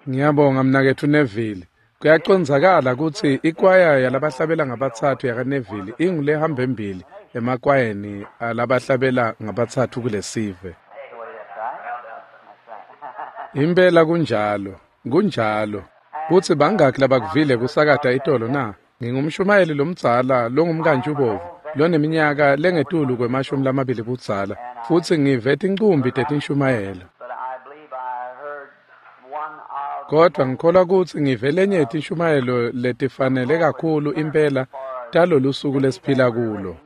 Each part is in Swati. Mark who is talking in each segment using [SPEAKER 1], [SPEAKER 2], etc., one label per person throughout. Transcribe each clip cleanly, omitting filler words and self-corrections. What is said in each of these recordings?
[SPEAKER 1] Ngiyabonga mnaketfu Neville. Kuyacondzakala kutsi ikwaya yalabahlabela ngabatsatfu yakaNeville ingulehamba embili emakwayeni alabahlabela ngabatsatfu kulesive. Impela kunjalo, kunjalo. Kutsi bangakhi labakuvile kusakata itolo na? Ngingumshumayeli lomdzala longumkantjubovu loneminyaka lengetulu kwema-20 budzala, futsi ngive tincumbi tetinshumayelo. Kodvwa ngikholwa kutsi ngive lenye yetinshumayelo letifanele kakhulu impela talolusuku lesiphila kulo.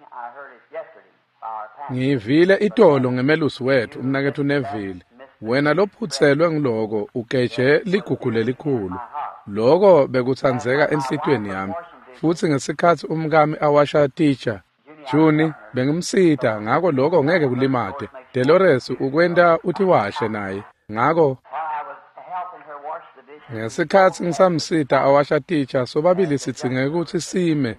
[SPEAKER 1] Ngiyivile itolo ngemelusi wetfu, umnaketfu Neville. Wena lophutselwe nguloko ugeje ligugu lelikhulu. Loko bekutsandzeka enhlitiyweni yami. Futsi ngesikhatsi umkami awasha titja, Juni, bengimsita, ngako loko ngeke kulimate. Delores ukwenta utiwashe naye. Ngako ngesikhatsi ngisamsita awasha titja, sobabili sidzinge kutsi sime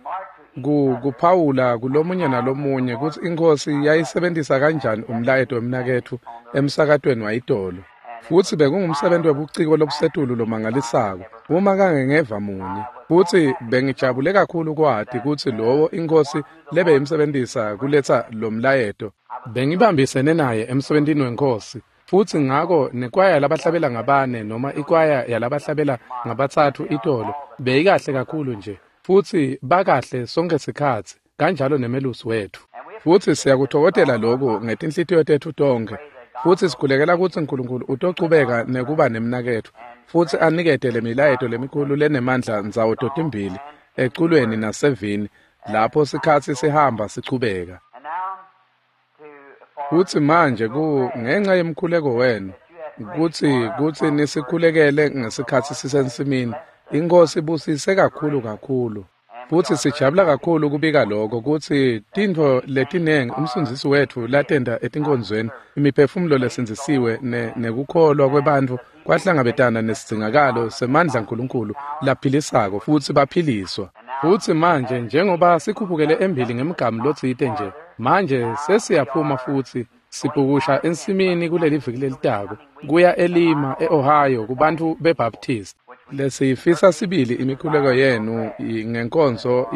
[SPEAKER 1] kuphawula kulomunye nalomunye kutsi iNkhosi yayisebentisa kanjani umlayeto wemnaketfu emsakatweni wayitolo. Futsi bekungumsebenti webuciko lobusetulu lomangalisako, uma kangengeva munye. Futsi bengijabule kakhulu kwati kutsi lowo iNkhosi lebeyimsebentisa kuletsa lo mlayeto. Bengibambisene naye emsebentini weNkhosi. Futsi ngako nekwaya yalabahlabela ngabane noma ikwaya yalabahlabela ngabatsatfu itolo beyikahle kakhulu nje, futsi bakahle sonkhe sikhatsi, kanjalo nemelusi wetfu. Futsi siyakutfokotela loku ngetinhlitiyo tetfu tonkhe, futsi sikhulekela kutsi Nkulunkulu utochubeka nekuba nemnaketfu, futsi anikete lemilayeto lemikhulu lenemandla ndzawo totimbili, eculweni nasevini, lapho sikhatsi sihamba sichubeka. Futsi manje ngenca yemkhuleko wenu, kutsi nisikhulekele ngesikhatsi sisensimini, iNkhosi ibusise kakhulu kakhulu. Futsi sijabula kakhulu kubika loko kutsi tintfo letinengi umsundzisi wetfu latenta etinkonzweni, imiphefumulo lesindzisiwe nekukholwa kwebantfu kwahlangabetana nesidzingakalo semandla aNkulunkulu laphilisako, futsi baphiliswa. Futsi manje njengoba sikhuphukele embili ngemgamu lotsite nje, manje sesiyaphuma futsi sibhukusha ensimini kuleli viki lelitako, kuya eLima, e-Ohio, kubantfu beBaptist. Lesiyifisa sibili imikhuleko yenu ngenkonzo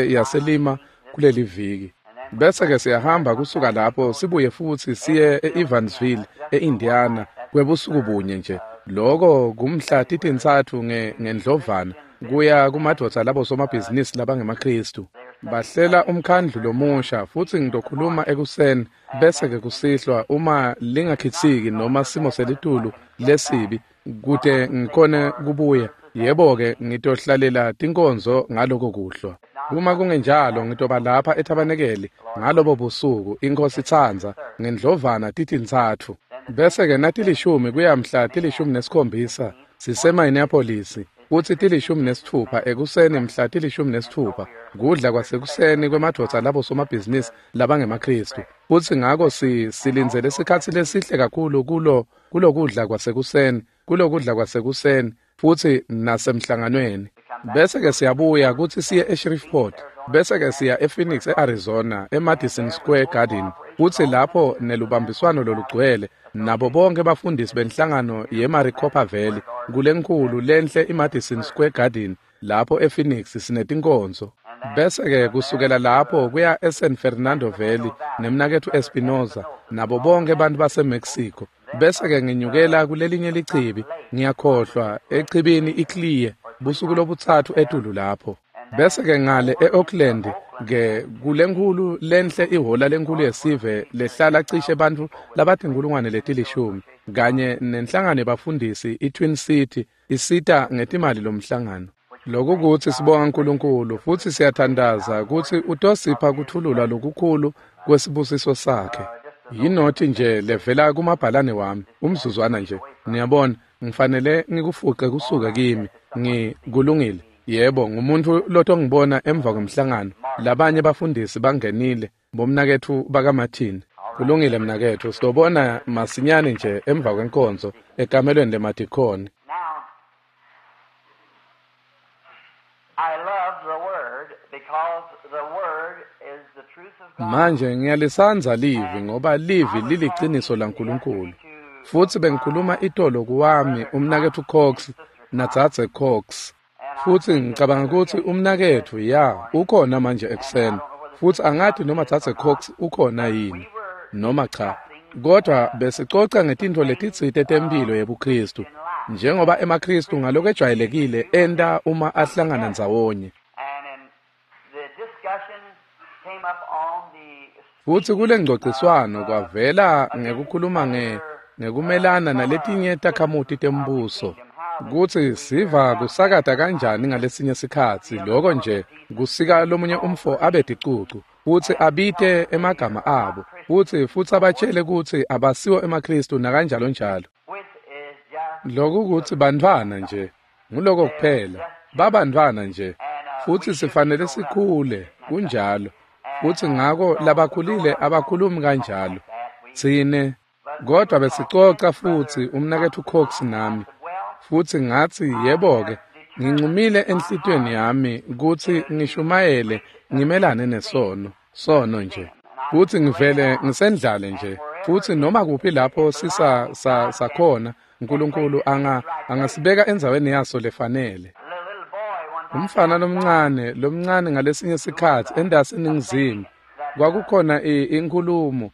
[SPEAKER 1] yaseLima kuleli viki. Bese-ke siyahamba kusuka lapho sibuye futsi siye e-Evansville, e-Indiana, kwebusuku bunye nje. Loko kumhla 3 ngeNdlovana, kuya kumadvodza labo somabhizinisi labangemaKhristu. Bahlela umkhandlu lomusha, futsi ngitokhuluma ekuseni, bese-ke kusihlwa uma lingakhitsiki noma simo selitulu lesibi, kute ngikhone kubuya. Yebo-ke, ngitohlalela tinkonzo ngaloko kuhlwa. Uma kungenjalo, ngitoba lapha ethabanekeli ngalobo busuku, iNkhosi itsandza, ngeNdlovana 3. Bese-ke 10 kuya mhla 17 siseMinneapolis, futsi 16 ekuseni mhla 16 kudla kwasekuseni kwemadvodza labo somabhizinisi labangemaKhristu. Futsi ngako silindzele sikhatsi lesihle kakhulu kulokudla kwasekuseni, kulokudla kwasekuseni, futsi nasemhlanganweni. Bese-ke siyabuya kutsi siye eShreveport, bese-ke siya ePhoenix, e-Arizona, eMadison Square Garden, futsi lapho nelubambiswano lolugcwele nabo bonke bafundisi benhlangano yeMaricopa Valley, kulenkhulu lenhle iMadison Square Garden, lapho ePhoenix sinetinkonzo. Bese-ke kusukela lapho kuya eSan Fernando Valley nemnaketfu Espinoza nabo bonke bantu baseMexico. Bese-ke nginyukela kulelinye lichibi, ngiyakhohlwa, echibini iClear, busuku lobutsatfu etulu lapho. Bese-ke ngale e-Oakland ke kulenkhulu lenhle ihhola lenkhulu yesive lehlala cishe bantfu labatinkhulungwane leti-10, kanye nenhlangano yebafundisi iTwin City isita ngetimali lomhlangano. Loku kutsi sibonga uNkulunkulu futsi siyathandaza kutsi utosipha kutfululwa lokukhulu kwesibusiso sakhe. Yinothi nje levela kumabhalane wami, umzuzwana nje. Niyabona, ngifanele ngikufuqe kusuke kimi. Kulungile. Yebo, ngumuntu lotongibona emva kwemhlangano. Labanye bafundisi bangenile, bomnaketfu bakaMartin. Kulungile mnaketfu, sitobona masinyane nje emva kwenkonzo ekamelweni lemadikhoni. Manje ngiyalisandza livi ngoba livi liliciniso laNkulunkulu. Futsi bengikhuluma itolo kuwami umnaketfu Cox nadzadze Cox. Futsi ngicabanga kutsi umnaketfu ya ukhona manje ekuseni. Futsi angati noma dzadze Cox ukhona yini noma cha. Kodwa besicoca ngetintfo letitsite temphilo yebuKhristu, njengoba emaKhristu ngalokwejwayelekile enta uma ahlangana ndzawonye. Futsi kule ngcociswano kwavela ngekukhuluma ngekumelana naletinye takhamuti tembuso, kutsi siva kusakata kanjani ngalesinye sikhatsi loko nje kusika lomunye umfo abe ticucu, futsi abite emagama abo, futsi abatshele kutsi abasiwo emaKhristu nakanjalo njalo. Loku kutsi bantfwana nje, nguloko kuphela, babantfwana nje, futsi sifanele sikhule, kunjalo. Futsi ngako labakhulile abakhulumi kanjalo. Tsine kodwa besicoca futsi umnaketfu Cox nami. Futsi ngatsi yebo-ke, ngincumile enhlitiyweni yami kutsi ngishumayele ngimelane nesono, sono nje. Futsi ngivele ngisendlale nje. Futsi noma kuphi lapho sakhona, uNkulunkulu angasibeka endzaweni yaso lefanele. Umfana lomncane ngalesinye sikhatsi endasi eNingizimu, kwakukhona inkhulumo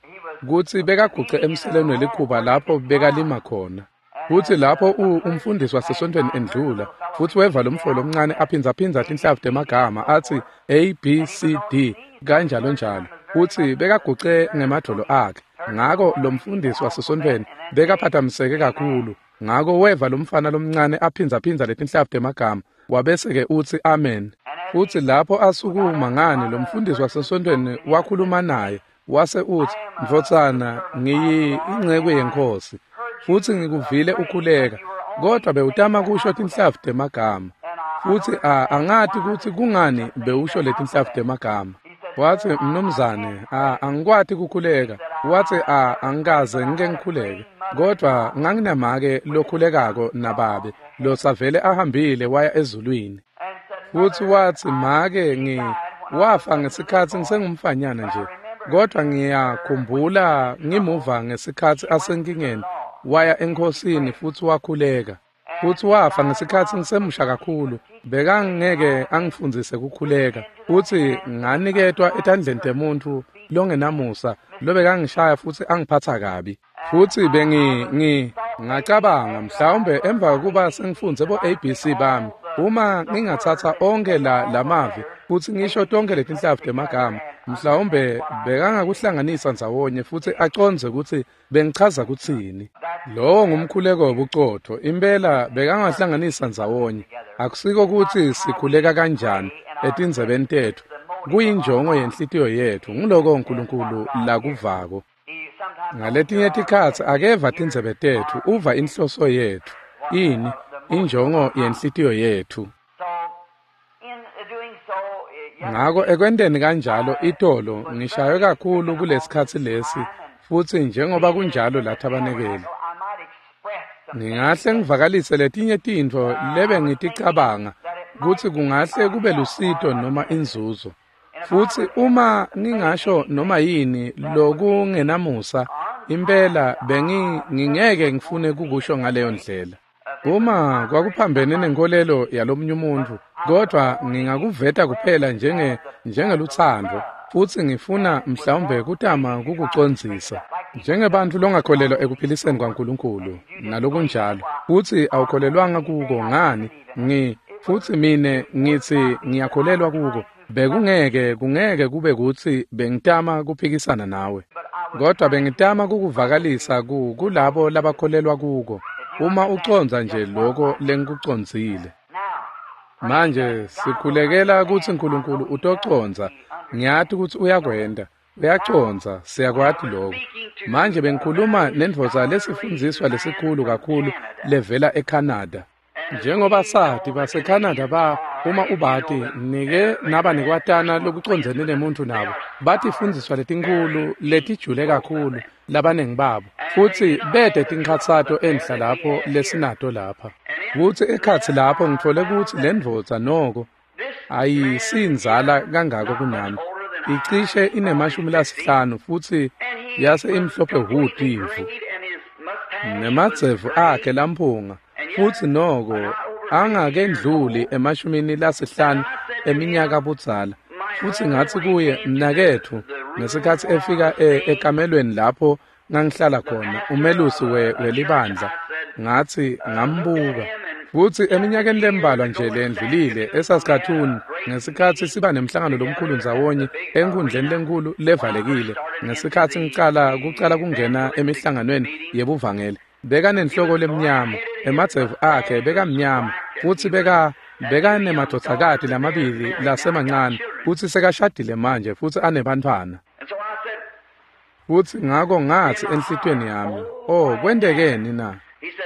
[SPEAKER 1] kutsi bekaguce emseleni welikhuba lapho bekalima khona. Futsi lapho umfundisi wasesontfweni endlula, futsi weva lomfo lomncane aphindzaphindza tinhlavu temagama atsi A B C D kanjalo njalo. Futsi bekaguce ngemadvolo akhe. Ngako lomfundisi wasesontfweni bekaphathamiseke kakhulu. Ngako weva lomfana lomncane aphindzaphindza letinhlavu temagama, wabese-ke utsi amen. Futsi lapho asukuma ngani lomfundisi wasesontfweni wakhuluma naye, wase utsi, "Ndvodzana, ngiyinceku yeNkhosi, futsi ngikuvile ukhuleka, kodwa bewutama kusho tinhlavu temagama. Futsi angati kutsi kungani bewusho letinhlavu temagama." Watsi, "Mnumzane, angikwati kukhuleka." Watsi, angikaze ngike ngikhuleke, kodwa nganginamake lokhulekako nababe losavele ahambile waya ezulwini. Futsi watsi, "Make wafa ngesikhatsi ngisengumfanyana nje, kodwa ngiyakhumbula ngimuva ngesikhatsi asenkingeni waya eNkhosini futsi wakhuleka. Futsi wafa ngesikhatsi ngisemusha kakhulu, bekangeke angifundzise kukhuleka. Futsi nganiketwa etandleni temuntfu longenamusa lobekangishaya futsi angiphatsa kabi. Futsi ngacabanga mhlawumbe emva kokuba sengifundze bo ABC bami, uma ngingatsatsa onkhe lamavi futsi ngisho tonke letinhlavu temagama, mhlawumbe bekangakuhlanganisa ndzawonye futsi acondze kutsi bengichaza kutsini. Lowo ngumkhuleko webucotfo, impela bekangahlanganisa ndzawonye. Akusiko kutsi sikhuleka kanjani etindzebeni tetfu, kuyinjongo yenhlitiyo yetfu, nguloko uNkulunkulu lakuvako. Ngaletinye tikhatsi akeva tindzebe tetfu, uva inhloso yetfu, ini injongo yenhlitiyo yetfu. Ngako ekwenteni kanjalo itolo ngishaywe kakhulu kulesikhatsi lesi, futsi njengoba kunjalo lathabanekeli. Ngingahle ngivakalise letinye tintfo lebe ngiticabanga kutsi kungahle kube lusito noma inzuzo. Futsi uma ngingasho noma yini lokungenamusa, impela ngingeke ngifune kukusho ngaleyo ndlela. Uma kwakuphambene nenkolelo yalomunye umuntfu, kodwa ngingakuveta kuphela njengelutsandvo, futsi ngifuna mhlawumbe kutama kukucondzisa. Njengebantfu longakholelwa ekuphiliseni kwaNkulunkulu nalokunjalo, futsi awukholelwanga kuko ngani, futsi mine ngitsi ngiyakholelwa kuko, bekungeke kungeke kube kutsi bengitama kuphikisana nawe, kodwa bengitama kukuvakalisa kulabo labakholelwa kuko. Uma ucondza nje lokho lengikucondzile. Manje sikhulekela kutsi uNkulunkulu utocondza. Ngiyati kutsi uyakwenta, uyacondza, siyakwati lokho. Manje bengikhuluma nendvodza lesifundziswa lesikhulu kakhulu levela eCanada. Njengoba sati baseCanada uma ubati nike naba nekwatana lokucondzene nemuntu nabo, batifundziswa letinkhulu letijule kakhulu labanengi babo, futsi bete tinkhatsato enhla lapho lesinato lapha. Kutsi ekhatsi lapho ngitfole kutsi lendvodza noko ayisinzala kangako kunami, icishe inema-50 futsi yase imhlophe hhu timvu. Nemadzevu akhe lamphunga, futsi noko angakendluli 50 eminyaka budzala. Futsi ngatsi kuye, mnaketfu, ngesikhatsi efika ekamelweni lapho ngangihlala khona, umelusi welibandla, ngatsi ngambuka. Futsi eminyakeni lembalwa nje lendlulile eSaskatoon, ngesikhatsi siba nemhlangano lomkhulu ndzawonye enkhundleni lenkhulu levalekile, ngesikhatsi ngicala kucala kungena emihlanganweni yebuvangeli, bekanenhloko lemnyama, emadzevu akhe bekamnyama, futsi bekanemadvodzakati lamabili lasemancane, futsi sekashadile manje futsi anebantfwana. Futsi ngako ngatsi enhlitiyweni yami, oh, kwentekeni na?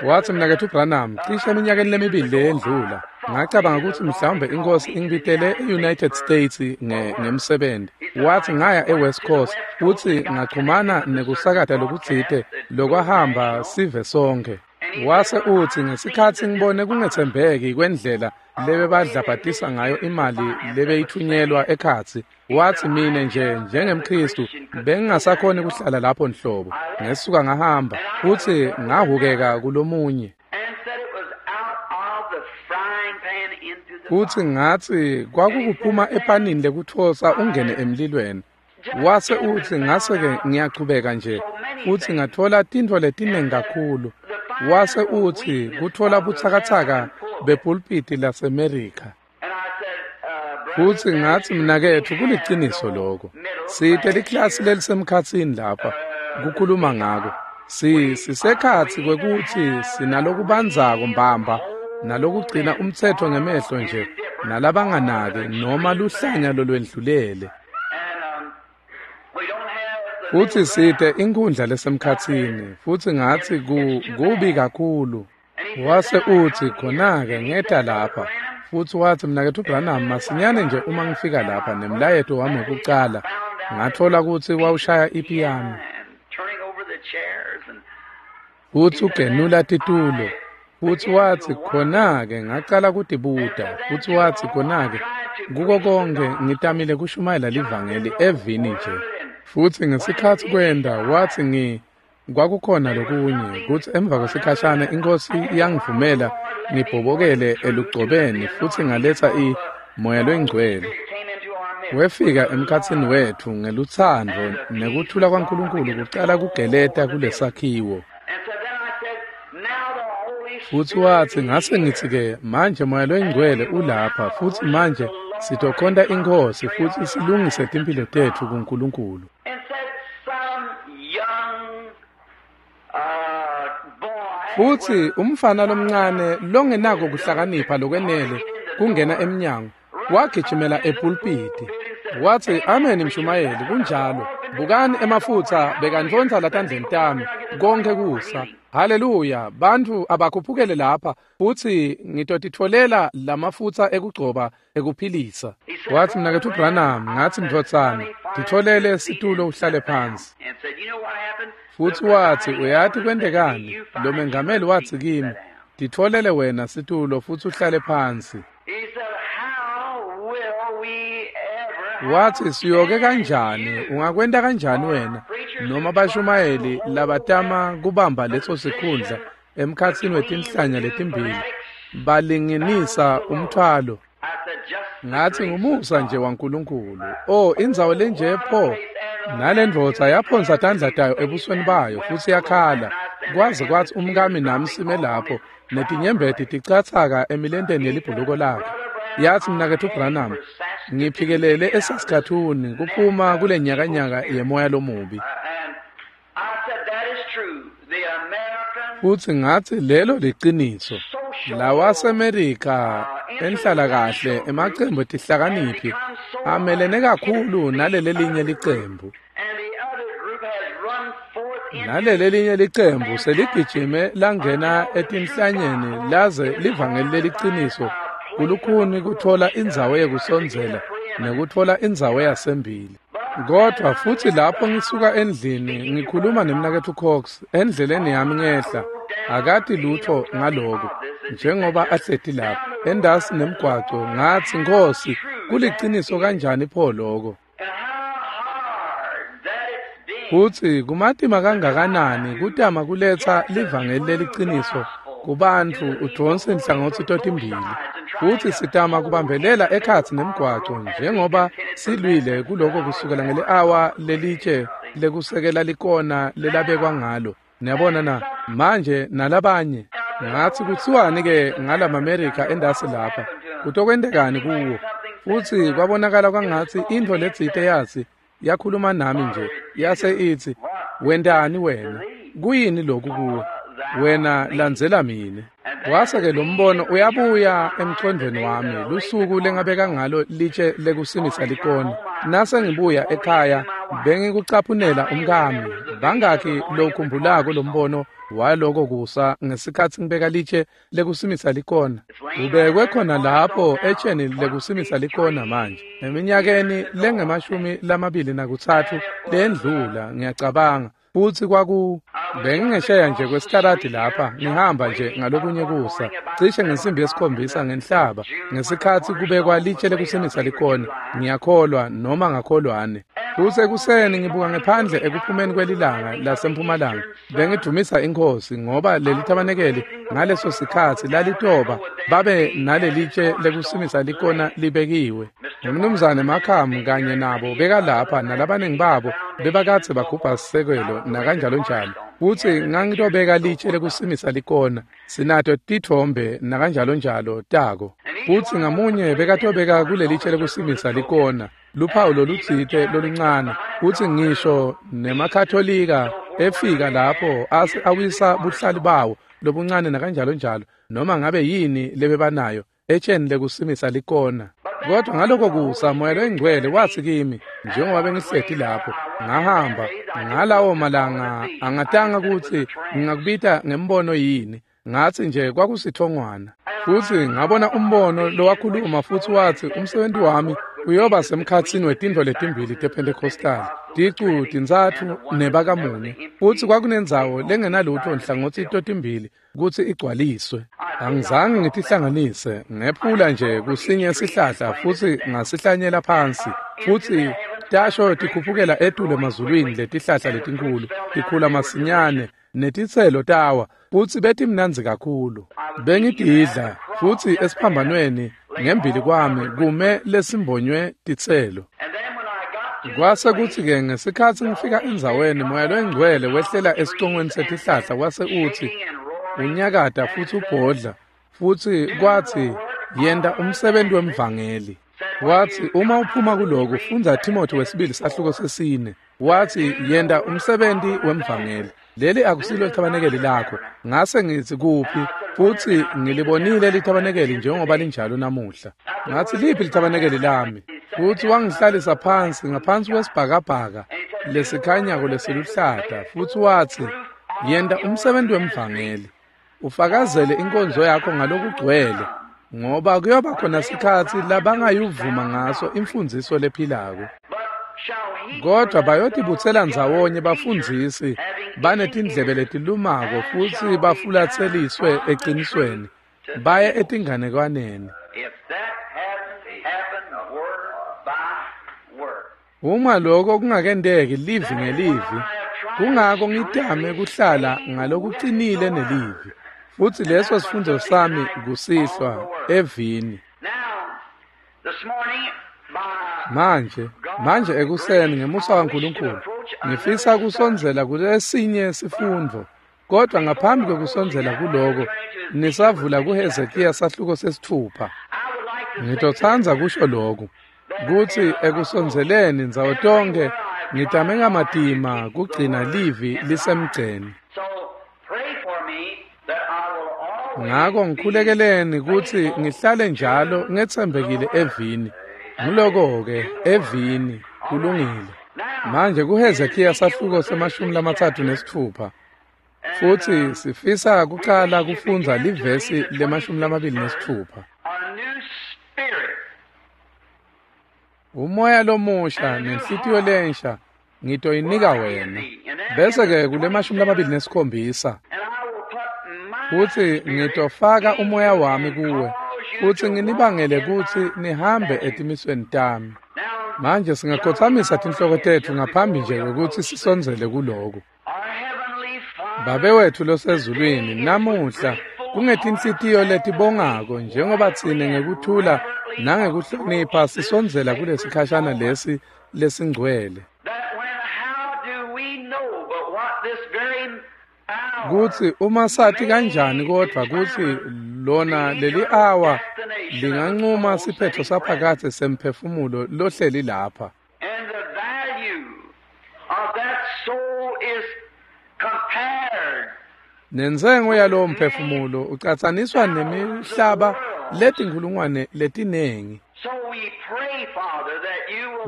[SPEAKER 1] Watsi, mnaketfu Branham, cishe eminyakeni lemibili leyendlula, ngacabanga kutsi mhlawumbe inkosi ingibitele e-United States ngemsebenti. Watsi ngaya e-West Coast, futsi ngachumana nekusakata lokutsite lokwahamba sive sonke. Wase utsi ngesikhatsi ngibone kungetsembeki kwendlela lebebadlabhatisa ngayo imali lebeyithunyelwa ekhatsi, watsi mine nje njengemKhristu bengingasakhoni kuhlala lapho nhlobo. Ngesuka ngahamba futsi ngahukeka kulomunye. Futsi ngatsi kwakukuphuma epanini lekutfosa ungene emlilweni. Wase utsi ngase-ke ngiyachubeka nje futsi ngatfola tintfo letiningi kakhulu. Wase utsi kutfola butsakatsaka bepulpiti laseMerika. Futsi ngatsi mnaketfu kuliciniso lokho. Site liklasi lelisemkhatsini lapha kukhuluma ngako. Sisekhatsi kwekutsi sinalokubandzako mbamba nalokugcina umtsetfo ngemehlo nje nalabanganaki noma luhlanya lolwendlulele. Futsi site inkhundla lesemkhatsini, futsi ngatsi kubi kakhulu. Wase utsi khona-ke ngeta lapha, futsi watsi mnaketfu Branham, masinyane nje uma ngifika lapha nemlayeto wami wekucala, ngatfola kutsi wawushaya ipiyano. Futsi ugenula titulo. Futsi watsi khona-ke ngacala kutibuta, futsi watsi khona-ke kuko konke ngitamile kushumayela livangeli evini nje. Futsi ngesikhatsi kwenda watsi kwakukhona lokunye kutsi emva kwesikhashana inkosi yangivumela ngibhobokele elugcobeni futsi ngaletsa moya longcwele. Wefika emkhatsini wetfu ngelutsandvo nekuthula kwaNkulunkulu kucala kugeleta kulesakhiwo. Futsi watsi ngase ngitsi-ke manje moya longcwele ulapha futsi manje sitokhonta inkosi futsi silungise timphilo tetfu kuNkulunkulu. Futsi umfana lomncane longenako kuhlakanipha lokwenele kungena emnyango wagijimela epulpiti. Watsi amen mshumayeli, kunjalo. Bukani emafutsa bekantfontsa latandleni tami konke kusa. Haleluya, bantfu abakhuphukele lapha futsi ngitotitfolela lamafutsa ekugcoba ekuphilisa. Watsi mnaketfu Branham, ngatsi mdvodzana, titfolele situlo uhlale phansi. Futsi watsi uyati kwentekani? Lo mengameli watsi kimi, titfolele wena situlo futsi uhlale phansi. Watsi siyoke kanjani, ungakwenta kanjani wena noma bashumayeli labatama kubamba leso sikhundla emkhatsini wetinhlanya letimbili balinginisa umthwalo. Ngatsi ngumusa nje waNkulunkulu. Oh, indzawo lenje pho. Nalendvodza yaphonsa tandla tayo ebusweni bayo futsi yakhala. Kwaze kwatsi umkami nami sime lapho netinyembeti ticatsaka emilenteni yelibhuluko lakhe. Yatsi mnaketfu Branham, ngiphikelele eSaskatoon kuphuma kule nyakanyaka yemoya lomubi. Futsi ngatsi lelo liciniso. Lawasemerika enhlala kahle emacembu etihlakaniphi amelene kakhulu nalelelinye licembu. Nalelelinye licembu seligijime langena etinhlanyeni laze livangeli leliciniso kulukhuni kutfola indzawo yekusondzela nekutfola indzawo yasembili. Kodwa futsi lapho ngisuka endlini ngikhuluma nemnaketfu Cox endleleni yami ngehla, akati lutho ngaloko njengoba ahleti lapha endasi nemgwaco. Ngatsi Nkosi, kuliciniso kanjani pho lokho? Kutsi kumatima kangakanani kutama kuletsa livangeli leliciniso kubantfu udvonse inhlangotsi totimbili, futsi sitama kubambelela ekhatsi nemgwaco njengoba silwile kuloko kusukela ngeli-awa lelitshe lekusekela likona lelabekwa ngalo. Niyabona na? Manje nalabanye ngatsi kutsiwani-ke ngalamaMerika endasi lapha, kutokwentekani kuwo? Futsi kwabonakala kwangatsi intfo letsite yatsi yakhuluma nami nje yase itsi, wentani wena? Kuyini lokhu kuwe? Wena landzela mine. Wase-ke lo mbono uyabuya emcondvweni wami lusuku lengabeka ngalo litshe lekusimisa likona. Nase ngibuya ekhaya bengikucaphunela umkami. Bangakhi lokhumbulako lo mbono waloko kusa ngesikhatsi ngibeka litshe lekusimisa likona? Ubekwe khona lapho etsheni lekusimisa likona manje. Eminyakeni lengu-23 lendlula ngiyacabanga. Futsi kwaku bengingesheya nje kwesitaladi lapha ngihamba nje ngalokunye kusa cishe ngensimbi yesikhombisa ngenhlaba ngesikhatsi kubekwa litshe lekusimisa likona, ngiyakholwa noma ngakholwane. Futsi ekuseni ngibuka ngephandle ekuphumeni kwelilanga lasempumalanga bengidvumisa iNkhosi ngoba leli thabanekeli ngaleso sikhatsi lalitoba babe nalelitshe lekusimisa likona libekiwe. Umnumzane Makhamu kanye nabo bekalapha nalabaningi babo bebakadze bagubha sisekelo nakanjalo njalo. Futsi ngangitobeka litshe lekusimisa likona, sinato titfombe nakanjalo njalo tako. Futsi ngamunye bekatobeka kulelitshe lekusimisa likona luphawu lolutsite loluncane. Futsi ngisho nemaKatholika efika lapho ase awisa buhlali bawo lobuncane nakanjalo njalo noma ngabe yini lebebanayo etsheni lekusimisa likona. Kodwa ngaloko kusa Moya loyiNgcwele watsi kimi njengoba bengihleti lapho, ngahamba ngalawo malanga angatanga kutsi ngingakubita ngembono yini, ngatsi nje kwakusithongwana. Futsi ngabona umbono lowakhuluma futsi watsi umsebenti wami uyoba semkhatsini wetintfo letimbili tePentecostal, ticu tintsatfu nebakamunye. Futsi kwakunendzawo lengenalutfo nhlangothi totimbili kutsi igcwaliswe. Angizange ngitihlanganise, ngephula nje kusinye sihlahla futsi ngasihlanyela phansi. Futsi tasho tikhuphukela etulu emazulwini letihlahla letinkhulu, tikhula masinyane netitselo tawa, futsi betimnandzi kakhulu. Bengididla futsi esiphambanweni ngembili kwami kume lesimbonywe titselo. Kwase kutsi-ke ngesikhatsi ngifika endzaweni Moya loyiNgcwele wehlela esicongweni setihlahla wase utsi unyakata futsi ubhodla, futsi kwatsi yenta umsebenti wemvangeli. Watsi uma uphuma kuloku fundza Timothy wesibili sahluko 4. Watsi yenta umsebenti wemvangeli. Leli akusilo lithabanekeli lakho. Ngase ngitsi kuphi? Futsi ngilibonile lithabanekeli njengoba linjalo namuhla. Ngatsi liphi lithabanekeli lami? Futsi wangihlalisa phansi ngaphansi kwesibhakabhaka lesikhanyako lesiluhlata, futsi watsi yenta umsebenti wemvangeli, ufakazele inkonzo yakho ngalokugcwele, ngoba kuyoba khona sikhatsi labangayuvuma ngaso imfundziso lephilako. Kodwa bayotibutsela ndzawonye bafundzisi banetindlebe letilumako futsi bafulatseliswe eqinisweni baye etinganekwaneni. Uma lokho kungakenteki livi ngelivi, kungako ngitame kuhlala ngalokucinile nelivi. Futsi leso sifundo sami kusihlwa evini. Manje ekuseni ngemusa waNkulunkulu ngifisa kusondzela kulesinye sifundvo, kodwa ngaphambi kwekusondzela kuloko nisavula kuHezekiya sahluko 6. Ngitotsandza kusho lokhu kutsi ekusondzeleni ndzawo tonke ngitame ngamatima kugcina livi lisemgceni. Ngako ngikhulekeleni kutsi ngihlale njalo ngetsembekile evini. Nguloko-ke evini kulungile. Manje kuHezekiya sahluko 36, futsi sifisa kucala kufundza livesi le-26. Umoya lomusha nenhlitiyo lensha ngitoyinika wena. Bese-ke kule 27, futsi ngitofaka umoya wami kuwe, futsi nginibangele kutsi nihambe etimisweni tami. Manje singakhothamisa tinhloko tetfu ngaphambi nje kwekutsi sisondzele kuloku. Babe wetfu losezulwini, namuhla kungetinhlitiyo letibongako njengoba tsine ngekuthula nangekuhlonipha sisondzela kulesikhashana lesi lesingcwele. Kutsi uma sati kanjani kodvwa kutsi lona leli awa lingancuma siphetfo saphakadze semphefumulo lohleli lapha. Nentsengo yalowo mphefumulo ucatsaniswa nemihlaba letinkhulungwane letinengi.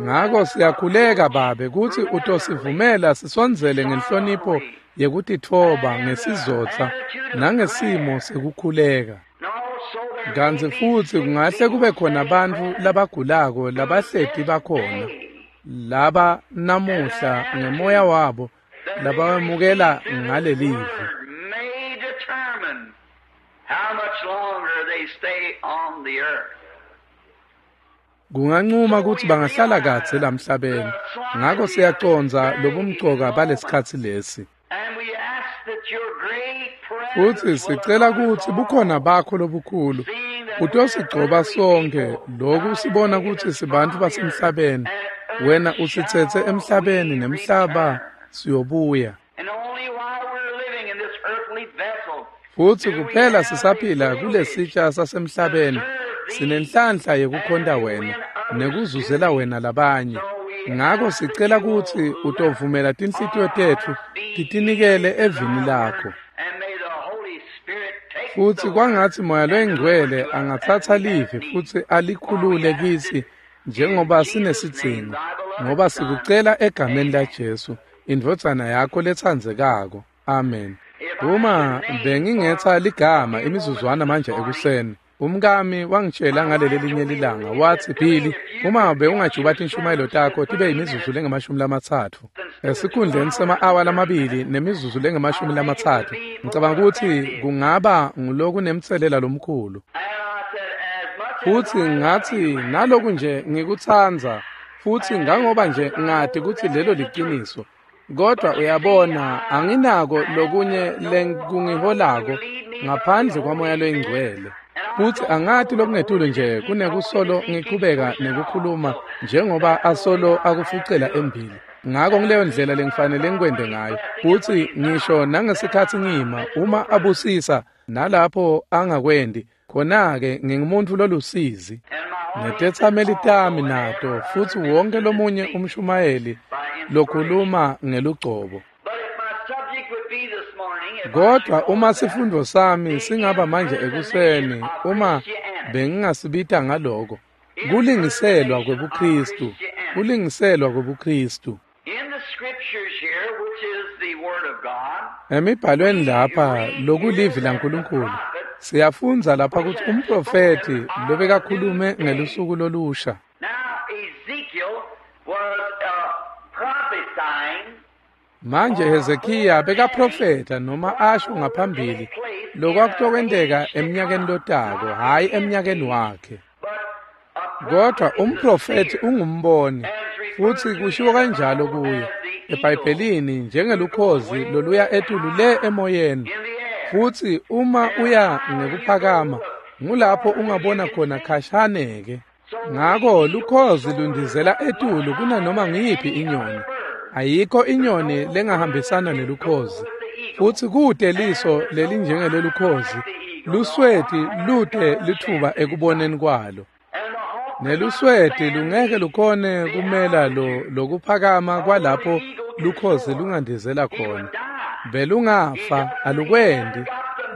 [SPEAKER 1] Ngako siyakhuleka Babe kutsi utosivumela sisondzele ngenhlonipho yekutitfoba ngesizotsa nangesimo sekukhuleka. Kantsi futsi kungahle kube khona bantfu labagulako labahleti bakhona laba namuhla ngemoya wabo labawemukela ngalelivi. Kungancuma kutsi bangahlala kadze lamhlabeni. Ngako siyacondza lobumcoka balesikhatsi lesi. Futsi sicela kutsi bukhona bakho lobukhulu utosigcoba sonke loku sibona kutsi sibantfu basemhlabeni. Wena usitsetse emhlabeni nemhlaba siyobuya. Futsi kuphela sisaphila kulesitsha sasemhlabeni sinenhlanhla yekukhonta wena nekuzuzela wena labanye. Ngako sicela kutsi utovumela tinhlitiyo tetfu titinikele evini lakho. Futsi kwangatsi Moya Loyingcwele angatsatsa livi futsi alikhulule kitsi njengoba sinesidzingo, ngoba sikucela egameni laJesu, indvodzana yakho letsandzekako. Amen. Uma bengingetsa ligama imizuzwana manje ekuseni, umkami wangitshela ngaleli linye lilanga watsi, Billy, uma bewungajuba tinshumayelo takho tibe imizuzu lengama-30 esikhundleni sema-awa lamabili nemizuzu lengama-30, ngicabanga kutsi kungaba ngulokunemtselela lomkhulu. Futsi ngatsi naloku nje ngikutsandza, futsi ngangoba nje ngati kutsi lelo liciniso, kodwa uyabona anginako lokunye lenkungiholako ngaphandle kwaMoya Loyingcwele. Futsi angati lokungetulu nje kunekusolo ngichubeka nekukhuluma njengoba asolo akufucela embili. Ngako ngileyo ndlela lengifanele ngikwente ngayo. Futsi ngisho nangesikhatsi ngima uma abusisa nalapho angakwendi, khona-ke ngingumuntfu lolusizi. Netetsameli tami nato futsi wonke lomunye umshumayeli lokhuluma ngelugcobo. Kodwa uma sifundo sami singaba manje ekuseni, uma bengingasibita ngaloko, kulingiselwa kwebuKristu, kulingiselwa kwebuKristu. Emibhalweni lapha lokulivi laNkulunkulu, siyafundza lapha kutsi umprofethi lobekakhulume ngelusuku lolusha. Manje Hezekiya bekaprofetha noma asho ngaphambili lokwakutokwenteka eminyakeni lotako, hhayi eminyakeni wakhe. Kodwa umprofethi ungumboni, futsi kushiwo kanjalo kuye eBhayibhelini njengelukhozi loluya etulu le emoyeni. Futsi uma uya ngekuphakama, ngulapho ungabona khona khashane-ke. Ngako lukhozi lundizela etulu kunanoma ngiyiphi inyoni. Ayikho inyoni lengahambisana nelukhozi. Futsi kute liso lelinjengelelukhozi, lusweti lute litfuba ekuboneni kwalo. Nelusweti lungeke lukhone kumela lokuphakama kwalapho lukhozi lungandizela khona. Belungafa alukwendi,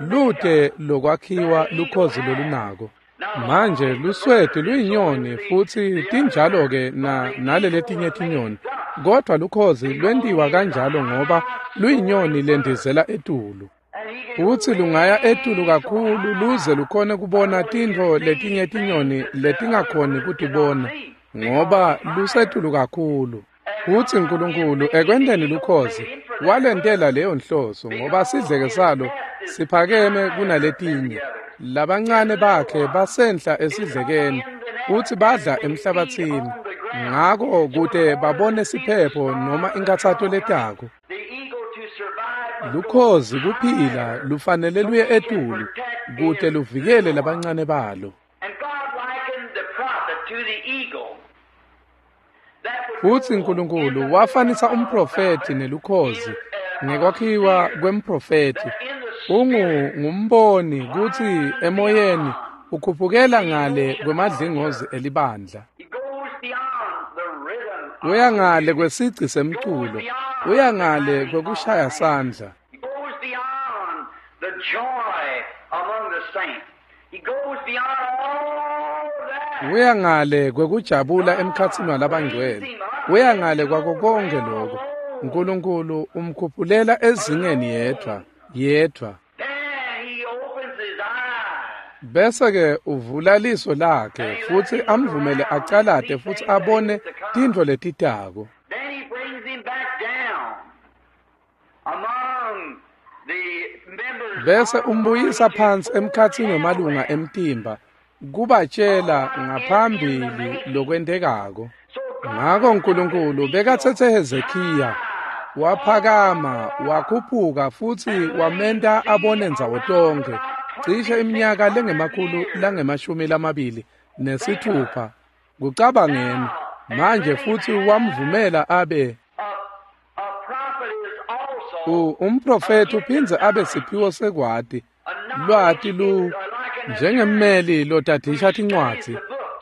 [SPEAKER 1] lute lokwakhiwa lukhozi lolunako. Manje lusweti luyinyoni futsi tinjalo-ke naleletinye tinyoni. Kodwa lukhozi lwentiwa kanjalo ngoba luyinyoni lendizela etulu. Futsi lungaya etulu kakhulu luze lukhone kubona tintfo letinye tinyoni letingakhoni kutibona ngoba lusetulu kakhulu. Futsi Nkulunkulu ekwenteni lukhozi walentela leyo nhloso ngoba sidleke salo siphakeme kunaletinye. Labancane bakhe basenhla esidlekeni futsi badla emhlabathini. Ngako kute babone siphepho noma inkathato letako. Lukhozi kuphila lufanele luye etulu kute luvikele labancane balo. Futsi Nkulunkulu wafanisa umprofethi nelukhozi ngekwakhiwa kwemprofethi. Ungumboni kutsi emoyeni ukhuphukela ngale kwemadlingozi elibandla. Uya ngale kwesigci semculo, uya ngale kwekushaya sandla. Uya ngale kwekujabula emkhatsini walabangcwele, uya ngale kwako konke lokho. Nkulunkulu umkhuphulela ezingeni yedvwa, yedvwa. Bese-ke uvula liso lakhe futsi amvumele acalate futsi abone tintfo letitako. Bese umbuyisa phansi emkhatsini wemalunga emtimba kubatshela ngaphambili lokwentekako. Ngako Nkulunkulu bekatsetse Hezekiya waphakama wakhuphuka futsi wamenta abone ndzawo tonkhe cishe iminyaka lengemakhulu langemashumi lamabili nesithupha kucabangeni manje futsi wamvumela abe umprofethi uphindze abe siphiwo sekwati lwati lu njengemmeli lotadisha tincwadzi.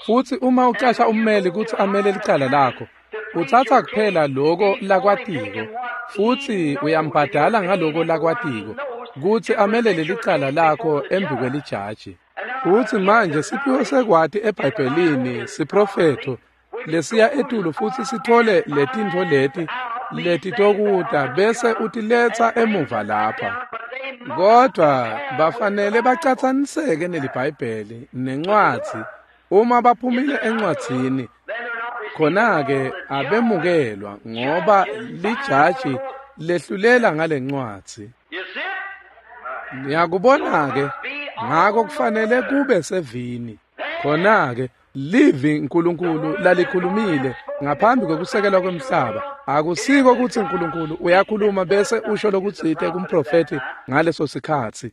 [SPEAKER 1] Futsi uma ucasha ummeli kutsi amele licala lakho, utsatsa kuphela loko lakwatiko futsi uyambhadala ngaloko lakwatiko kutsi amelele licala lakho embikwelijaji. Futsi manje siphiwo sekwati eBhayibhelini siprofetho lesiya etulu futsi sithole letintfo leti letitokuta bese utiletsa emuva lapha. Kodwa bafanele bacatsaniseke neliBhayibheli nencwadzi. Uma baphumile encwadzini, khona-ke abemukelwa ngoba lijaji lehlulela ngalencwadzi. Niyakubona-ke, ngako kufanele kube sevini. Khona-ke livi Nkulunkulu lalikhulumile ngaphambi kwekusekelwa kwemhlaba. Akusiko kutsi Nkulunkulu uyakhuluma bese usho lokutsite kumprofethi ngaleso sikhatsi.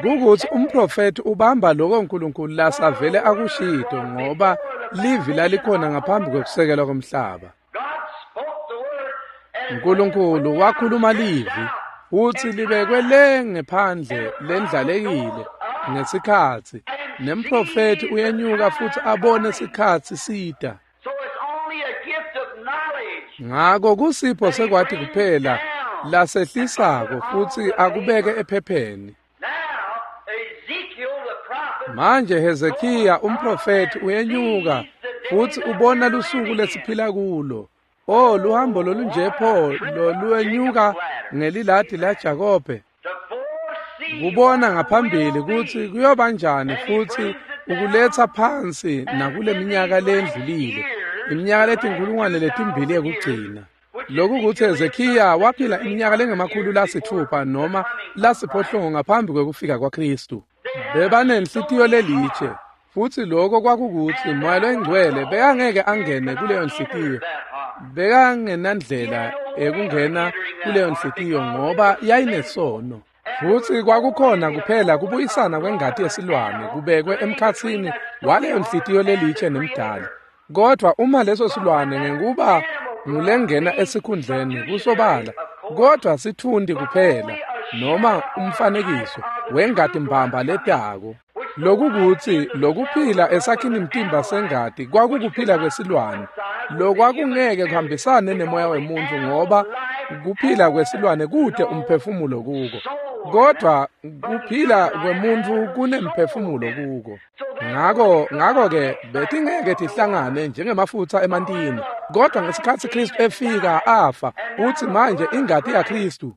[SPEAKER 1] Kukutsi umprofethi ubamba loko Nkulunkulu lasavele akushito ngoba livi lalikhona ngaphambi kwekusekelwa kwemhlaba. Nkulunkulu wakhuluma livi futsi libekwe le ngephandle lendlalekile ngesikhatsi nemprofethi uyenyuka futsi abone sikhatsi sita. Ngako kusipho sekwati kuphela lasehlisako futsi akubeke ephepheni. Manje Hezekiya umprofethi uyenyuka futsi ubona lusuku lesiphila kulo. Oh, luhambo lolunje pho loluwenyuka ngeliladi laJakobe. Kubona ngaphambili kutsi kuyoba njani futsi ukuletsa phansi nakule minyaka lendlulile, iminyaka letinkulungwane letimbili yekugcina. Lokhu kutsi Hezekiya waphila iminyaka lengemakhulu lasithupha noma lasiphohlongo ngaphambi kwekufika kwaKhristu. Bebanenhlitiyo lelitshe futsi lokho kwakukutsi Moya loyiNgcwele bekangeke angene kuleyo nhlitiyo. Bekangenandlela ekungena kuleyo nhlitiyo ngoba yayinesono. Futsi kwakukhona kuphela kubuyisana kwengati yesilwane kubekwe emkhatsini waleyo nhlitiyo lelitshe nemdali. Kodwa uma leso silwane ngekuba ngulengena esikhundleni kusobala, kodwa sithundi kuphela noma umfanekiso wengati mbamba letako. Lokukutsi lokuphila esakhini mtimba sengati kwakukuphila kwesilwane lokwakungeke kuhambisane nemoya wemuntu ngoba kuphila kwesilwane kute umphefumulo kuko, kodwa kuphila kwemuntu kunemphefumulo kuko. Ngako-ke betingeke tihlangane njengemafutsa emantini. Kodwa ngesikhatsi Khristu efika afa, utsi manje ingati yaKhristu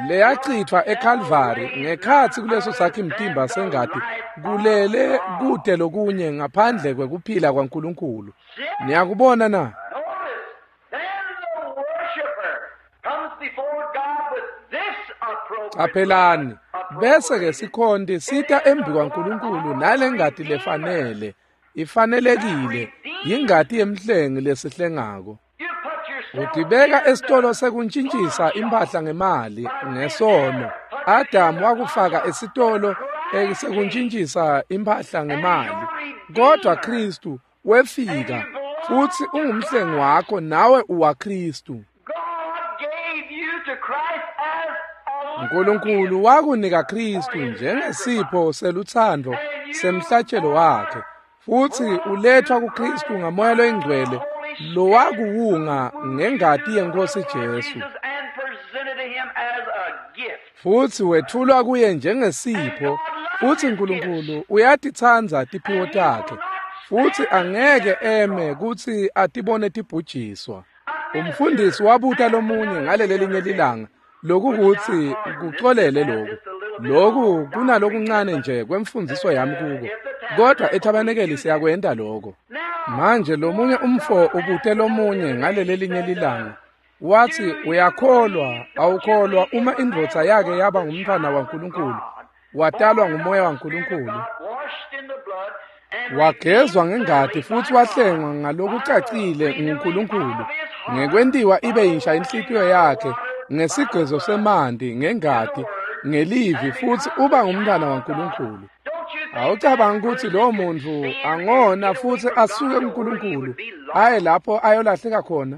[SPEAKER 1] leyachithwa eKalvari ngekhatsi kuleso sakhi mtimba sengati kulele kute lokunye ngaphandle kwekuphila kwaNkulunkulu. Niyakubona na? Qaphelani, Bese-ke sikhonti sita embikwaNkulunkulu nalengati lefanele, ifanelekile, yingati yemhlengi lesihlengako. Utibeka esitolo sekuntjintjisa imphahla ngemali ngesono. Adamu wakufaka esitolo sekuntjintjisa imphahla ngemali. Kodwa Kristu wefika futsi ungumhlengi wakho nawe uwaKristu. Nkulunkulu wakunika Kristu njengesipho selutsandvo semhlatshelo wakhe, futsi ulethwa kuKristu ngaMoya loyiNgcwele lowakuwunga ngengati yeNkhosi Jesu. Futsi wethulwa kuye njengesipho, futsi Nkulunkulu uyatitsandza tiphiwo takhe, futsi angeke eme kutsi atibone tibhujiswa. Umfundisi wabuta lomunye ngalelelinye lilanga, lokukuthi kucolele loku. Loku kunalokuncane nje kwemfundziso yami kuko, kodwa ethabanekeli siyakwenta loko. Manje lomunye umfo ubute lomunye ngalelelinye lilanga, wathi uyakholwa awukholwa uma indvodza yake yaba ngumntfwana waNkulunkulu, watalwa ngumoya waNkulunkulu, wagezwa ngengati futsi wahlengwa ngalokucacile nguNkulunkulu, ngekwentiwa ibe yinsha inhlitiyo yakhe ngesigezo semanti ngengati ngelivi, futsi uba ngumntfwana waNkulunkulu. Awucabangi kutsi lowo muntfu angona futsi asuke kuNkulunkulu aye lapho ayolahleka khona?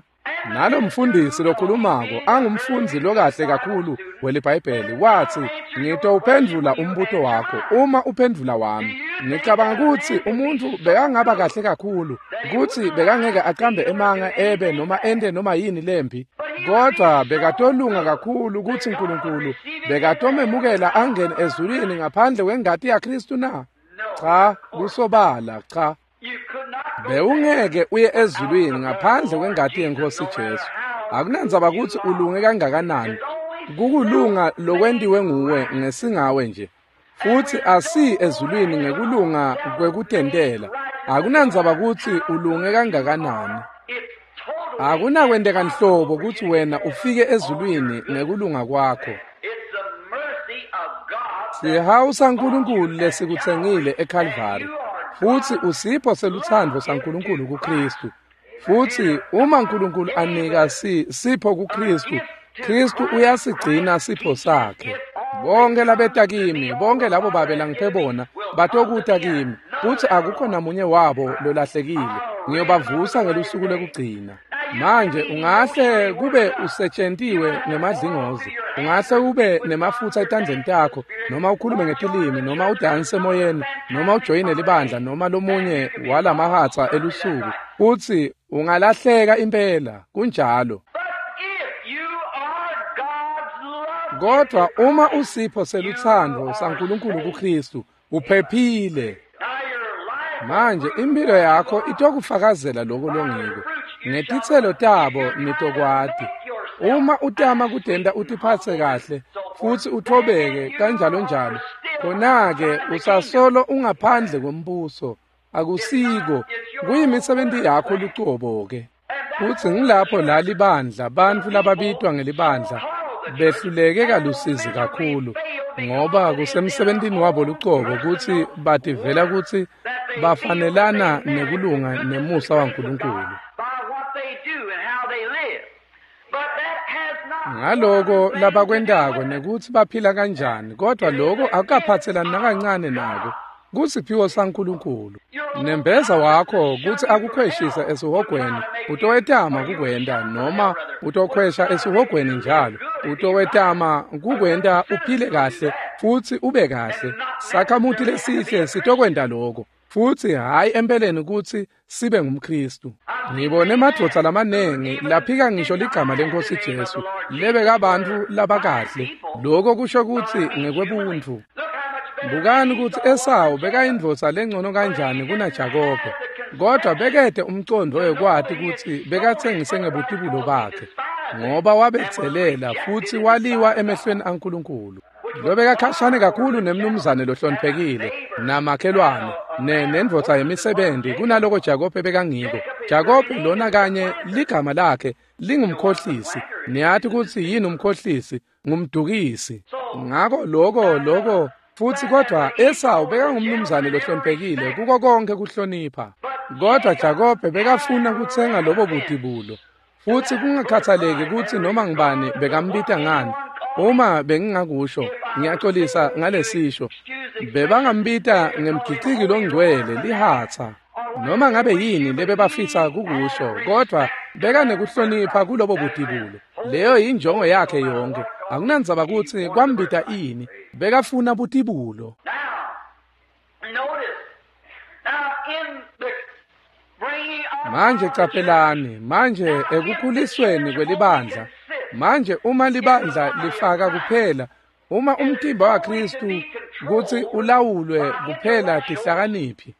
[SPEAKER 1] Nalo mfundisi lokhulumako angumfundzi lokahle kakhulu weliBhayibheli wathi, ngitowuphendvula umbuto wakho uma uphendvula wami. Ngicabanga kutsi umuntfu bekangaba kahle kakhulu kutsi bekangeke aqambe emanga ebe noma ente noma yini lembi, kodwa bekatolunga kakhulu kutsi Nkulunkulu bekatomemukela angene ezulwini ngaphandle kwengati yaKristu na? Cha, kusobala cha. Bewungeke uye ezulwini ngaphandle kwengati yeNkhosi Jesu. Akunandzaba kutsi ulunge kangakanani, kukulunga lokwentiwe nguwe ngesingawe nje. Futsi asi ezulwini ngekulunga kwekutentela. Akunandzaba kutsi ulunge kangakanani. Akunakwenteka nhlobo kutsi wena ufike ezulwini ngekulunga kwakho. Sihawu saNkulunkulu lesikutsengile eKalvari, futsi usipho selutsandvo saNkulunkulu kuKristu. Futsi uma Nkulunkulu anika sipho kuKristu, Kristu uyasigcina sipho sakhe. Bonke labeta kimi, bonke labo babe langiphe bona, batokuta kimi, futsi akukho namunye wabo lolahlekile. Ngiyobavusa ngelusuku lekugcina. Manje ungahle kube usetshentiwe ngemadlingozi, ungahle ube nemafutsa etandleni takho, noma ukhulume ngetilimi, noma udanse emoyeni, noma ujoyine libandla, noma lomunye walamahatsa elusuku, futsi ungalahleka impela. Kunjalo. Kodwa uma usipho selutsandvo saNkulunkulu kuKristu, uphephile. Manje impilo yakho itokufakazela lokho longiko. Ngetitselo tabo nitokwati. Uma utama kutenta utiphatse kahle futsi uthobeke kanjalo njalo, khona-ke usasolo ungaphandle kwembuso. Akusiko, kuyimisebenti yakho lucobo-ke. Futsi ngilapho la libandla, bantfu lababitwa ngelibandla behluleke kalusizi kakhulu, ngoba kusemsebentini wabo lucobo kutsi bativela kutsi bafanelana nekulunga nemusa waNkulunkulu. Ngaloko labakwentako nekutsi baphila kanjani, kodwa lokho akukaphatselani nakancane nako. Kusiphiwo saNkulunkulu. Nembeza wakho kutsi akukhweshise esihogweni, utowetama kukwenta, noma utokhwesha esihogweni njalo, utowetama kukwenta uphile kahle futsi ube kahle. Sakhamuti lesihle sitokwenta lokho, futsi hhayi empeleni kutsi sibe ngumKristu. Ngibone emadvodza lamanengi laphika ngisho ligama leNkhosi Jesu, lebekabantfu labakahle. Lokho kusho kutsi ngekwebuntfu. Bukani kutsi Esawu bekayindvodza lengcono kanjani kunaJakobe, kodwa bekete umcondvo wekwati kutsi bekatsengise ngebutibulo bakhe, ngoba wabedzelela futsi waliwa emehlweni aNkulunkulu. Lobekakhashane kakhulu nemnumzane lohloniphekile namakhelwane nendvodza yemisebenti kunaloko Jakobe bekangiko. Jakobe lona kanye ligama lakhe lingumkhohlisi. Niyati kutsi yini umkhohlisi? ngumdukisi. Ngako lokho futsi kodwa Esawu bekangumnumzane lohloniphekile kuko konke kuhlonipha. Kodwa Jakobe bekafuna kutsenga lobo butibulo. Futsi kungakhathaleki kutsi noma ngibani bekambita ngani. Uma bengingakusho, ngiyaxolisa ngalesisho. Bebangambita ngemgiciki longcwele lihatsa. Noma ngabe yini lebebafisa kukusho, kodwa bekanekuhlonipha kulobo butibulo. Leyo yinjongo yakhe yonke. Akunandzaba kutsi kwambita ini, bekafuna butibulo. Manje caphelani, manje ekukhulisweni kwelibandla. Manje uma libandla lifaka kuphela, uma umtimba waKristu kutsi ulawulwe kuphela tihlakaniphi,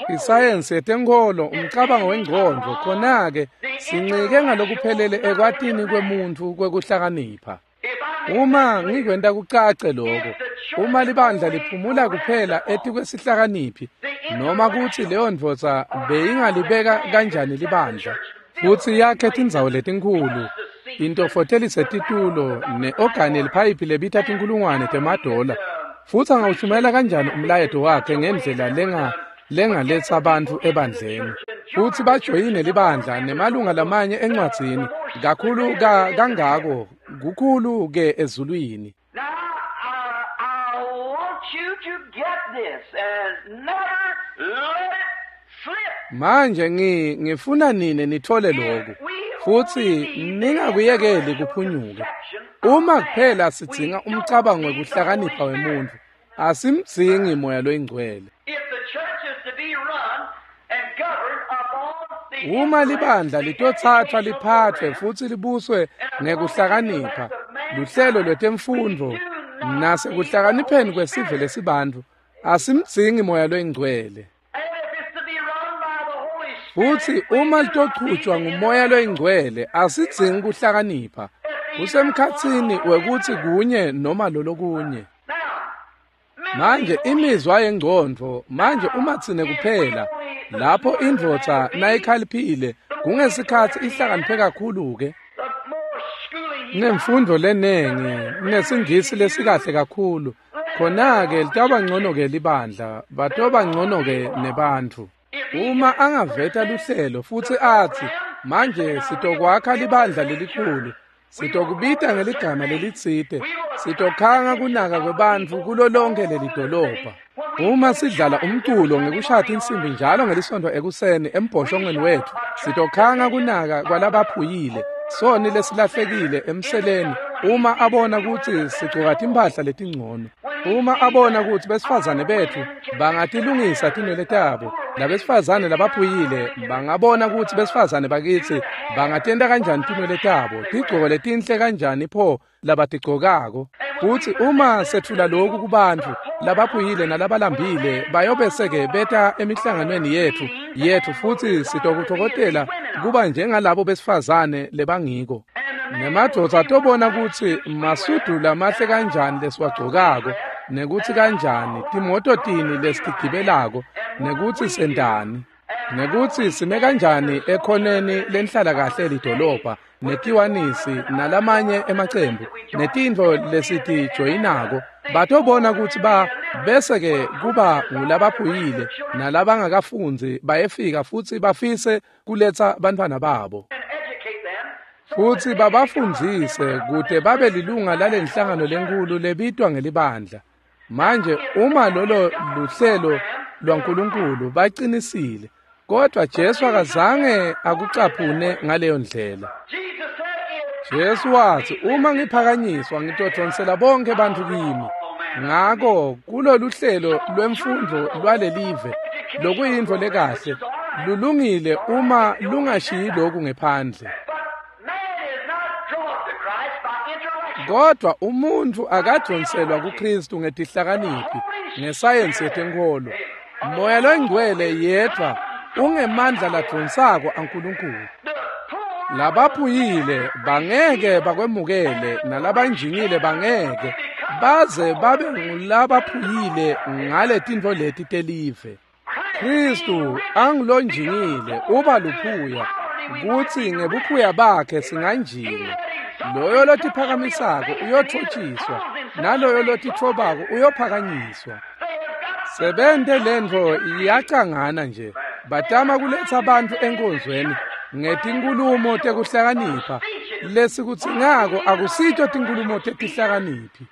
[SPEAKER 1] isayensi yetenkholo, umcabango wengcondvo, khona-ke sincike ngalokuphelele ekwatini kwemuntfu kwekuhlakanipha. Uma ngikwenta kucace lokho, uma libandla liphumula kuphela etikwesihlakaniphi, noma kutsi leyo ndvodza beyingalibeka kanjani libandla, futsi yakhe tindzawo letinkhulu, intofotelise titulo ne-ogani yeliphayiphi lebita tinkhulungwane temadola, futsi angawushumela kanjani umlayeto wakhe ngendlela lengaletsa bantfu ebandleni, futsi bajoyine libandla nemalunga lamanye encwadzini kakhulu kangako kukhulu ke ezulwini. Manje ngifuna nine nithole lokhu futsi ningakuyekeli kuphunyuke. Uma kuphela sidzinga umcabango wekuhlakanipha wemuntfu, asimdzingi moya loyingcwele. Uma libandla litotsathwa liphathwe futsi libuswe ngekuhlakanipha, luhlelo lwetemfundvo nasekuhlakanipheni kwesive lesibantfu, asimdzingi moya loyingcwele. Futsi uma litochutjwa ngumoya loyingcwele, asidzingi kuhlakanipha. Kusemkhatsini wekutsi kunye noma lolokunye. Manje imizwa yengcondvo, manje uma tsine kuphela, lapho indvodza nayikhaliphile, kungesikhatsi ihlakaniphe kakhulu-ke. Nemfundo lenengi, nesingisi lesikahle kakhulu, khona-ke litawuba ngcono-ke libandla, batoba ngcono-ke nebantfu. Uma angaveta luhlelo futsi atsi, manje sitokwakha libandla lelikhulu, sitokubita ngeligama lelitsite, sitokhanga kunaka kwebantfu kulo lonke lelidolobha. Uma sidlala umculo ngekushaya tinsimbi njalo ngelisontfo ekuseni embhoshongweni wetfu, sitokhanga kunaka kwalabaphuyile, soni lesilahlekile emseleni, uma abona kutsi sigcoka timphahla letingcono. Uma abona kutsi besifazane betfu bangatilungisa tinwele tabo, labesifazane labaphuyile bangabona kutsi besifazane bakitsi bangatenta kanjani tinwele tabo, tigcoko letinhle kanjani pho labatigcokako. Futsi uma sethula lokhu kubantfu labaphuyile nalabalambile, bayobese-ke beta emihlanganweni yetfu futsi sitokutfokotela kuba njengalabo besifazane lebangiko. Nemadvodza atobona kutsi masudu lamahle kanjani lesiwagcokako, nekutsi kanjani timoto tini lesitigibelako, nekutsi sentani, nekutsi sime kanjani ekhoneni lenhlalakahle lidolobha, netiwanisi nalamanye emacembu, netintfo lesitijoyinako. Batobona kutsi bese-ke kuba ngulabaphuyile nalabangakafundzi bayefika futsi bafise kuletsa bantfwana babo, futsi babafundzise kute babe lilunga lalenhlangano lenkulu lebitwa ngelibandla. Manje uma lolo luhlelo lwaNkulunkulu, bacinisile, kodwa Jesu akazange akucaphune ngaleyo ndlela. Jesu watsi, uma ngiphakanyiswa ngitodonsela bonke bantfu kimi. Ngako kulolu hlelo lwemfundvo lwalelive, lokuyintfo lekahle, lulungile uma lungashiyi lokhu ngephandle. Kodwa umuntfu akadonselwa kuKristu ngetihlakaniphi, ngesayensi yetenkholo. Moya loyingcwele yedvwa ungemandla ladonsako aNkulunkulu. Labaphuyile bangeke bakwemukele, nalabanjingile bangeke baze babe ngulabaphuyile ngaletintfo leti telive. Kristu angulonjingile uba luphuya. Kutsi ngebuphuya bakhe singanjinga. Loyo lotiphakamisako uyotfotjiswa, naloyo lotitfobako uyophakanyiswa. Sebente lentfo iyacangana nje. Batama kuletsa bantfu enkonzweni ngetinkhulumo tekuhlakanipha. Lesikudzingako akusito tinkhulumo tetihlakaniphi.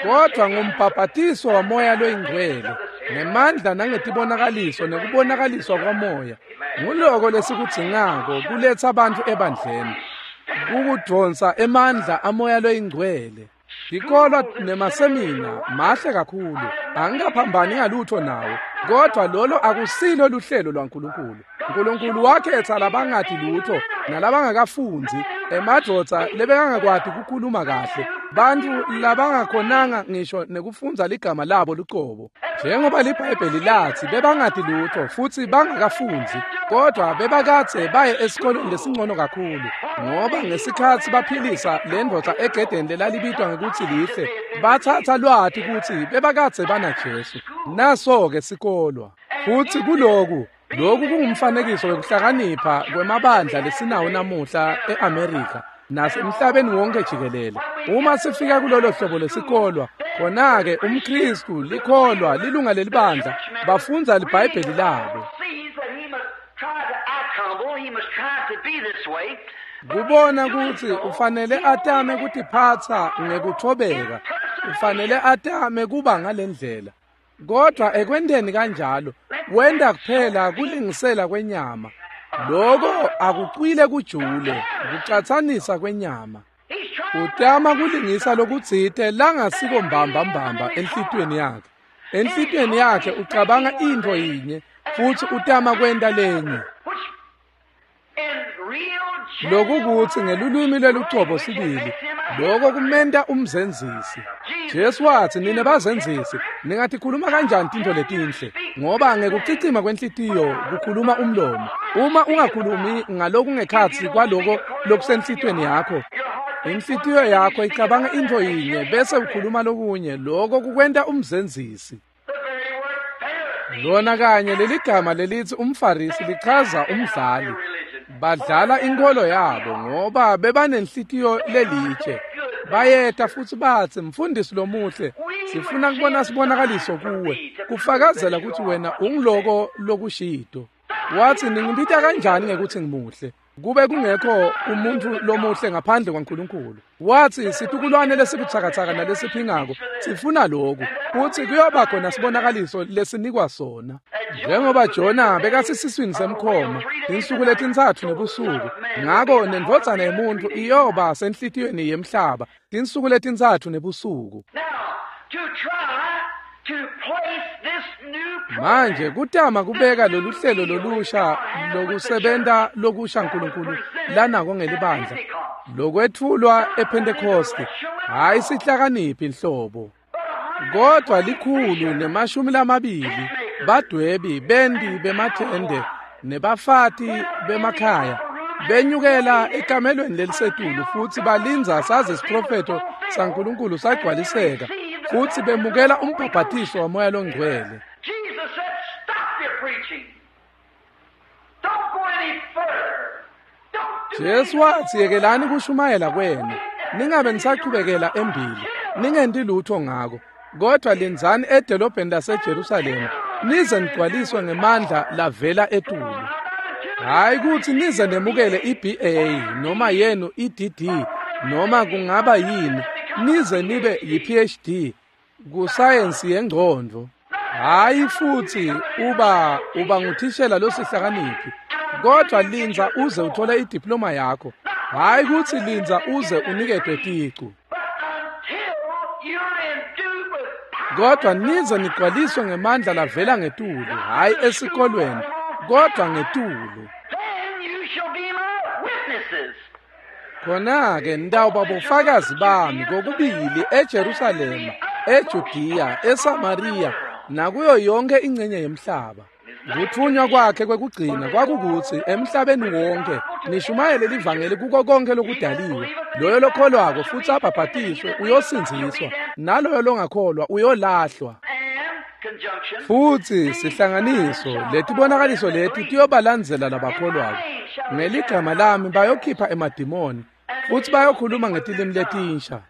[SPEAKER 1] Kodvwa ngumbhabhatiso waMoya loyiNgcwele ngemandla nangetibonakaliso nekubonakaliswa kwaMoya. Nguloko lesikudzingako kuletsa bantfu ebandleni, kukudvonsa emandla aMoya loyiNgcwele. Tikolwa nemasemina mahle kakhulu, angikaphambani ngalutho nawo, kodvwa lolo akusilo luhlelo lwaNkulunkulu. Nkulunkulu wakhetsa labangati lutho nalabangakafundzi, emadvodza lebekangakwati kukhuluma kahle, bantfu labangakhonanga ngisho nekufundza ligama labo lucobo. Njengoba liBhayibheli latsi bebangati lutho futsi bangakafundzi, kodvwa bebakadze baye esikolweni lesingcono kakhulu, ngoba ngesikhatsi baphilisa lendvodza egedeni lelalibitwa ngekutsi lihle, batsatsa lwati kutsi bebakadze banaJesu. Naso-ke sikolwa. Futsi kuloku, lokhu kungumfanekiso wekuhlakanipha kwemabandla lesinawo namuhla e-Amerika nasemhlabeni wonke jikelele. Uma sifika kulolo hlobo lesikolwa, khona-ke umKhristu likholwa lilunga lelibandla bafundza liBhayibheli labo. Kubona kutsi ufanele atame kutiphatsa ngekuthobeka, ufanele atame kuba ngalendlela. Kodvwa ekwenteni kanjalo, wenta kuphela kulingisela kwenyama. Loko akucwile kujule, kucatsanisa kwenyama. Utama kulingisa lokutsite langasiko mbamba mbamba enhlitiyweni yakhe. Enhlitiyweni yakhe ucabanga intfo yinye futsi utama kwenta lenye. Lokukutsi ngelulwimi lwelucobo sibili, loko kumenta umzenzisi. Jesu watsi, nine bazenzisi, ningatikhuluma kanjani tintfo letinhle? Ngoba ngekucicima kwenhlitiyo kukhuluma umlomo. Uma ungakhulumi ngalokungekhatsi kwaloko lokusenhlitiyweni yakho, inhlitiyo yakho icabanga intfo yinye bese ukhuluma lokunye, loko kukwenta umzenzisi. Lona kanye leligama lelitsi umFarisi lichaza umdlali. Badlala inkholo yabo ngoba bebanenhlitiyo lelitshe. Bayeta futsi batsi, mfundisi lomuhle, sifuna kubona sibonakaliso kuwe, kufakazela kutsi wena ungiloko lokushito. Watsi, ningibita kanjani ngekuthi ngimuhle? Kube kungekho umuntfu lomuhle ngaphandle kwaNkulunkulu. Watsi, situkulwane lesibutsakatsaka nalesiphingako sifuna loku, futsi kuyoba khona sibonakaliso lesinikwa sona. Njengoba Jona bekasesiswini semkhoma tinsuku letintsatfu nebusuku, ngako nendvodzana yemuntfu iyoba senhlitiyweni yemhlaba tinsuku letintsatfu nebusuku. Manje kutama kubeka lolu hlelo lolusha lokusebenta lokusha Nkulunkulu lanako ngelibandla lokwetfulwa ePhentekoste, hhayi sihlakaniphi inhlobo, kodvwa 120 badwebi bendi bemathende nebafati bemakhaya benyukela ekamelweni lelisetulu futsi balindza saze isiprofetho saNkulunkulu sagcwaliseka futsi bemukela umbhabhatiso waMoya loNgcwele. Jesu watsi, yekelani kushumayela kwenu, ningabe nisachubekela embili, ningenti lutho ngako, kodvwa lindzani edolobheni laseJerusalema nize nigcwaliswe ngemandla lavela etulu. Hhayi kutsi nize nemukele i-BA noma yenu i-DD noma kungaba yini, nize nibe yi-PhD kusayensi yengcondvo. Hhayi futsi uba nguthishela losihlakaniphi, kodvwa lindza uze uthole idiploma yakho. Hhayi kutsi lindza uze uniketwe ticu, kodvwa nize nigcwaliswe ngemandla lavela ngetulu, hhayi esikolweni, kodvwa ngetulu. Khona-ke nitawuba bofakazi bami kokubili eJerusalema, eJudiya, eSamariya nakuyo yonke ingcenye yemhlaba. Kutfunywa kwakhe kwekugcina kwakukutsi emhlabeni wonke nishumayele livangeli kuko konke lokudaliwe. Loyo lokholwako futsi abhabhatiswe uyosindziswa, naloyo longakholwa uyolahlwa. Futsi sihlanganiso letibonakaliso leti tiyobalandzela labakholwako. Ngeligama lami bayokhipha emadimoni futsi bayokhuluma ngetilimi letinsha.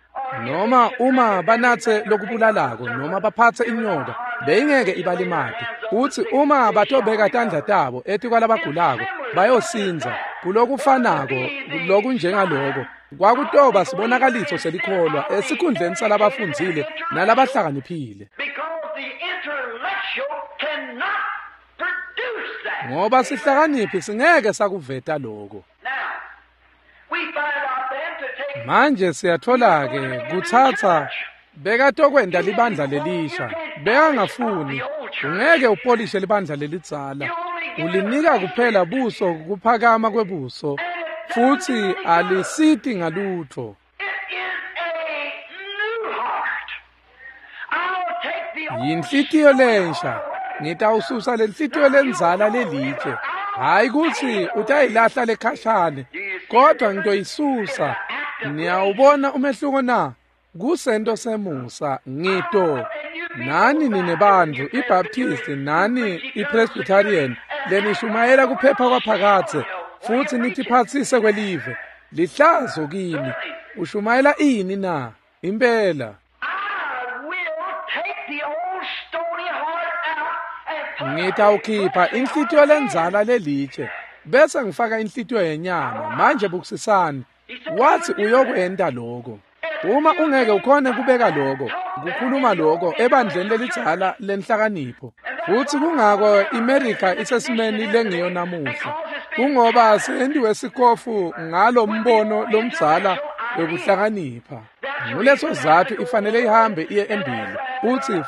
[SPEAKER 1] Noma uma banatse lokubulalako noma baphatse inyoka beyingeke ibalimate. Futsi uma batobeka tandla tabo etikwalabagulako bayosindza. Kulokufanako lokunjengaloko kwakutoba sibonakaliso selikholwa esikhundleni salabafundzile nalabahlakaniphile. Ngoba sihlakaniphi singeke sakuveta lokho. Manje siyathola-ke kutsatsa bekatokwenta libandla lelisha. Bekangafuni, ungeke upolishe libandla lelidzala. Ulinika kuphela buso kuphakama kwebuso futsi alisiti ngalutho. Yinhlitiyo lensha. Ngitawususa lenhlitiyo lendzala lelitshe. Hayi kutsi utayilahla lekhashane, kodwa ngitoyisusa. Niyawubona umehluko na? Kusento semusa ngito. Nani nine bantfu iBaptist nani iPresbyterian lenishumayela kuphepha kwaphakadze futsi nitiphatsise kwelive. Lihlazo kini. Ushumayela ini na? Impela. Ngitawukhipha inhlitiyo lendzala lelitshe bese ngifaka inhlitiyo yenyama. Manje bukisisani. Wathi uyokwenta lokho. Uma ungeke ukhone kubeka lokho, kukhuluma lokho ebandleni lelidzala lenhlakanipho. Futsi kungako iMerika isesimeni lengiyo namuhla. Kungoba sentiwe sikofu ngalo mbono lomdzala wekuhlakanipha. Nguleso zathu ifanele ihambe iye embili.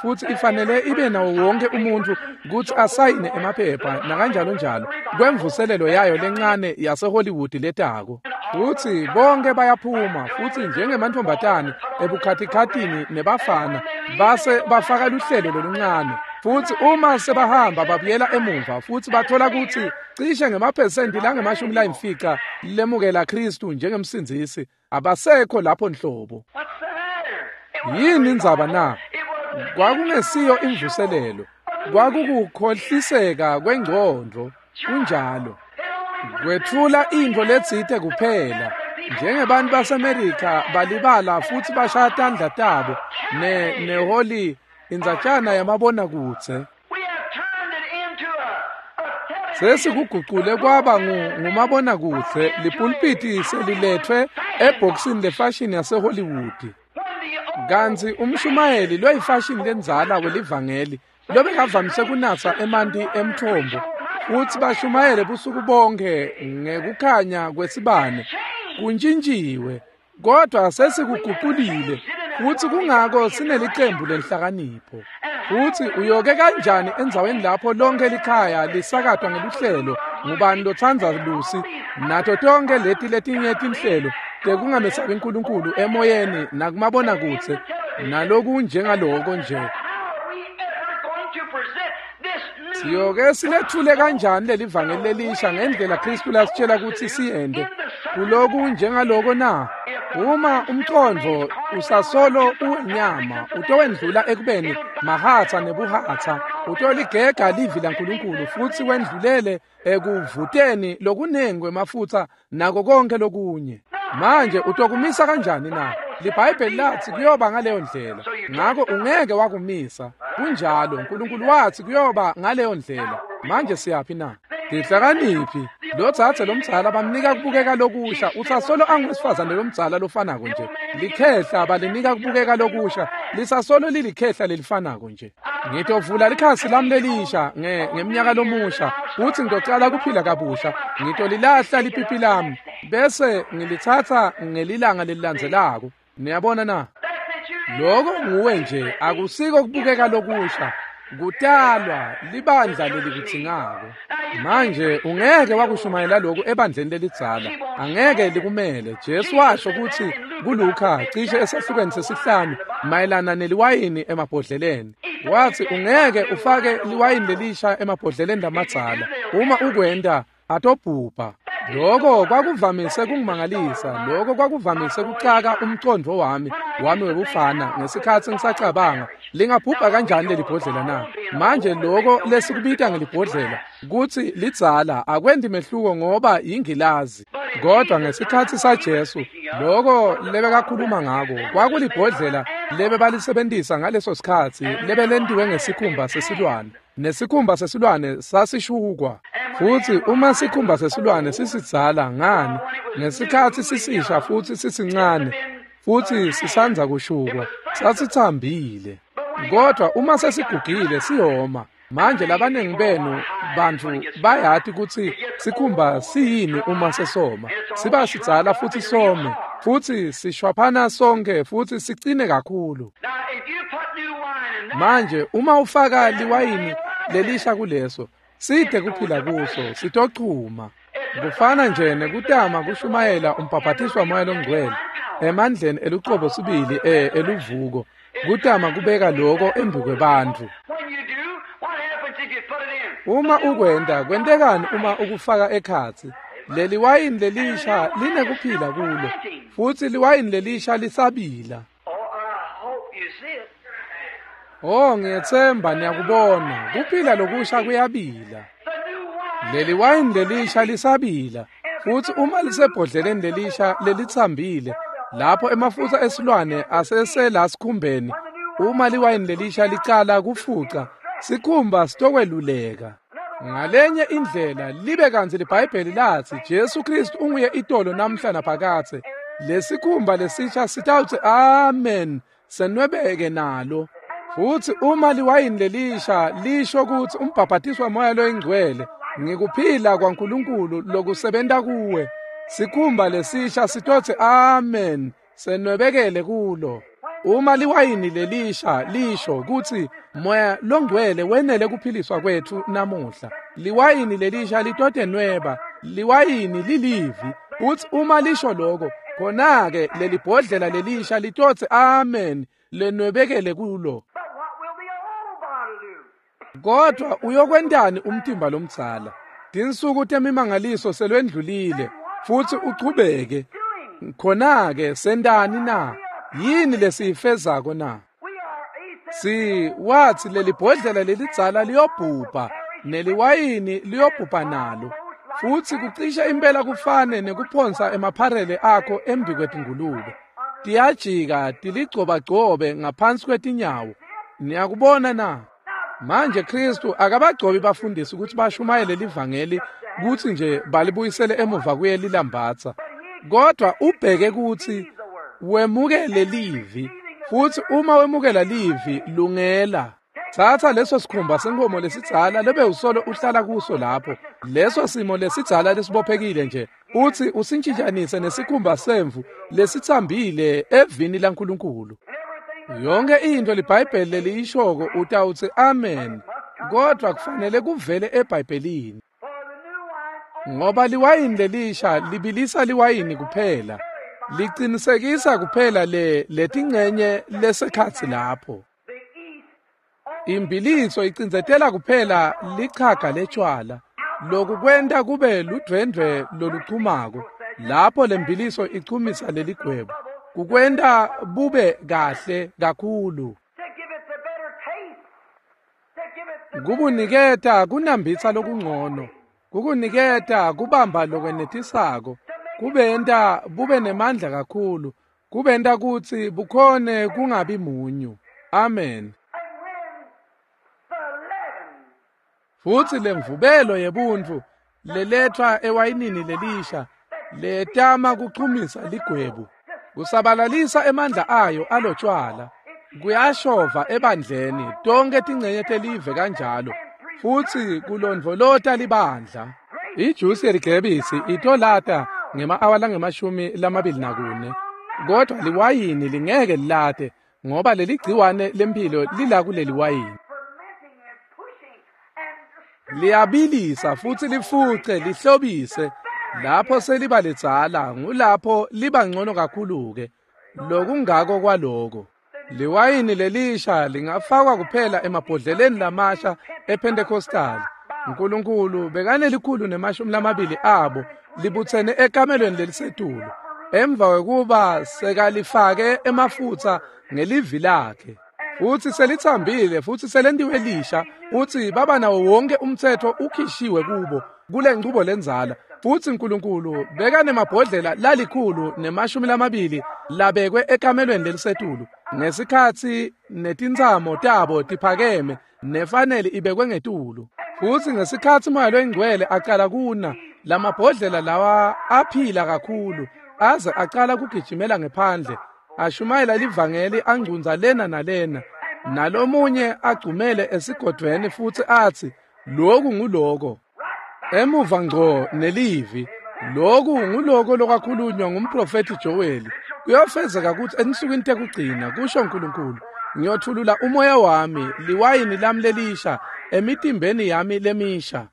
[SPEAKER 1] Futsi ifanele ibe nawo wonke umuntu kutsi asayine emaphepha nakanjalo njalo kwemvuselelo yayo lencane yaseHollywood letako. Futsi bonke bayaphuma futsi njengemantfombatane ebukhatikhatini nebafana base bafaka luhlelo loluncane. Futsi uma sebahamba babuyela emuva futsi bathola kutsi cishe ngemaphesenti langama-50 lemukela Kristu njengemsindzisi abasekho lapho nhlobo. Yini indzaba na? Kwakungesiyo imvuselelo, kwakukukhohliseka kwengcondvo. Kunjalo. Kwetfula intfo letsite kuphela. Njengebantu baseMerika balibala futsi bashaya tandla tabo neholi indzatjana yamabonakudze. Sesikugucule kwaba ngumabonakudze. Lipulpiti seliletfwe ebhokisini lefashini yaseHollywood. Kantsi umshumayeli loyifashini lendzala welivangeli lobekavamise kunatsa emanti emthombo futsi bashumayele busuku bonke ngekukhanya kwesibane kuntjintjiwe, kodwa sesikuguculile futsi kungako sinelicembu lenhlakanipho. Futsi uyoke kanjani endzaweni lapho lonke likhaya lisakatwa ngeluhlelo ngubani lotsandza Lucy nato tonke leti letinye tinhlelo tekungamesabi uNkulunkulu emoyeni nakumabonakudze nalokunjengaloko nje. Siyoke silethule kanjani lelivangeli lelisha ngendlela Kristu lasitshela kutsi siyente kuloku njengaloko na? Uma umcondvo usasolo uwenyama utowendlula ekubeni mahatsa nebuhatsa, utoligega livi laNkulunkulu futsi wendlulele ekuvuteni lokunengi kwemafutsa nako konke lokunye. Manje utokumisa kanjani na? LiBhayibheli lathi kuyoba ngaleyo ndlela, ngako ungeke wakumisa. Kunjalo, uNkulunkulu wathi kuyoba ngaleyo ndlela. Manje siyaphi na? Tihlakaniphi lotsatse lomdzala bamnika kubukeka lokusha, usasolo anguwesifazane lomdzala lofanako nje. Likhehla balinika kubukeka lokusha, lisasolo lilikhehla lelifanako nje. Ngitovula likhasi lami lelisha ngemnyaka lomusha, futsi ngitocala kuphila kabusha. Ngitolilahla lipipi lami bese ngilitsatsa ngelilanga lelilandzelako. Niyabona na? Lokho nguwe nje, akusiko kubukeka lokusha. Kutalwa libandla lelikudzingako. Manje ungeke wakushumayela lokhu ebandleni lelidzala, angeke likumele. Jesu washo kutsi kuLuka cishe esahlukweni sesihlanu mayelana neliwayini emabhodleleni. Wathi ungeke ufake liwayini lelisha emabhodleleni lamadzala, uma ukwenta atobhubha. Lokho kwakuvamise kungimangalisa, lokho kwakuvamise kuxaka umcondvo wami webufana ngesikhatsi ngisacabanga, lingabhubha kanjani leli bhodlela na? Manje lokho lesikubita ngelibhodlela kutsi lidzala akwendi mehluko ngoba yingilazi. Kodwa ngesikhatsi saJesu, lokho lebekakhuluma ngako kwakulibhodlela lebebalisebentisa ngaleso sikhatsi lebelentiwe ngesikhumba sesilwane. Nesikhumba sesilwane sasishukwa. Futsi uma sikhumba sesilwane sisidzala ngani, ngesikhatsi sisisha futsi sisincane futsi sisandza kushukwa, sasitsambile. Kodwa uma sesigugile siyoma. Manje labanengi benu bantfu bayati kutsi sikhumba siyini uma sesoma. Siba sidzala futsi some, futsi sishwaphana sonke futsi sicine kakhulu. Manje uma ufaka liwayini lelisha kuleso, side kuphila kuso, sitochuma. Kufana nje nekutama kushumayela umbhaphatiswa Moya Longcwele emandleni elucobo sibili eluvuko, kutama kubeka lokho embikwebantfu. Uma ukwenta, kwentekani uma ukufaka ekhatsi? Leli wayini lelisha linekuphila kulo, futsi liwayini lelisha lisabila. Oh, ngiyetsemba niyakubona, kuphila lokusha kuyabila. Leli wayini lelisha lisabila, futsi uma lisebhodleleni lelisha lelitsambile, lapho emafutsa esilwane asesela sikhumbeni, uma liwayini lelisha licala kufuca, sikhumba sitokweluleka. Ngalenye indlela libe kantsi liBhayibheli latsi Jesu Kristu unguye itolo namhla naphakadze. Lesikhumba lesisha sitawutsi amen, senwebeke nalo. Futsi uma liwayini lelisha lisho kutsi umbhaphatiswa Moya Loyingcwele ngikuphila kwaNkulunkulu lokusebenta kuwe, sikhumba lesisha sitotsi amen, senwebekele kulo. Uma liwayini lelisha lisho kutsi Moya Longcwele wenele kuphiliswa kwetfu namuhla, liwayini lelisha litotenweba, liwayini lilivi. Futsi uma lisho lokho, khona-ke lelibhodlela lelisha litotsi amen, lenwebekele kulo. Kodwa uyokwentani umtimba lomdzala? Tinsuku temimangaliso selwendlulile, futsi uchubeke. Khona-ke sentani na? Yini lesiyifezako na? Si wathi lelibhodlela lelidzala liyobhubha, neliwayini liyobhubha nalo. Futsi kucishe impela kufane nekuphonsa emapharele akho embi kwetingulube. Tiyajika tiligcobagcobe ngaphansi kwetinyawo. Niyakubona na? Manje Kristu akabagcobi bafundisi ukuthi bashumayele livangeli kutsi nje balibuyisele emuva kuye lilambatsa. Kodwa ubheke kutsi wemukele livi, futsi uma wemukela livi lungela. Thatha leso sikhumba senkomo lesidzala lebe usolo uhlala kuso lapho, leso simo lesidzala lesibophekile nje, utsi usintshitshanise nesikhumba semvu lesitsambile evini laNkulunkulu. Yonke into liBhayibheli leliyishoko utawutsi amen, kodwa kufanele kuvele eBhayibhelini. Ngoba liwayini lelisha libilisa liwayini kuphela, licinisekisa kuphela letingcenye lesekhatsi lapho. Imbiliso icindzetela kuphela lichaga letshwala, loku kwenta kube ludvwendvwe loluchumako. Lapho lembiliso ichumisa leligwebo, kukwenta bube kahle kakhulu, kubuniketa kunambitsa lokungcono, kukuniketa kubamba lokwenetisako, kubenta bube nemandla kakhulu, kubenta kutsi bukhone kungabi munyu. Amen. Futsi lemvubelo yebuntu leletfwa ewayinini lelisha letama kuchumisa ligwebu, kusabalalisa emandla ayo alotshwala, kuyashova ebandleni tonke tingcenye telive kanjalo, futsi kulondvolota libandla. Ijusi yeligrebisi itolata ngema-awa langama-24, kodwa liwayini lingeke lilate, ngoba leligciwane lemphilo lila kuleli wayini. Liyabilisa futsi lifuce lihlobise. Lapho seliba ledzala ngulapho liba ngcono kakhulu-ke. Lokungako kwaloko. Liwayini lelisha lingafakwa kuphela emabhodleleni lamasha ePentecostal. uNkulunkulu bekanelikhulu nemashumi lamabili abo libutsene ekamelweni lelisetulu emva kwekuba sekalifake emafutsa ngelivi lakhe futsi selitsambile futsi selentiwe lisha futsi baba nawo wonke umtsetfo ukhishiwe kubo kule nchubo lendzala futsi Nkulunkulu bekanemabhodlela 120 labekwe ekamelweni lelisetulu ngesikhatsi netintsamo tabo tiphakeme nefanele ibekwe ngetulu futsi ngesikhatsi Moya loyiNgcwele aqala kuna lamabhodlela lawa aphila kakhulu aze aqala kugijimela ngephandle ashumayela livangeli angcunza lena nalena nalomunye agcumele esigodvweni futsi atsi loku nguloko emuva ngco nelivi loku nguloko lokwakhulunywa ngumprofethi Joel kuyofezeka kutsi ensukwini tekugcina kusho Nkulunkulu ngiyothulula umoya wami liwayini lami lelisha emitimbeni yami lemisha.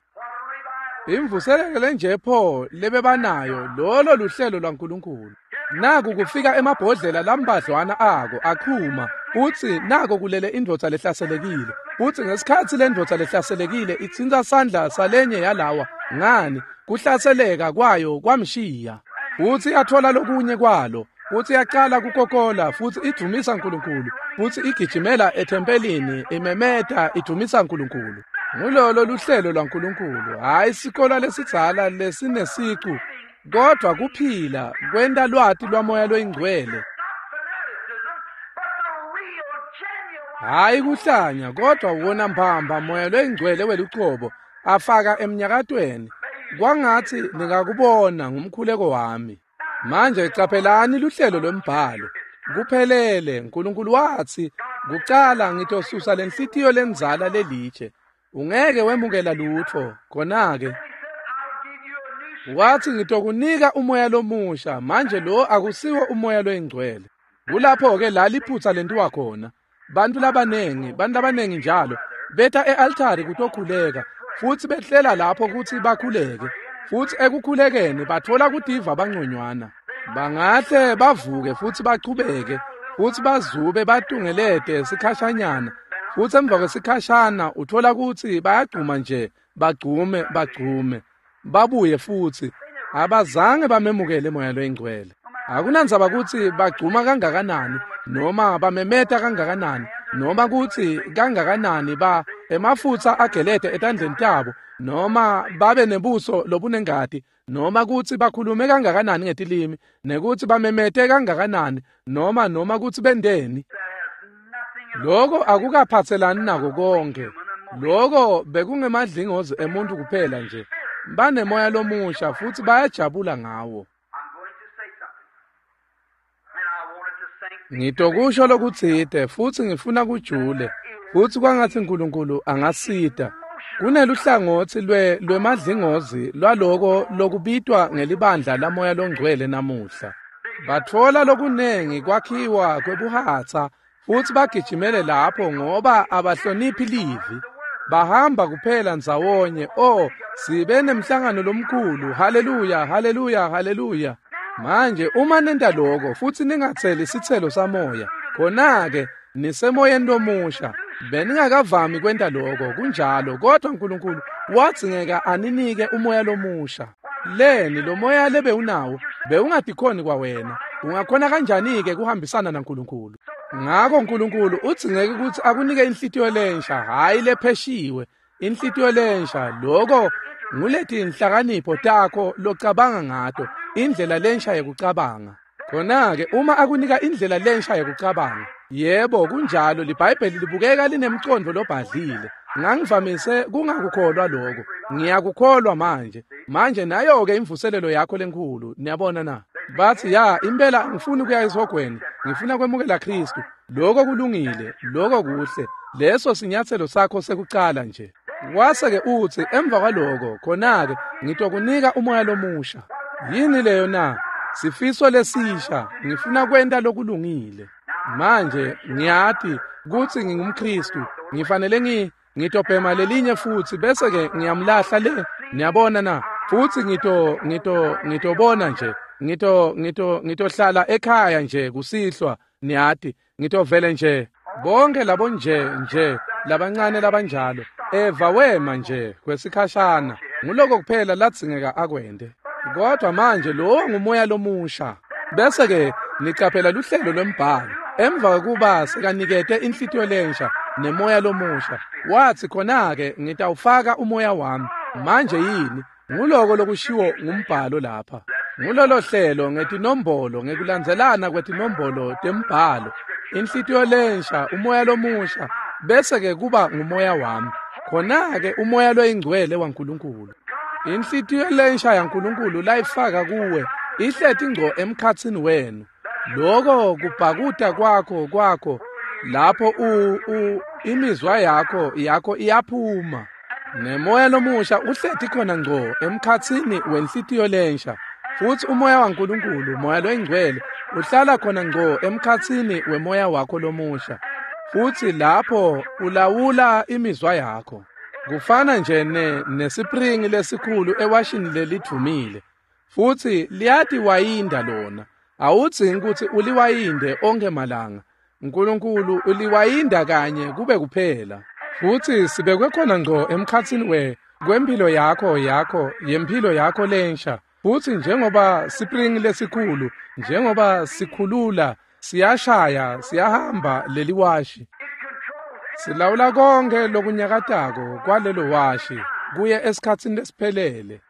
[SPEAKER 1] Imvuselelo lenje pho lebebanayo lolo luhlelo lwaNkulunkulu. Naku kufika emabhodlela lambadlwana ako aqhuma utsi nako kulele indvodza lehlaselekile utsi ngesikhatsi lendvodza lehlaselekile itsintsa sandla salenye yalawa ngani kuhlaseleka kwayo kwamshiya utsi yathola lokunye kwalo utsi yaqala kukokola futsi idumisa Nkulunkulu futsi igijimela ethempelini imemeta idumisa Nkulunkulu. Ngulolo luhlelo lwaNkulunkulu hayi sikolo lesidzala lesinesicu kodwa kuphila kwenta lwati lwamoya loyingcwele hayi kuhlanya kodwa wona mbamba moya loyingcwele welucobo afaka emnyakatweni kwangatsi ningakubona ngumkhuleko wami. Manje caphelani luhlelo lwembhalo kuphelele. Nkulunkulu watsi kucala ngitosusa lenhlitiyo lendzala lelitshe ungeke wemukela lutfo khona-ke wathi ngitokunika umoya lomusha manje lo akusiwo umoya loyingcwele. Kulapho-ke la liphutsa lentiwa khona bantu labanengi njalo beta e-altari kutokhuleka futsi behlela lapho kutsi bakhuleke futsi ekukhulekeni bathola kutiva bangconywana bangahle bavuke futsi bachubeke futsi bazube batungelete sikhashanyana futsi emva kwesikhashana uthola kutsi bayagcuma nje bagcume babuye futsi abazange bamemukele moya loyingcwele. Akunandzaba kutsi bagcuma kangakanani noma bamemeta kangakanani noma kutsi kangakanani ba emafutsa agelete etandleni tabo noma babe nebuso lobunengati noma kutsi bakhulume kangakanani ngetilimi nekutsi bamemete kangakanani noma kutsi bendeni. Loko akukaphatselani nako konke. Loko bekungemadlingozi emuntu kuphela nje. Banemoya lomusha futsi bayajabula ngawo. Ngitokusho lokutsite futsi ngifuna kujule futsi kwangatsi Nkulunkulu angasita. Kuneluhlangotsi lwemadlingozi lwaloko lokubitwa ngelibandla lamoya longcwele namuhla. Batfola lokunengi kwakhiwa kwebuhatsa futsi bagijimele lapho ngoba abahloniphi livi. Bahamba kuphela ndzawonye. Oh, sibe nemhlangano lomkhulu. Haleluya, haleluya, haleluya. Manje uma nenta lokho futsi ningatseli sitselo samoya khona-ke nisemoyeni lomusha. Beningakavami kwenta lokho kunjalo kodwa Nkulunkulu wadzingeka aninike umoya lomusha. Leni lo moya lebewunawo bewungatikhoni kwawena ungakhona kanjani-ke kuhambisana naNkulunkulu? Ngako Nkulunkulu udzingeke kutsi akunike inhlitiyo lensha hhayi lepheshiwe inhlitiyo lensha. Loko nguletinhlakanipho takho locabanga ngato indlela lensha yekucabanga. Khona-ke uma akunika indlela lensha yekucabanga yebo kunjalo liBhayibheli libukeka linemcondvo lobhadlile. Ngangivamise kungakukholwa lokho ngiyakukholwa manje. Manje nayo-ke imvuselelo yakho lenkhulu niyabona na? Bathi ya impela ngifuna ukuya esihogweni ngifuna kwemukela Kristu. Lokho kulungile lokho kuhle leso sinyathelo sakho sekucala nje. Wase-ke utsi emva kwaloko khona-ke ngitokunika umoya lomusha. Yini leyo na? Sifiso lesisha ngifuna kwenta lokulungile. Manje ngiyati kutsi ngingumKristu ngifanele ngitobhema lelinye futsi bese-ke ngiyamlahla le niyabona na? Futsi ngitobona nje ngitohlala ekhaya nje kusihlwa niyati ngitovele nje bonke labo nje labancane labanjalo. Eva wema nje kwesikhashana nguloko kuphela ladzingeka akwente. Kodwa manje lowo ngumoya lomusha. Bese-ke nicaphela luhlelo lwembhalo. Emva kwekuba sekanikete inhlitiyo lensha nemoya lomusha, wathi khona-ke ngitawufaka umoya wami. Manje yini? Nguloko lokushiwo ngumbhalo lapha. Ngulolo hlelo ngetinombolo, ngekulandzelana kwetinombolo tembhalo. Inhlitiyo lensha, umoya lomusha, bese-ke kuba ngumoya wami. Khona-ke umoya loyingcwele waNkulunkulu. Inhlitiyo lensha yaNkulunkulu layifaka kuwe ihleti ngco emkhatsini wenu. Lokho kubhakuta kwakho lapho imizwa yakho iyaphuma. Nemoya lomusha uhleti khona ngco emkhatsini wenhlitiyo lensha. Futhi umoya waNkulunkulu, umoya loyingcwele, uhlala khona ngco emkhatsini wemoya wakho lomusha. Futhi lapho ulawula imizwa yakho. Kufana nje nesipringi lesikhulu ewashini lelidvumile. Futhi liyatiwayinda lona. Awudzingi ukuthi uliwayinde onke malanga. uNkulunkulu uliwayinda kanye kube kuphela. Futhi sibekwe khona ngco emkhatsini kwempilo yakho yempilo yakho lensha. Futhi njengoba sipringi lesikhulu, njengoba sikhulula, siyashaya, siyahamba leliwashi. Silawula konke lokunyakatako kwalelo washi kuye esikhatsini lesiphelele.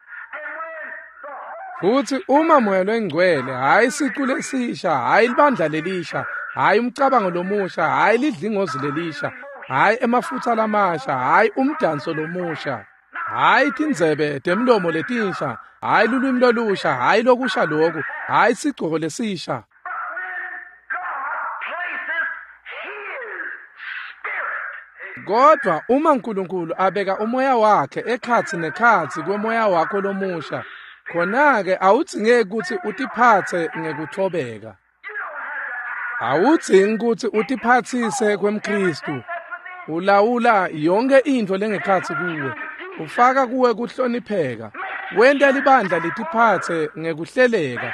[SPEAKER 1] Futhi uma moya loyingcwele, hhayi sicu lesisha, hhayi libandla lelisha, hhayi umcabango lomusha, hhayi lidlingozi lelisha, hhayi emafutha lamasha, hhayi umdanso lomusha, hhayi tindzebe temlomo letinsha, hhayi lulwimi lolusha, hhayi lokusha loku, hhayi sigcoko lesisha. Kodwa uma uNkulunkulu abeka umoya wakhe ekhatsi nekhatsi kwemoya wakho lomusha, khona-ke awudzingeki kutsi utiphatse ngekuthobeka. Awudzingi kutsi utiphatsise kwemKhristu. Ulawula yonke intfo lengekhatsi kuwe. Ufaka kuwe kuhlonipheka. Wenta libandla litiphatse ngekuhleleka.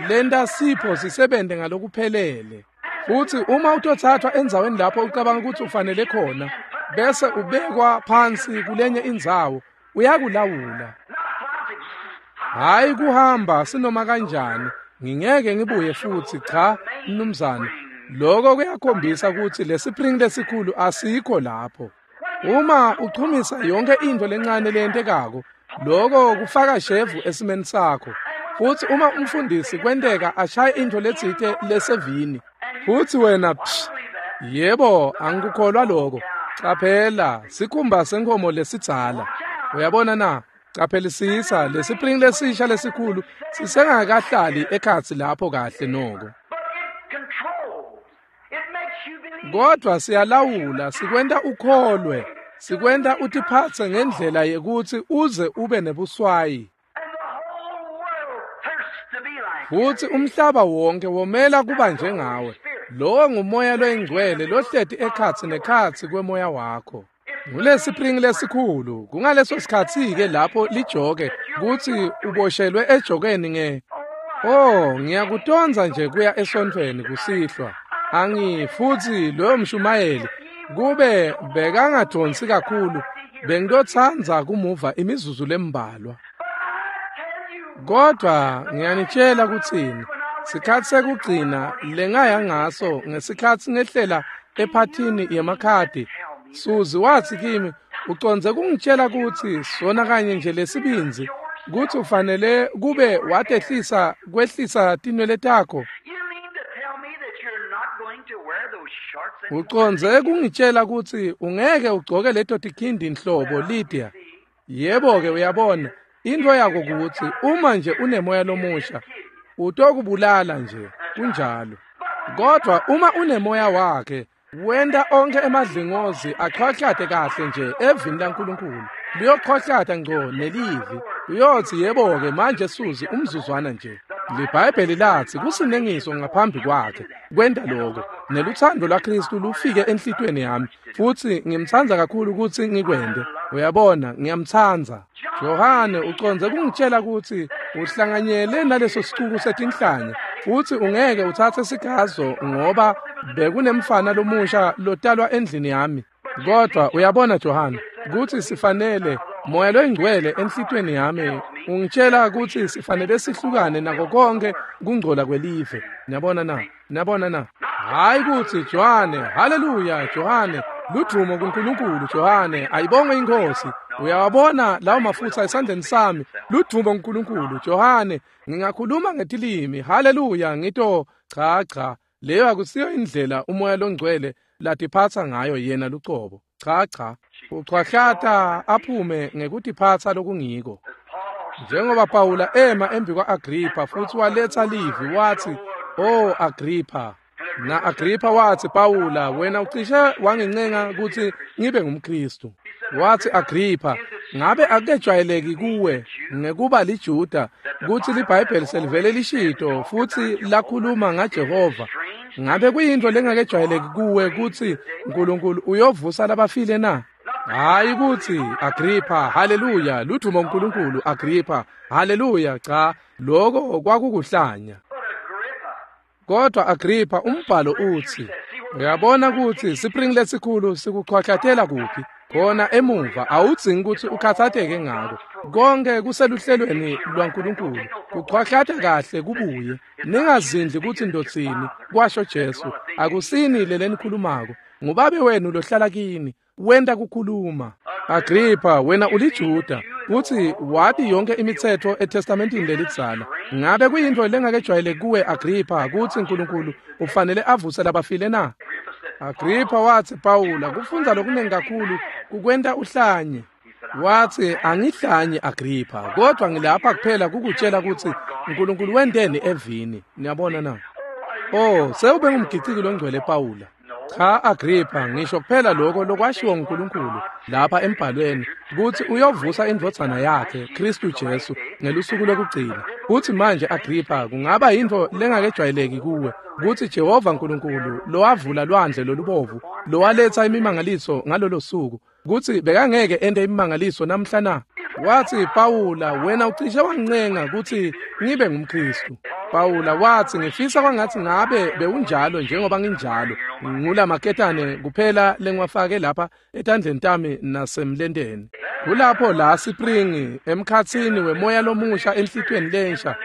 [SPEAKER 1] Lenta sipho sisebente ngalokuphelele. Futhi uma utothathwa endzaweni lapho ucabanga ukuthi ufanele khona, bese ubekwa phansi kulenye indzawo, uyakulawula. Hhayi kuhamba sinoma kanjani, ngingeke ngibuye futhi, cha, mnumzane. Lokho kuyakhombisa ukuthi lesipringi lesikhulu asikho lapho. Uma uchumisa yonke into lencane leyentekako, lokho kufaka shevu esimeni sakho. Futhi uma umfundisi kwenteka ashaye into letsite lesevini, futhi wena yebo, angikukholwa lokho. Caphela, sikhumba senkomo lesidzala. Uyabona na? Caphelisisa, lesipringi lesisha lesikhulu sisengakahlali ekhatsi lapho kahle noko. Kodwa siyalawula, sikwenta ukholwe, sikwenta utiphatse ngendlela yekutsi uze ube nebuswayi. Futhi umhlaba wonke womela kuba njengawe. Lowo ngumoya loyingcwele lohleti ekhatsi nekhatsi kwemoya wakho. Ngulesipringi lesikhulu, kungaleso sikhatsi-ke lapho lijoke kutsi uboshelwe ejokeni nge oh, ngiyakutondza nje kuya esontfweni kusihlwa. Futhi loyo mshumayeli kube bekangadonsi kakhulu, bengitotsandza kumuva imizuzu lembalwa. Kodwa ngiyanitshela kutsini, sikhatsi sekugcina lengaya ngaso ngesikhatsi ngehlela ephathini yemakhadi, Suzi watsi kimi, ucondze kungitshela kutsi sona kanye nje lesibindzi kutsi ufanele kube watehlisa kwehlisa tinwele takho. Ucondze kungitshela kutsi ungeke ugcoke leto tikhindi nhlobo, Lydia. Yebo-ke, uyabona, into yako kutsi uma nje unemoya lomusha, utokubulala nje, kunjalo. Kodwa uma unemoya wakhe, wenta onke emadlingozi achwahlate kahle nje evini laNkulunkulu. Liyochwahlata ngco nelivi. Uyothi yebo-ke manje Suzi umzuzwana nje. LiBhayibheli lathi kusinengiso ngaphambi kwakhe kwenta lokho. Neluthando lwaKristu lufike enhlitiyweni yami futhi ngimtsandza kakhulu ukuthi ngikwente. Uyabona, ngiyamtsandza. Johane ucondze kungitshela ukuthi uhlanganyele naleso sicuku setinhlanya futhi ungeke uthathe sigazo ngoba bekunemfana lomusha lotalwa endlini yami. Kodwa uyabona Johane, kuthi sifanele moya loyingcwele enhlitiyweni yami Ungitshela kutsi sifanele sihlukane nako konke kungcola kwelive. Niyabona na? Niyabona na? Hayi kutsi Johane, haleluya Johane, ludvumo kuNkulunkulu Johane, ayibongwe iNkhosi. Uyawabona lawo mafutha esandleni sami, ludvumo kuNkulunkulu Johane, ngingakhuluma ngetilimi, haleluya, ngito cha cha. Leyo akusiyo indlela umoya longcwele latiphatsa ngayo yena lucobo. Cha cha, uchwahlata aphume ngekutiphatsa lokungiko. Njengoba Pawula ema embi kwa-Agripha futhi waletha livi wathi, "Oh Agripha." Na Agripha wathi, "Pawula, wena ucishe wangincenga kutsi ngibe ngumKristu." Wathi Agripha, "Ngabe akujwayeleki kuwe ngekuba liJuda kutsi liBhayibheli selivele lishito futhi lakhuluma ngaJehova? Ngabe kuyinto lengakejwayeleki kuwe kutsi uNkulunkulu uyovusa labafile na?" Hayi kutsi Agripha, haleluya, ludvumo uNkulunkulu Agripha, haleluya, cha, lokho kwakukuhlanya. Kodwa Agripha, umbhalo uthi, uyabona kutsi sipringi lesikhulu sikuchwahlatela kuphi? Khona emuva, awudzingi kutsi ukhathateke ngako. Konke kuseluhlelweni lwaNkulunkulu. Kuchwahlata kahle kubuye. Ningazindli kutsi ndotsini, kwasho Jesu. Akusini lelenikhulumako. Ngubabe wenu lohlala kini. Wenta kukhuluma. Agripha, wena uliJuda, kutsi wati yonke imitsetfo eTestamentini lelidzala. Ngabe kuyintfo lengakejwayeleki kuwe Agripha kutsi uNkulunkulu ufanele avuse labafile na? Agripha wathi, Pawula, kufundza lokunengi kakhulu kukwenta uhlanye. Wathi, angihlanye Agripha, kodwa ngilapha kuphela kukutshela kutsi uNkulunkulu wenteni evini. Niyabona na? Oh, sewube ngumgiciki longcwele Pawula. Cha Agripha, ngisho kuphela lokho lokwashiwo nguNkulunkulu lapha embhalweni kutsi uyovusa indvodzana yakhe Kristu Jesu ngelusuku lokugcina. Kutsi manje Agripha, kungaba yintfo lengakejwayeleki kuwe kutsi Jehova uNkulunkulu lowavula lwandle lolubovu lowaletsa imimangaliso ngalolo suku kutsi bekangeke ente imimangaliso namhla na? Wathi Pawula, wena ucishe wangincenga kutsi ngibe ngumKristu. Pawula wathi, ngifisa kwangathi ngabe bewunjalo njengoba nginjalo. Ngula maketane kuphela lengiwafake lapha etandleni tami nasemlenteni. Kulapho la sipringi emkhatsini wemoya lomusha enhlitiyweni lensha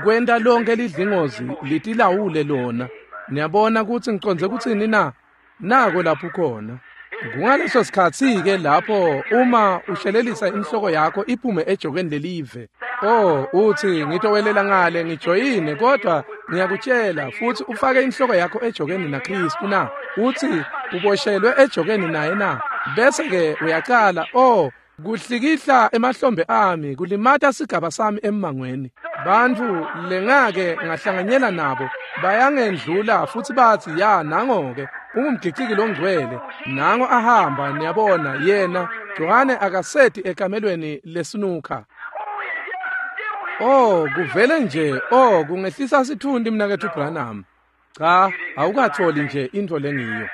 [SPEAKER 1] kwenta lonke lidlingozi litilawule lona. Niyabona kutsi ngicondze kutsini na? Nako lapho khona. Kungaleso sikhatsi-ke lapho uma ushelelisa inhloko yakho iphume ejokeni lelive. Oh, uthi ngitowelela ngale ngijoyine, kodwa ngiyakutshela futhi ufake inhloko yakho ejokeni naKristu na? Uthi uboshelwe ejokeni naye na? Bese-ke uyacala, oh, kuhlikihla emahlombe ami, kulimata sigaba sami emmangweni. Bantfu lengake ngahlanganyela nabo bayangendlula futhi bathi, ya nango-ke ungumgiciki longcwele, nango ahamba. Niyabona, yena Johane akaseti ekamelweni lesinukha. Oh, kuvele nje, oh, kungehlisa sithundi mnaketfu Branham. Cha, awukatholi nje intfo lengiyo.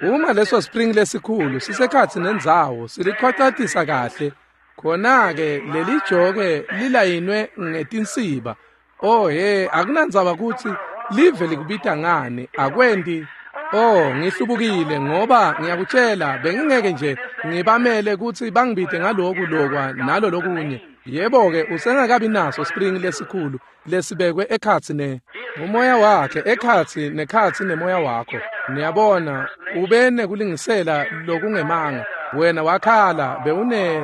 [SPEAKER 1] Uma leso spring lesikhulu sisekhatsi nendzawo silichwachatisa kahle, khona-ke leli joke lilayinwe ngetinsiba. Oh he, akunandzaba kutsi live likubita ngani, akwendi. Oh, ngihlubukile ngoba ngiyakutshela bengingeke nje ngibamele kutsi bangibite ngaloku lokwa nalo lokunye. Yebo-ke, usengakabi naso spring lesikhulu lesibekwe ekhatsi ne umoya wakhe, ekhatsi nekhatsi nemoya wakho. Niyabona, ube nekulingisela lokungemanga. Wena wakhala bewune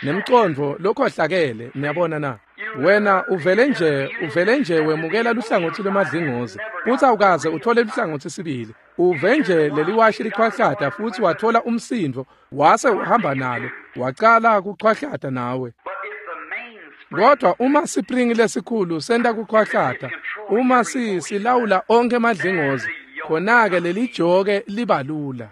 [SPEAKER 1] nemcondvo lokhohlakele. Niyabona na? Wena uvele nje wemukela luhlangotsi lwemadlingozi futhi awukaze uthole luhlangotsi sibili. Uve nje leliwashi lichwahlata futhi wathola umsindvo wase uhamba nalo wacala kuchwahlata nawe. Kodwa uma sipringi lesikhulu senta kuchwahlata, uma silawula onke emadlingozi, khona-ke leli joke libalula.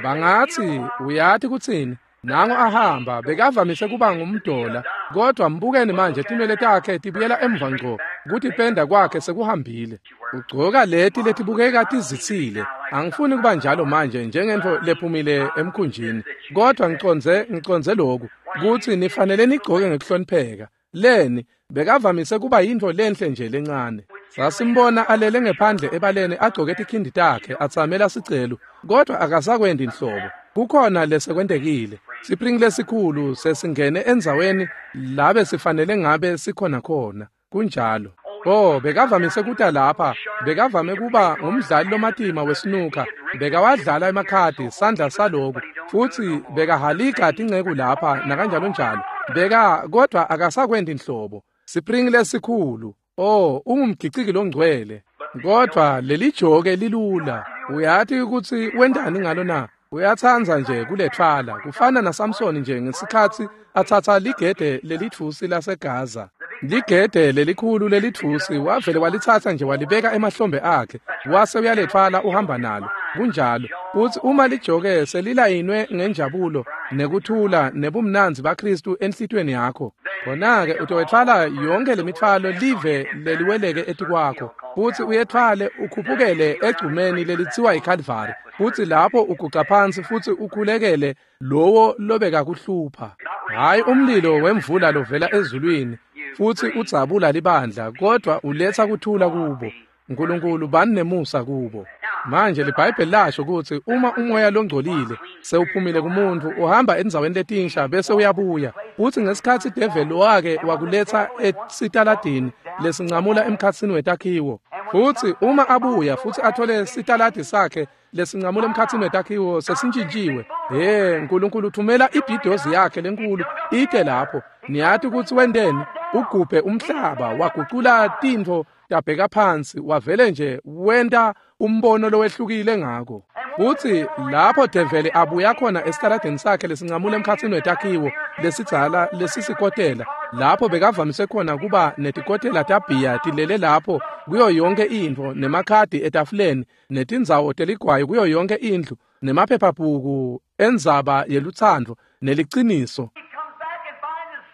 [SPEAKER 1] Bangathi, uyathi kutsini? Nango ahamba bekavamise kuba ngumdola, kodwa mbukeni manje tinwele takhe tibuyela emva ngco, kutipenda kwakhe sekuhambile. Ugcoka leti letibukeka tizitsile. Angifuni kuba njalo manje njengentfo lephumile emkhunjini, kodwa ngicondze lokhu kutsi nifanele nigcoke ngekuhlonipheka. Leni bekavamise kuba yintfo lenhle nje lencane. Sasimbona alele ngephandle ebaleni agcoke tikhindi takhe atsamela sicelu, kodwa akasakwendi nhlobo. Kukhona lesekwentekile. Sipringi lesikhulu sesingene endzaweni labe sifanele ngabe sikhona khona. Kunjalo. Oh, bekavamise kuta lapha, bekavame kuba ngumdlali lomatima wesinuka, bekawadlala emakhadi sandla saloku, futsi bekahalika tinceku lapha nakanjalo njalo. Beka kodwa akasakwendi inhlobo. Sipringi lesikhulu. Oh, ungumgiciki longcwele. Kodwa leli joke lilula. Uyati ukuthi wendani ngalo na? Uyatsandza nje kulethwala. Kufana naSamson nje ngesikhatsi atsatsa ligede lelitfusi laseGaza. Ligede lelikhulu lelitfusi wavele walitsatsa nje walibeka emahlombe akhe, wase uyalethwala uhamba nalo. Kunjalo. Uthi uma lijoke selilayinwe ngenjabulo nekuthula nebumnandzi baKristu enhlitiyweni yakho, khona-ke utowethwala yonke lemithwalo live leliweleke etikwakho, futsi uyethwale ukhuphukele egcumeni lelitsiwa yiKalvari, futsi lapho uguca phansi futsi ukhulekele lowo lobekakuhlupha. Hhayi umlilo wemvula lovela ezulwini futsi udzabula libandla, kodwa uletsa kuthula kubo. Nkulunkulu bani nemusa kubo. Manje liBhayibheli lasho kutsi uma umoya longcolile sewuphumile kumuntu, uhamba endzaweni letinsha bese uyabuya. Futsi ngesikhatsi develi wake wakuletsa esitaladini lesincamula emkhatsini wetakhiwo, futsi uma abuya futsi athole sitaladi sakhe lesincamula emkhatsini wetakhiwo sesintjintjiwe, he, Nkulunkulu uthumela ibhidozi yakhe lenkulu ite lapho. Niyati kutsi wenteni? Ugubhe umhlaba, wagucula tintfo tabheka phansi, wavele nje wenta umbono lowehlukile ngako. Futsi lapho develi abuya khona esitaladini sakhe lesincamula emkhatsini wetakhiwo lesidzala lesisikotela, lapho bekavamise khona kuba netikotela tabhiya tilele lapho kuyo yonke intfo, nemakhadi etafuleni, netindzawo teligwayi kuyo yonke indlu, nemaphephabhuku endzaba yelutsandvo neliciniso.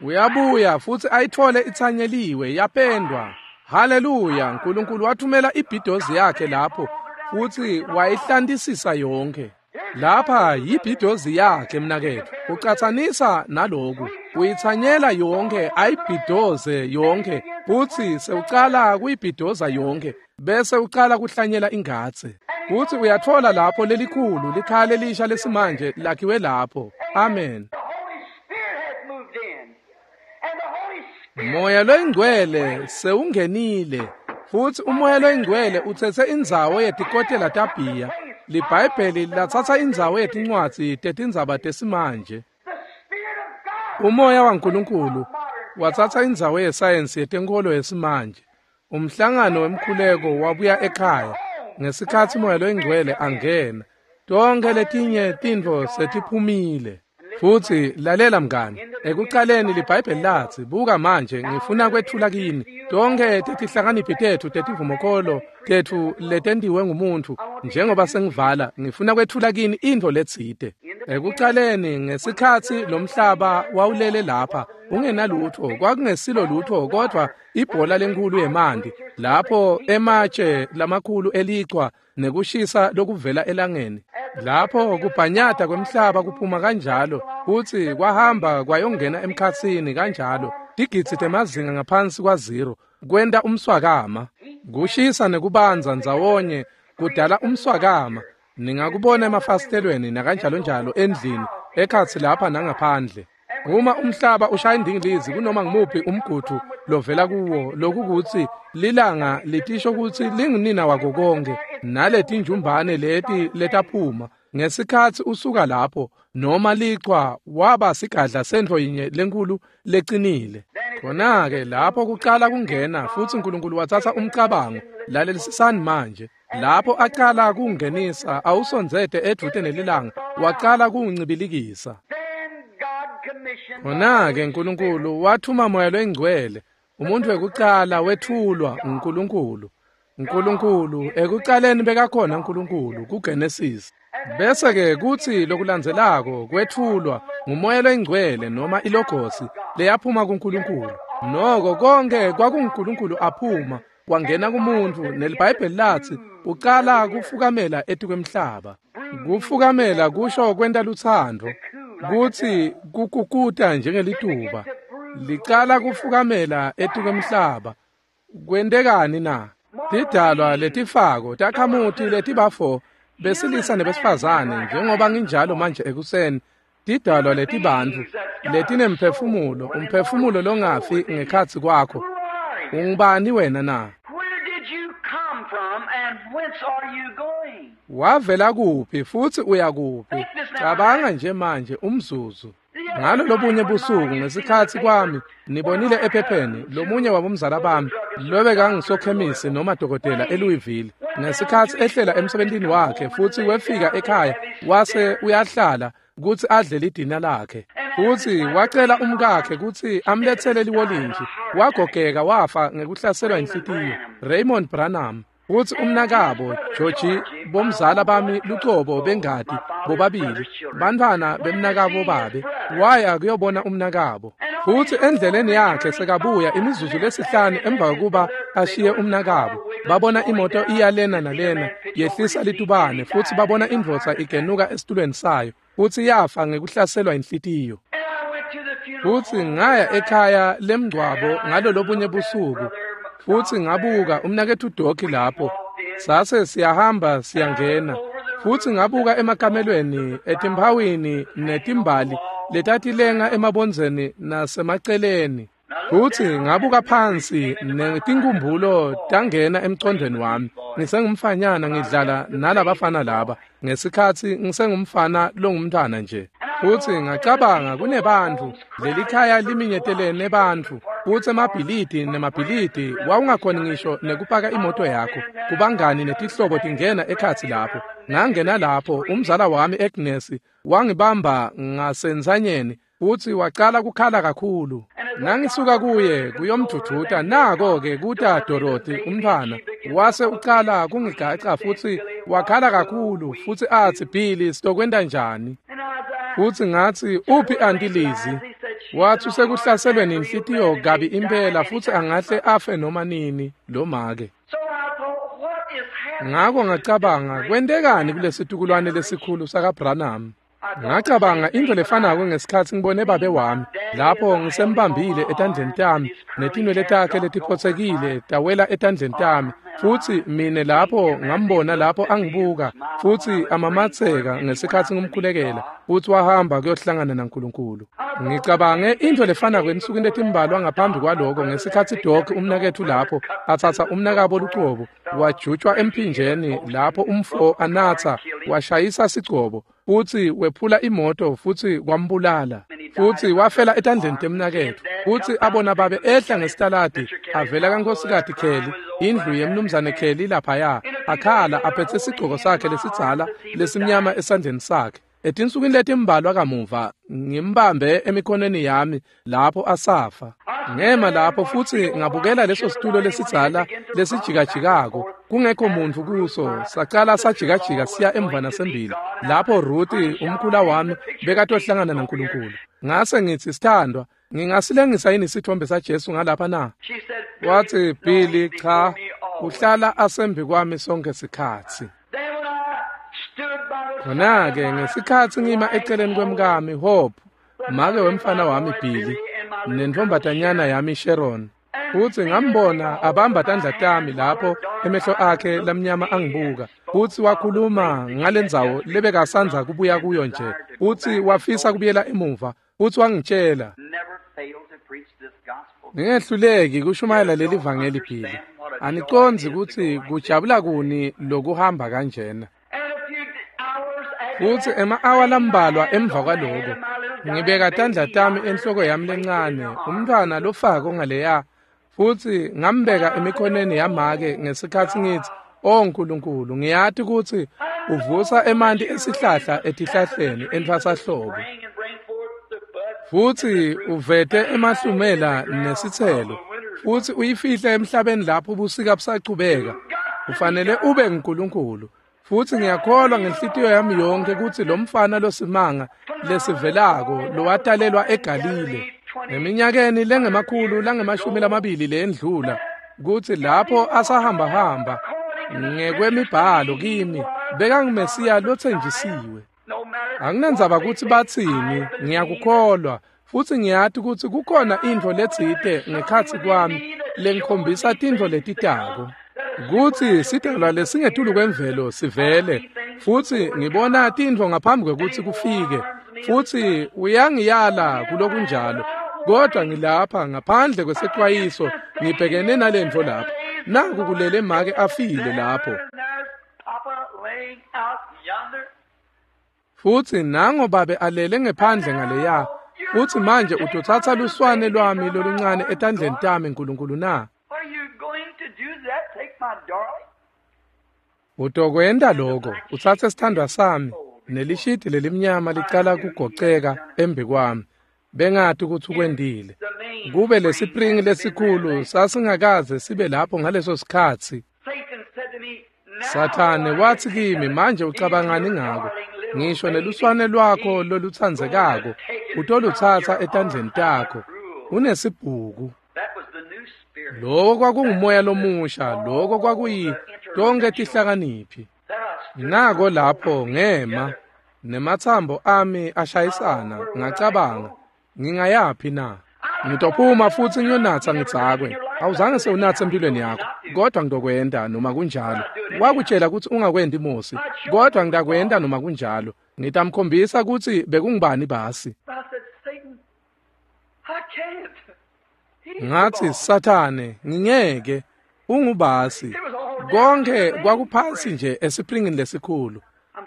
[SPEAKER 1] Uyabuya futsi ayithole itsanyeliwe yapendwa. Haleluya! Nkulunkulu wathumela ibhidozi yakhe lapho futsi wayihlantisisa yonke. Lapha yibhidozi yakhe mnaketfu. Ucatsanisa naloku, uyitsanyela yonke, ayibhidoze yonke, futsi sewucala kuyibhidoza yonke, bese ucala kuhlanyela ingadze. Futsi uyatfola lapho lelikhulu likhaya lelisha lesimanje lakhiwe lapho. Amen. Moya loyingcwele sewungenile, futsi umoya loyingcwele utsetse indzawo yetikotela tabhiya. LiBhayibheli latsatsa indzawo yetincwadzi tetindzaba tesimanje. Umoya waNkulunkulu watsatsa indzawo yesayensi yetenkolo yesimanje. Umhlangano wemkhuleko wabuya ekhaya ngesikhatsi umoya loyingcwele angena. Tonkhe letinye tintfo setiphumile. Futsi lalela mngani, ekucaleni liBhayibheli latsi, buka manje ngifuna kwetfula kini tonkhe tetihlakaniphi tetfu tetivumokolo tetfu letentiwe ngumuntfu. Njengoba sengivala, ngifuna kwetfula kini intfo letsite. Ekucaleni ngesikhatsi lomhlaba wawulele lapha ungenalutfo, kwakungesilo lutfo kodvwa ibhola lenkhulu yemanti, lapho ematshe lamakhulu elichwa nekushisa lokuvela elangeni, lapho kubhanyata kwemhlaba kuphuma kanjalo, futsi kwahamba kwayongena emkhatsini kanjalo, tigidzi temazinga ngaphansi kwa-0, kwenta umswakama. Kushisa nekubanza ndzawonye kudala umswakama. Ningakubona emafasitelweni nakanjalo njalo endlini, ekhatsi lapha nangaphandle. Uma umhlaba ushaya indingilizi kunoma ngumuphi umgudvu lovela kuwo, lokukutsi lilanga litisho kutsi lingunina wako konke, naletinjumbane leti letaphuma ngesikhatsi usuka lapho, noma lichwa waba sigadla sentfo yinye lenkulu lecinile. Khona-ke lapho kucala kungena, futsi Nkulunkulu watsatsa umcabango. Lalelisisani manje. Lapho acala kungenisa awusondzete edvute nelilanga, wacala kuncibilikisa. Khona-ke Nkulunkulu wathuma moya loyingcwele. Umuntu wekucala wetfulwa nguNkulunkulu. Nkulunkulu ekucaleni bekakhona Nkulunkulu kuGenesis. Bese-ke kutsi lokulandzelako kwetfulwa ngumoya loyingcwele noma ilogosi leyaphuma kuNkulunkulu. Noko konke kwakunguNkulunkulu aphuma wangena kumuntu, neliBhayibheli latsi ucala kufukamela etikwemhlaba. Kufukamela kusho kwenta lutsandvo, kutsi kukukuta njengelituba. Licala kufukamela etikwemhlaba. Kwentekani na? Tidalwa letifako takhamuti letibafo besilisa nebesifazane, njengoba nginjalo manje ekuseni, Tidalwa letibantfu letinemphefumulo, umphefumulo longafi ngekhatsi kwakho. Ungubani wena na? Wavela kuphi futhi uya kuphi? Cabanga nje manje umzuzu. Ngalo lobunye busuku ngesikhatsi kwami nibonile ephepheni lomunye wabomzala bami lobekangisokhemisi noma dokotela eLouisville, ngesikhatsi ehlela emsebentini wakhe futhi wefika ekhaya wase uyahlala kutsi adle lidina lakhe, futhi wacela umkakhe kutsi amletsele liwolintshi. Wagogeka wafa ngekuhlaselwa inhlitiyo. Raymond Branham futhi umnakabo Georgie, bomzala bami lucobo bengati bobabili, bantfwana bemnakabo babe, waya kuyobona umnakabo. Futhi endleleni yakhe sekabuya imizuzu lesihlanu emva kokuba ashiye umnakabo, babona imoto iyalena nalena yehlisa litubane, futhi babona indvodza igenuka esitulweni sayo, futhi yafa ngekuhlaselwa inhlitiyo. Futhi ngaya ekhaya lemngcwabo ngalolobunye busuku, futhi ngabuka umnaketfu Doki lapho. Sase siyahamba siyangena, futhi ngabuka emakamelweni etimphawini netimbali letatilenga emabondzeni nasemaceleni. Futhi ngabuka phansi netinkumbulo tangena emcondweni wami. Ngisengumfanyana ngidlala nalabafana laba ngesikhatsi ngisengumfana longumntwana nje. Futhi ngacabanga kunebantfu, lelikhaya liminyetelene bantfu, futhi emabhilidi nemabhilidi wawungakhoni ngisho nekupaka imoto yakho. Kubangani netihlobo tingena ekhatsi lapho. Ngangena lapho, umzala wami Agnes wangibamba ngasenzanyeni futhi wacala kukhala kakhulu. Ngangisuka kuye kuyomdvudvuta, nako-ke kuta Dorothy umntfwana, wase ucala kungigaca futhi wakhala kakhulu futhi atsi, Billy, sitokwenta njani? Futhi ngatsi, uphi Auntie Lizzie? Wathi usekuhlaselweni inhlitiyo kabi impela futhi angahle afe noma nini lo make. Ngako ngacabanga, kwentekani kulesitukulwane lesikhulu sakaBranham? Ngacabanga into lefanako ngesikhatsi ngibone babe wami lapho ngisembambile etandleni tami netinwele takhe letiphotsekile tawela etandleni tami, futhi mine lapho ngambona lapho angibuka futhi amamatseka ngesikhatsi ngimkhulekela, futhi wahamba kuyohlangana naNkulunkulu. Ngicabange into lefanako ensukwini letimbalwa ngaphambi kwaloko ngesikhatsi Doc umnaketfu lapho atsatsa umnakabo lucobo wajutshwa emphinjeni lapho umfo anatsa washayisa sigcobo futhi wephula imoto futhi kwambulala, futhi wafela etandleni temnaketfu. Futhi abona babe ehla ngesitaladi avela kaNkosikazi Kelly, indlu yemnumzane Kelly laphaya, akhala aphethe sigcoko sakhe lesidzala lesimnyama esandleni sakhe. Etinsukwini letimbalwa kamuva ngimbambe emikhonweni yami lapho asafa. Ngema lapho futhi ngabukela leso situlo lesidzala lesijikajikako kungekho muntu kuso, sacala sajikajika siya emva nasembili lapho Ruth umkhula wami bekatohlangana naNkulunkulu. Ngase ngitsi, sithandwa, ngingasilengisa yini isithombe saJesu ngalapha na? Wathi, Billy, cha, uhlala asembi kwami sonke sikhatsi. Khona-ke ngesikhatsi ngima eceleni kwemkami Hope, make wemfana wami Billy, nentfombatanyana yami Sharon, futhi ngambona abamba tandla tami lapho emehlo akhe lamnyama angibuka, futhi wakhuluma ngalendzawo lebekasandza kubuya kuyo nje, futhi wafisa kubuyela emuva, futhi wangitshela, ngingehluleki kushumayela leli vangeli Billy. Anicondzi kutsi kujabula kuni lokuhamba kanjena. Futhi ema-awa lambalwa emva kwaloko ngibeka tandla tami enhloko yami lencane, umntfwana lofako ngaleya, futhi ngambeka emikhonweni yamake ngesikhatsi ngithi, O Nkulunkulu, ngiyati kutsi uvusa emanti esihlahla etihlahleni entfwasahlobo, futhi uvete emahlumela nesitselo, futhi uyifihle emhlabeni lapho ubusika busachubeka. Ufanele ube nguNkulunkulu. Futhi ngiyakholwa ngenhlitiyo yami yonke kutsi lo mfana losimanga lesivelako lowatalelwa eGalile eminyakeni lengemakhulu langemashumi lamabili lendlula, kutsi lapho asahambahamba ngekwemibhalo kimi bekangumesiya lotsenjisiwe. Anginandzaba kutsi batsini, ngiyakukholwa futhi ngiyati kutsi kukhona intfo letsite ngekhatsi kwami lengikhombisa tintfo letitako, kutsi sidalwa lesingetulu kwemvelo sivele, futhi ngibona tintfo ngaphambi kwekutsi kufike. Futsi uyangiyala kulokunjalo. Kodwa ngilapha ngaphandle kwesexwayiso ngibhekene nalentfo lapha. Naku kulele make afile lapho. Futsi nango babe alele ngephandle ngaleya. Futsi manje utotsatsa luswane lwami loluncane etandleni tami Nkulunkulu na? Utokwenta lokho, utsatse sithandwa sami, nelishidi lelimnyama licala kugoceka embi kwami. Bengati ukuthi ukwendile. Kube lesipringi lesikhulu sasingakaze sibe lapho ngaleso sikhatsi. Sathane wathi kimi, manje ucabangani ngako? Ngisho neluswane lwakho lolutsandzekako utolutsatsa etandleni takho. Unesibhuku. Lokho kwakungumoya lomusha, lokho kwakuyi tonke tihlakaniphi. Nako lapho ngema nematsambo ami ashayisana, ngacabanga, ngingayaphi na? Ngitophuma futsi ngiyonatsa ngidzakwe. Awuzange sewunatse empilweni yakho, kodwa ngitokwenta noma kunjalo. Wakutshela ukuthi ungakwendi Mosi, kodwa ngitakwenta noma kunjalo. Ngitamkhombisa kutsi bekungubani basi. Ngathi, Sathane, ngingeke, ungubasi. Konke kwakuphansi nje esipringini lesikhulu.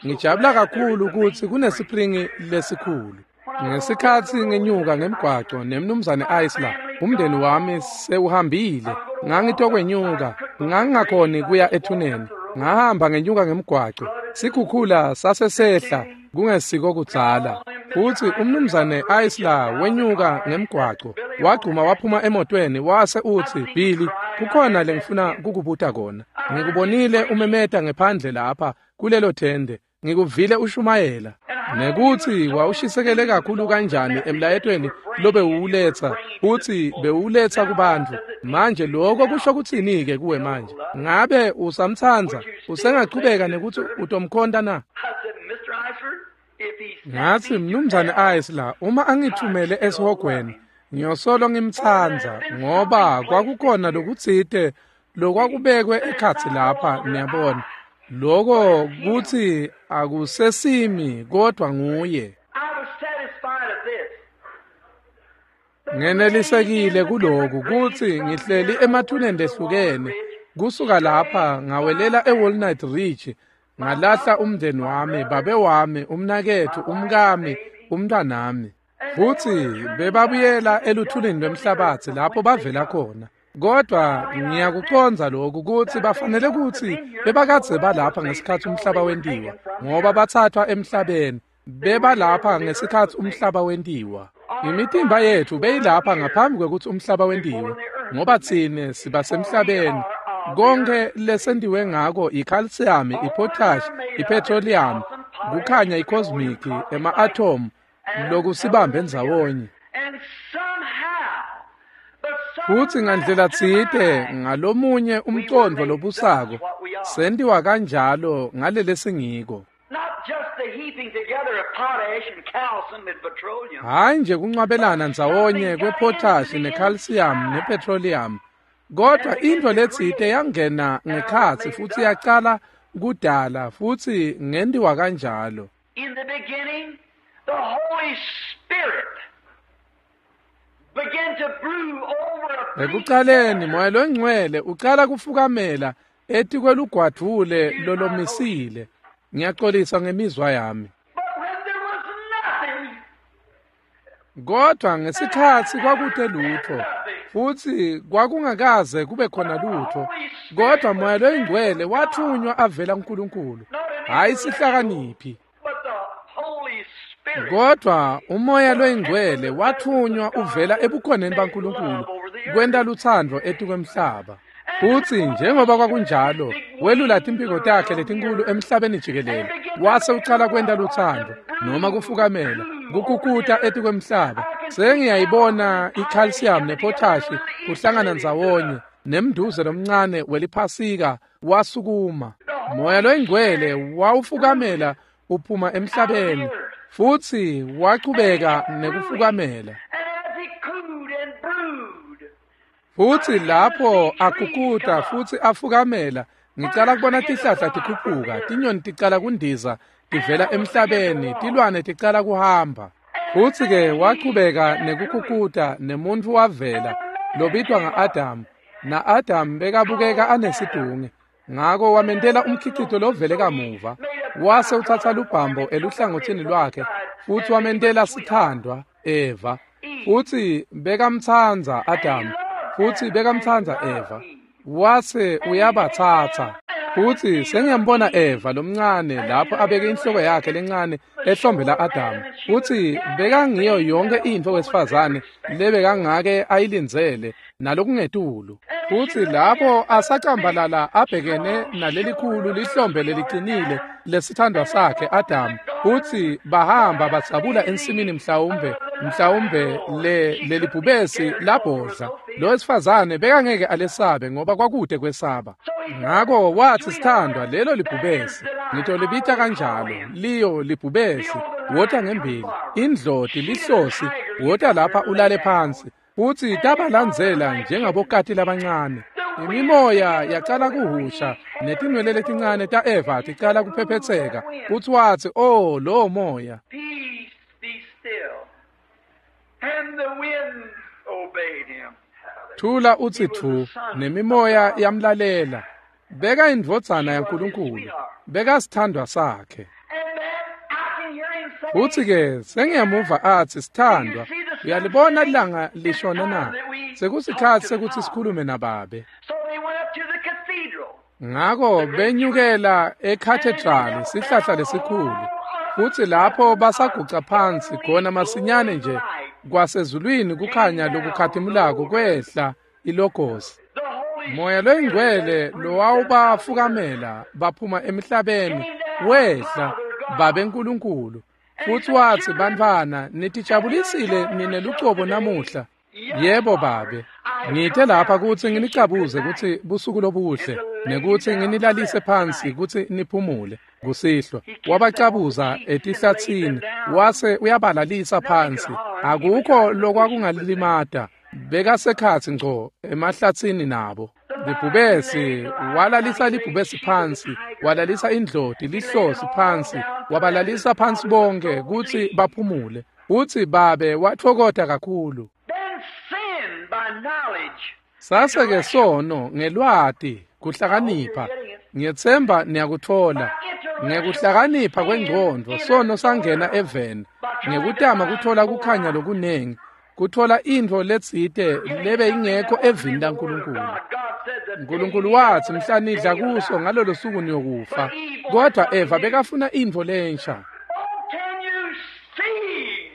[SPEAKER 1] Ngijabula kakhulu ukuthi kunesipringi lesikhulu. Ngesikhatsi ngenyuka ngemgwaco nemnumzane Isla, umndeni wami sewuhambile. Ngangitokwenyuka, ngangingakhoni kuya ethuneni. Ngahamba ngenyuka ngemgwaco. Sikhukhula sasesehla kungesiko kudzala. Futsi umnumzane Isla wenyuka ngemgwaco, wagcuma waphuma emotweni wase utsi, Billy, kukhona lengifuna kukubuta kona. Ngikubonile umemeta ngephandle lapha kulelo thende. Ngikuvile ushumayela. Nekuthi wawushisekele kakhulu kanjani emlayetweni lobewuletsa, futsi bewuletsa kubantfu. Manje lokho kusho kutsini-ke kuwe manje? Ngabe usamtsandza? Usengachubeka nekuthi utomkhonta na? Ngathi, Mnumzane Isla, uma angithumele esihogweni, ngiyosolo ngimtsandza, ngoba kwakukhona lokutsite lokwakubekwe ekhatsi lapha, niyabona. Lokho kuthi akusesimi kodwa nguye. Ngenelisekile kuloku kutsi ngihleli emathuneni lehlukene. Kusuka lapha ngawelela eWalnut Ridge, ngalahla umndeni wami, babe wami, umnaketfu, umkami, umntwanami. Futsi bebabuyela eluthulini lwemhlabatsi lapho bavela khona. Kodwa ngiyakucondza lokhu kutsi bafanele kutsi bebakadze balapha ngesikhatsi umhlaba wentiwa, ngoba bathathwa emhlabeni. Bebalapha ngesikhatsi umhlaba wentiwa. Imitimba yetfu beyilapha ngaphambi kwekutsi umhlaba wentiwe, ngoba tsine sibasemhlabeni. Konke lesentiwe ngako i-calcium, i-potash, i-petroleum, kukhanya i-cosmic, ema-atom, lokusibambe ndzawonye. Futsi ngandlela tsite ngalomunye umcondvo lobusako sentiwa kanjalo ngalele singiko. Hayi nje kuncwabelana ndzawonye kwepotash necalcium nepetroleum, kodwa intfo letsite yangena ngekhatsi futsi yacala kudala futsi ngentiwa kanjalo.
[SPEAKER 2] In the beginning, the Holy Spirit began to brew over a
[SPEAKER 1] Ekucaleni Moya loNgcwele ucala kufukamela etikwelugwadvule lolomisile. Ngiyaxolisa ngemizwa yami.
[SPEAKER 2] But when there was nothing,
[SPEAKER 1] Kodwa ngesikhatsi kwakute lutho, futsi kwakungakaze kube khona lutho, kodwa Moya loyiNgcwele wathunywa avela kuNkulunkulu, hhayi sihlakaniphi.
[SPEAKER 2] but the Holy Spirit
[SPEAKER 1] Kodwa uMoya loyiNgcwele wathunywa uvela ebukhoneni baNkulunkulu kwenta lutsandvo etikwemhlaba. Futsi njengoba kwakunjalo, welula timphiko takhe letinkulu emhlabeni jikelele, wase ucala kwenta lutsandvo noma kufukamela, kukukuta etikwemhlaba. Sengiyayibona i-calcium nepotash kuhlangana ndzawonye, nemnduze lomncane weliphasika wasukuma. Moya loyiNgcwele wawufukamela uphuma emhlabeni, futsi wachubeka nekufukamela.
[SPEAKER 2] And as he cooed and brewed,
[SPEAKER 1] Futsi lapho akukuta futsi afukamela, ngicala kubona tihlahla tikhuphuka, tinyoni ticala kundiza tivela emhlabeni, tilwane ticala kuhamba. Futsi-ke wachubeka nekukhukhuta nemuntfu wavela lobitwa nga-Adamu, na-Adamu bekabukeka anesidunge. Ngako wamentela umkhicito lovele kamuva, wase utsatsa lubhambo eluhlangothini lwakhe futsi wamentela sithandwa Eva. Futsi bekamtsandza Adamu, futsi bekamtsandza Eva. Wase uyabatsatsa. Futsi sengiyambona Eva lomncane lapho abeke inhloko yakhe lencane ehlombe la-Adamu. Futsi bekangiyo yonke intfo wesifazane lebekangake ayilindzele nalokungetulu. Futsi lapho asacambalala abhekene nalelikhulu lihlombe leliqinile lesithandwa sakhe Adamu. Futsi bahamba badzabula ensimini mhlawumbe lelibhubesi labhodla. Lo wesifazane bekangeke alesabe ngoba kwakude kwesaba. Ngako wathi, sithandwa, lelo libhubesi, ngitolibita kanjalo, liyo libhubesi, wota ngembili, indloti lihlosi, wota lapha ulale phansi. Futsi tabalandzela njengabokati labancane. Imimoya yacala kuhusha, netinwele letincane ta-Eva ticala kuphephetseka. Futsi watsi, oh, lowo moya.
[SPEAKER 2] Peace, be still. And the wind obeyed him.
[SPEAKER 1] Thula utsi thu, nemimoya yamlalela. Beka indvodzana yaNkulunkulu, beka sithandwa sakhe.
[SPEAKER 2] And then I can hear him say,
[SPEAKER 1] Futsi-ke sengiyamuva atsi, sithandwa, uyalibona ilanga lishona na? Sekusikhatsi sekutsi sikhulume nababe.
[SPEAKER 2] So they went up to the cathedral.
[SPEAKER 1] Ngako benyukela ekhathedrali, sihlahla lesikhulu. Futsi lapho basaguca phansi khona masinyane nje kwasezulwini kukhanya lokukhatimulako kwehla ilogosi.
[SPEAKER 2] The Holy
[SPEAKER 1] Moya loyingcwele lowawubafukamela baphuma emhlabeni wehla babe Nkulunkulu. Futsi watsi, bantfwana, nitijabulisile nine lucobo namuhla. Yebo babe, ngite lapha kutsi nginicabuze kutsi busuku lobuhle nekutsi nginilalise phansi kutsi niphumule kusihlwa. Wabacabuza etihlatsini wase uyabalalisa phansi. Akukho lokwakungalimata. Bekasekhatsi ngco emahlatsini nabo. Libhubesi walalisa libhubesi phansi, walalisa indloti lihlosi phansi, wabalalisa phansi bonke kutsi baphumule. Utsi babe watfokota kakhulu.
[SPEAKER 2] Then sin by knowledge.
[SPEAKER 1] Sase-ke sono ngelwati kuhlakanipha. Ngiyetsemba niyakutfola. Ngekuhlakanipha kwengcondvo sono sangena eveni ngekutama kutfola kukhanya lokunengi, kutfola intfo letsite lebe ingekho evini laNkulunkulu. Nkulunkulu watsi mhla nidla kuso ngalolo suku niyokufa. Kodwa Eva bekafuna intfo lensha.
[SPEAKER 2] Oh, can you see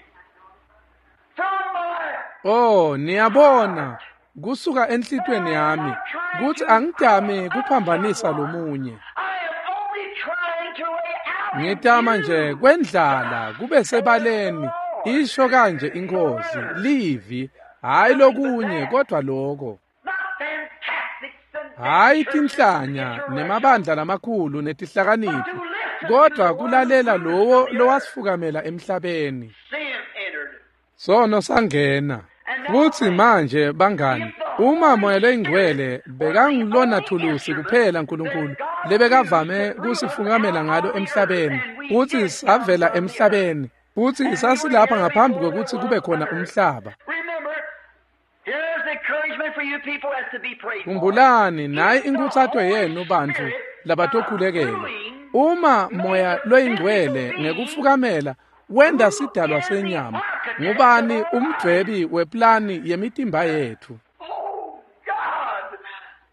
[SPEAKER 2] from my
[SPEAKER 1] Oh, niyabona kusuka enhlitweni yami kutsi angidami kuphambanisa lomunye.
[SPEAKER 2] I am only trying to lay out
[SPEAKER 1] Ngitama nje kwendlala kube sebaleni, isho kanje iNkhosi, livi, hayi lokunye kodwa lokho.
[SPEAKER 2] not fantastics and
[SPEAKER 1] Hayi tinhlanya nemabandla lamakhulu netihlakaniphi, kodwa kulalela lowo lowasifukamela emhlabeni.
[SPEAKER 2] sin entered.
[SPEAKER 1] Sono sangena. Futsi manje bangani, uma Moya loyiNgcwele bekangilona thulusi kuphela Nkulunkulu lebekavame kusifukamela ngalo emhlabeni, futsi savela emhlabeni, futsi sasilapha ngaphambi kwekutsi kube khona umhlaba.
[SPEAKER 2] Remember, here's encouragement for you people as to be prayed for.
[SPEAKER 1] Khumbulani, nayi inkhutsato yenu bantfu labatokhulekela. Uma Moya loyiNgcwele ngekufukamela wenda sidalwa senyama, ngubani umdvwebi weplani yemitimba yethu?
[SPEAKER 2] Oh God,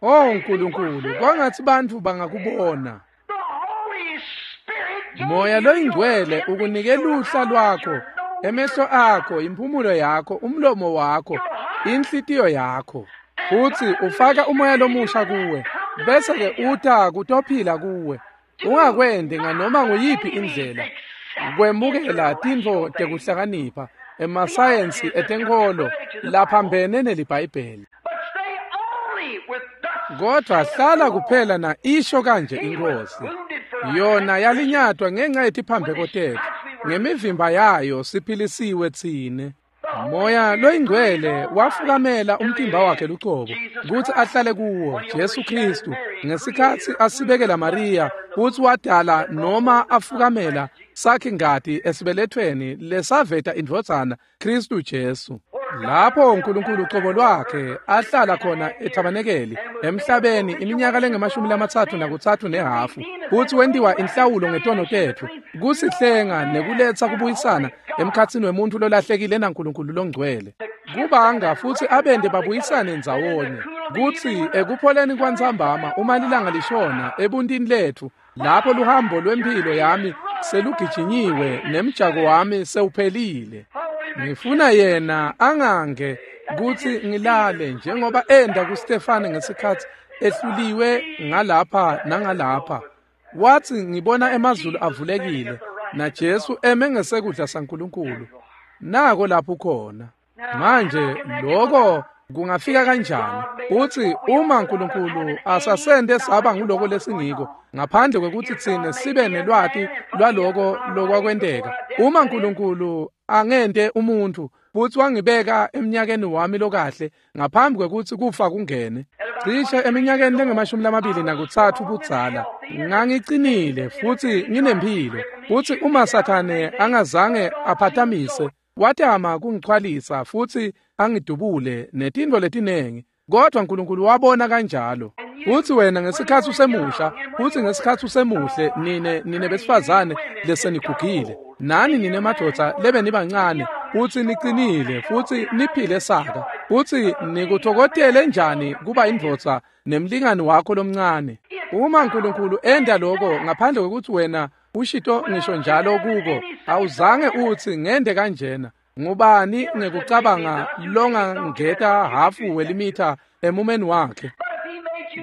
[SPEAKER 1] Oh Nkulunkulu, kwangatsi bantfu bangakubona.
[SPEAKER 2] the Holy Spirit gave
[SPEAKER 1] Moya
[SPEAKER 2] you
[SPEAKER 1] loyiNgcwele
[SPEAKER 2] your
[SPEAKER 1] ukunike luhla lwakho, emehlo akho, imphumulo yakho, umlomo wakho, inhlitiyo yakho. Futsi ufaka umoya lomusha kuwe, bese-ke uta kutophila kuwe. Ungakwendi nganoma nguyiphi indlela kwemukela tintfo tekuhlakanipha, emasayensi etenkholo laphambene neliBhayibheli.
[SPEAKER 2] But stay only with thus
[SPEAKER 1] Kodwa hlala kuphela na isho kanje iNkhosi. Yona yalinyatwa ngenxa yetiphambeko tetfu, ngemivimba yayo siphilisiwe tsine. Moya loyingcwele wafukamela umtimba wakhe lucobo kutsi ahlale kuwo Jesu Kristu ngesikhatsi asibekela Maria kutsi wadala noma afukamela sakhe ngati esibelethweni lesaveta indvodzana Kristu Jesu. Lapho uNkulunkulu ucobo lwakhe ahlala khona ethabanekeli emhlabeni iminyaka lengamashumi 33.5 futhi wentiwa inhlawulo ngetono tetfu kusihlenga nekuletsa kubuyisana emkhatsini wemuntu lolahlekile naNkulunkulu longcwele kubanga futhi abende babuyisane ndzawonye kutsi ekupholeni kwantsambama uma lilanga lishona ebuntini letfu lapho luhambo lwemphilo yami selugijinyiwe nemjako wami sewuphelile. Ngifuna yena angange kutsi ngilale njengoba enda kuStefane ngesikhatsi ehluliwe ngalapha nangalapha. Wathi ngibona emazulu avulekile naJesu eme ngesekudla saNkulunkulu. Nako lapho khona. Manje lokho kungafika kanjani? Uthi uma uNkulunkulu asasende saba nguloko lesingiko ngaphandle kwekuthi tsine sibe nelwati lwaloko lokwakwenteka. Uma uNkulunkulu angente umuntu futhi wangibeka eminyakeni wami lokahle ngaphambi kwekuthi kufa kungene cishe eminyakeni lengamashumi 23 budzala ngangicinile futhi nginemphilo futhi uma Sathane angazange aphatamise watama kungichwalisa futhi angidubule netintfo letinengi kodwa uNkulunkulu wabona kanjalo. Futhi wena ngesikhatsi usemusha futhi ngesikhatsi usemuhle nine besifazane lesenigugile nani nine madvodza lebe nibancane futhi niqinile futhi niphile saka futhi nikuthokotele njani kuba indvodza nemlingani wakho lomncane. Uma uNkulunkulu enda lokho ngaphandle kwekuthi wena ushito ngisho njalo kuko awuzange uthi ngende kanjena. Ngubani ngekucabanga longangeta hafu welimitha emumeni wakhe?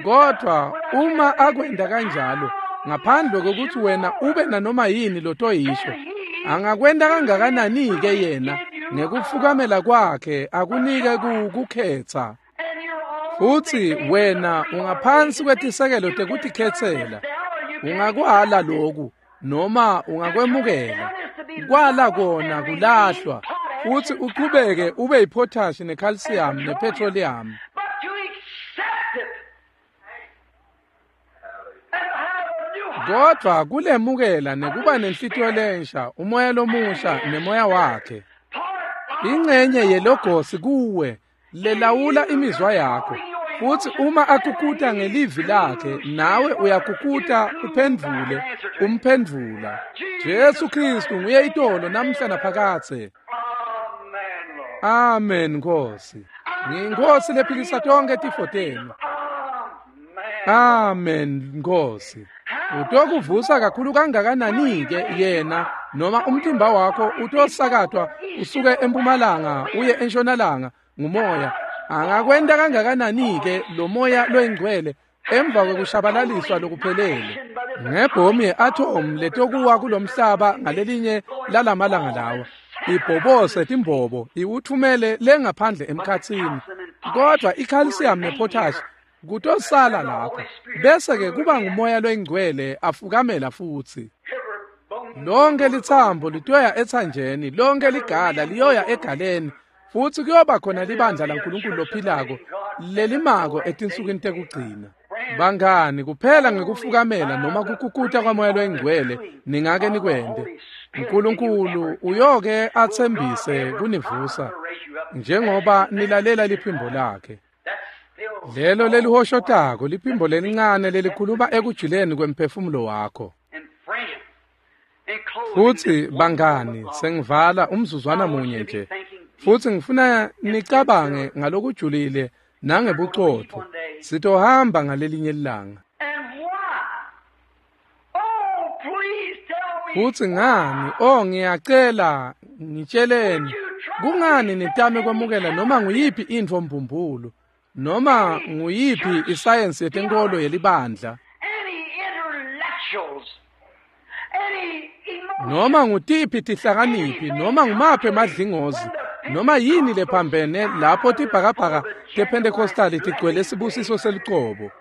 [SPEAKER 1] Kodwa uma akwenda kanjalo ngaphandle kokuthi wena ube nanoma yini lotoyisho angakwenda kangakanani-ke yena ngekufukamela kwakhe akunike kukhetsa. Futhi wena ungaphansi kwetisekelo tekutikhetsela. Ungakwala loku noma ungakwemukela. Kwala kona kulahlwa futhi uqhubeke ube yipotash necalcium nepetroleum. Kodwa kulemukela nekuba nenhlitiyo lensha umoya lomusha nemoya wakhe ingcenye yelogosi kuwe lelawula imizwa yakho. Futhi uma akukuta ngelivi lakhe nawe uyakukuta uphendvule umphendvula. Jesu Kristu nguye itolo namhla naphakadze. Amen Nkosi. Ngiyinkosi lephilisa tonke tifo tenu. Amen Nkosi. Utokuvusa kakhulu kangakanani-ke yena noma umtimba wakho utosakatwa usuke empumalanga uye entshonalanga ngumoya. Angakwenta kangakanani-ke lo moya loyingcwele emva kwekushabalaliswa lokuphelele ngebhomu ye-atom letokuwa kulomhlaba ngalelinye lalamalanga lawa ibhobose timbobo iwuthumele lengaphandle emkhatsini. Kodwa i-calcium nepotash kutosala lapho bese-ke kuba ngumoya loyingcwele afukamela futhi. Lonke lithambo litoya ethanjeni, lonke ligala liyoya egaleni futhi kuyoba khona libandla laNkulunkulu lophilako lelimako etinsukwini tekugcina. Bangani kuphela ngekufukamela noma kukukuta kwamoya loyingcwele ningake nikwente. uNkulunkulu uyoke athembise kunivusa njengoba nilalela liphimbo lakhe. Lelo lelihoshotako liphimbo lelincane lelikhuluma ekujuleni kwemphefumulo wakho. Futhi bangani sengivala umzuzwana munye nje futhi ngifuna nicabange ngalokujulile nangebucotho. Sitohamba ngalelinye ilanga. Futhi ngani ngiyacela ngitsheleni kungani nitame kwamukela noma nguyiphi intfo mbumbulu noma nguyiphi isayensi yetenkolo yelibandla noma ngutiphi tihlakaniphi noma ngumaphi emadlingozi noma yini lephambene lapho tibhakabhaka tePentecostal tigcwele sibusiso selucobo.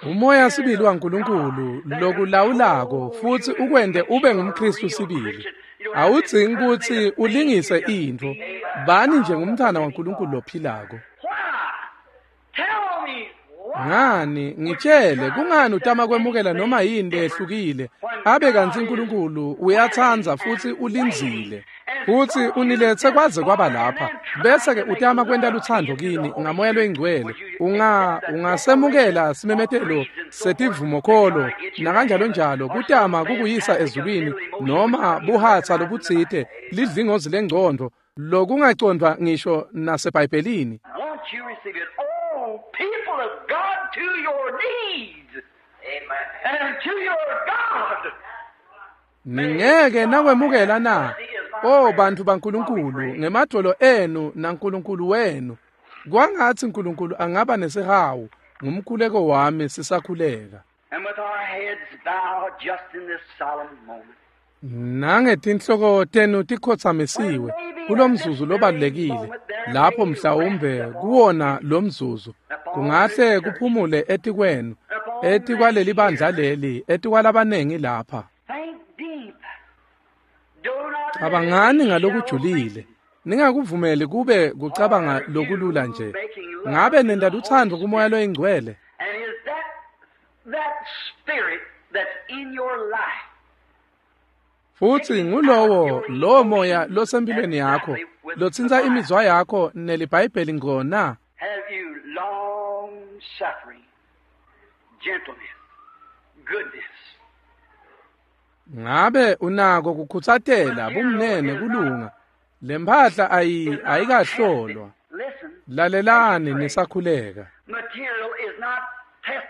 [SPEAKER 1] Umoya sibili waNkulunkulu lokulawulako futhi ukwende ube ngumKristu sibili. Awudzingi kutsi ulingise intfo. Bani nje ngumntfwana waNkulunkulu lophilako. Ngani ngitshele kungani utama kwemukela noma yini lehlukile abe kantsi uNkulunkulu uyatsandza futsi ulindzile futsi uniletse kwaze kwaba lapha bese ke utama kwenta lutsandvo kini ngamoya loyingcwele ungasemukela simemetelo setivumokholo nakanjalo njalo kutama kukuyisa ezulwini noma buhatsa lobutsite lidlingozi lengcondvo lokungacondvwa ngisho naseBhayibhelini.
[SPEAKER 2] People of God, to your knees. Amen. And to your God.
[SPEAKER 1] Ningeke nakwemukela na? Oh bantu baNkulunkulu, ngemadvolo enu naNkulunkulu wenu. Kwangatsi uNkulunkulu angaba nesihawu ngumkhuleko wami sisakhuleka.
[SPEAKER 2] And with our heads bowed just in this solemn moment.
[SPEAKER 1] Nangetinhloko tenu tikhotsamisiwe kulomzuzu lobalulekile lapho mhlawumbe kuwona lomzuzu kungahle kuphumule etikwenu etikwaleli bandla leli etikwalabanengi lapha. Cabangani ngalokujulile, ningakuvumeli kube kucabanga lokulula nje. Ngabe nenta lutsandvo kumoya loyingcwele? Futsi ngulowo lowo moya losempilweni yakho lotsintsa imizwa yakho neliBhayibheli ngona.
[SPEAKER 2] Have you long suffering, gentleness, goodness?
[SPEAKER 1] Ngabe unako kukhutsatela bumnene kulunga? Lemphahla ayikahlolwa. Lalelani nisakhuleka.